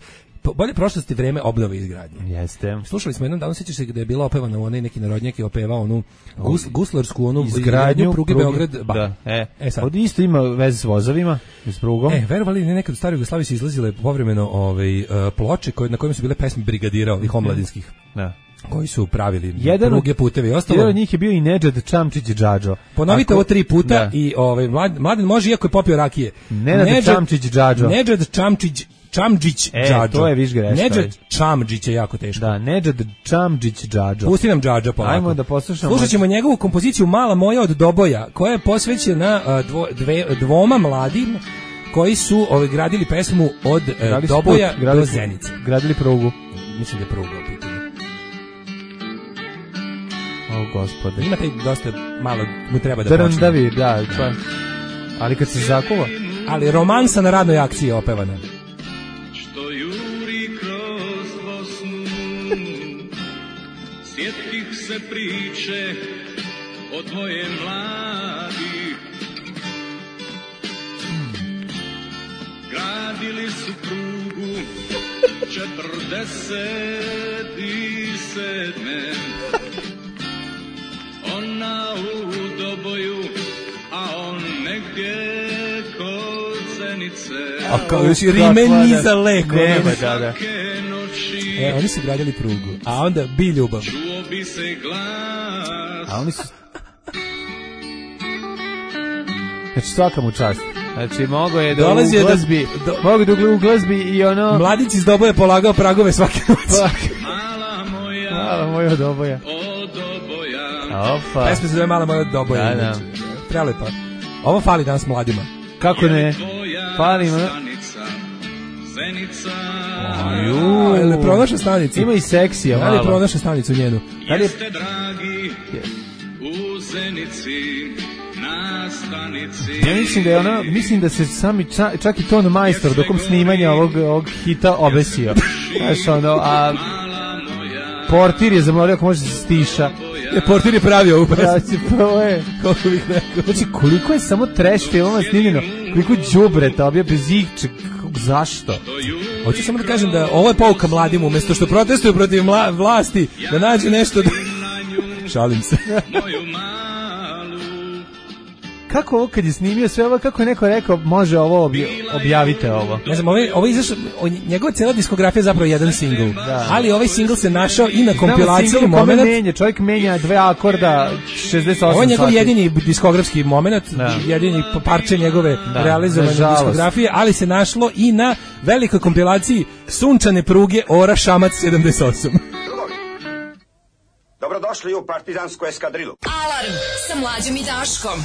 Bolje prošlosti vreme obnove i izgradnje. Jeste. Slušali smo jednom danu, sjećaš se da je bila opevana u onaj neki narodnjak je opevao onu gus, guslarsku onu izgradnju pruge Beograd. Ba. Da, e. e sad. Ovdje isto ima veze s vozovima, s prugom. E, verovali ne nekad u staroj Jugoslaviji su izlazile povremeno ovaj, uh, ploče koje, na kojima su bile pesme brigadira ovih omladinskih. Da. Koji su pravili jedan pruge, putevi i ostalo. Jedan od njih je bio i Nedžad Čamčić Džadžo. Ponovite ovo tri puta da. I ovaj, Mladen može, iako je popio rakije. Nedžad Čamčić Džadžo. Nedžad Čamčić Čamdžić e, Džadžo. To je viš greška. Nedžad Čamdžić je jako teško. Da, Nedžad Čamdžić Džadžo. Pusti nam Džadžo polako. Ajmo da poslušamo. Slušat ćemo njegovu kompoziciju Mala moja od Doboja, koja je posvećena dvo, dve, dvoma mladim koji su ovaj, gradili pesmu od gradili Doboja put, gradili, do Zenice. Gradili prugu. Mislim da je pruga u pitanju. O, gospode. Ima taj dosta malo, mu treba da počne. Drndavi, da, pa. Ali kad se zakuva. Ali romansa na radnoj akciji je opevana. Što juri kroz Bosnu, sjetih se priče o tvoje mladi. Gradili su prugu četrdeset sedme. Ona u Doboju, a on negdje kod Zenice. A kao još i rime niza leko. Nema, da, da. E, oni su gradili prugu, a onda bi ljubav. Čuo bi se glas. A oni su... Znači svaka mu čast. Znači mogo je da Dolazio u glazbi, do, do, mogu da u glazbi i ono... Mladić iz Doboja polagao pragove svake noći. Mala moja, Mala moja od Doboja. Od Doboja. Opa. Pesma se zove Mala moja od Doboja. Da, da. Prelepa. Ovo fali danas mladima. Kako ne? Fali ima. Zenica. Aju. Je li pronaša stanicu? Ima i seksija malo. Da li je pronaša stanicu njenu? Jeste dragi u Zenici. Na stanici. Ja mislim da je ona, mislim da se sami čak, čak i ton majstor dokom snimanja ovog, ovog hita obesio. Znaš ono, a portir je zamolio ako može da se stiša. Je, portir je pravio ovu pesmu. Ja, prvo je. Koliko bih rekao. Znači, koliko je samo trash filmova snimljeno, koliko đubreta obja bez ihče, zašto? Hoću samo da kažem da ovo je pouka mladim, umjesto što protestuju protiv mla, vlasti, da nađu nešto da... Šalim se. Kako ovo kad je snimio sve ovo, kako je neko rekao, može ovo obja, objavite ovo. Ne znam, ovo, ovo izašao, njegova cijela diskografija je zapravo jedan singl, da. Ali ovaj singl se našao i na kompilaciji moment. Menja, čovjek menja dve akorda, šezdeset osam ovo je njegov sati. jedini diskografski moment, da. Jedini parče njegove da, realizovane diskografije, ali se našlo i na velikoj kompilaciji Sunčane pruge Ora Šamac sedamdeset osam. Dobrodošli u partizansku eskadrilu. Alarm sa Mlađom i Daškom.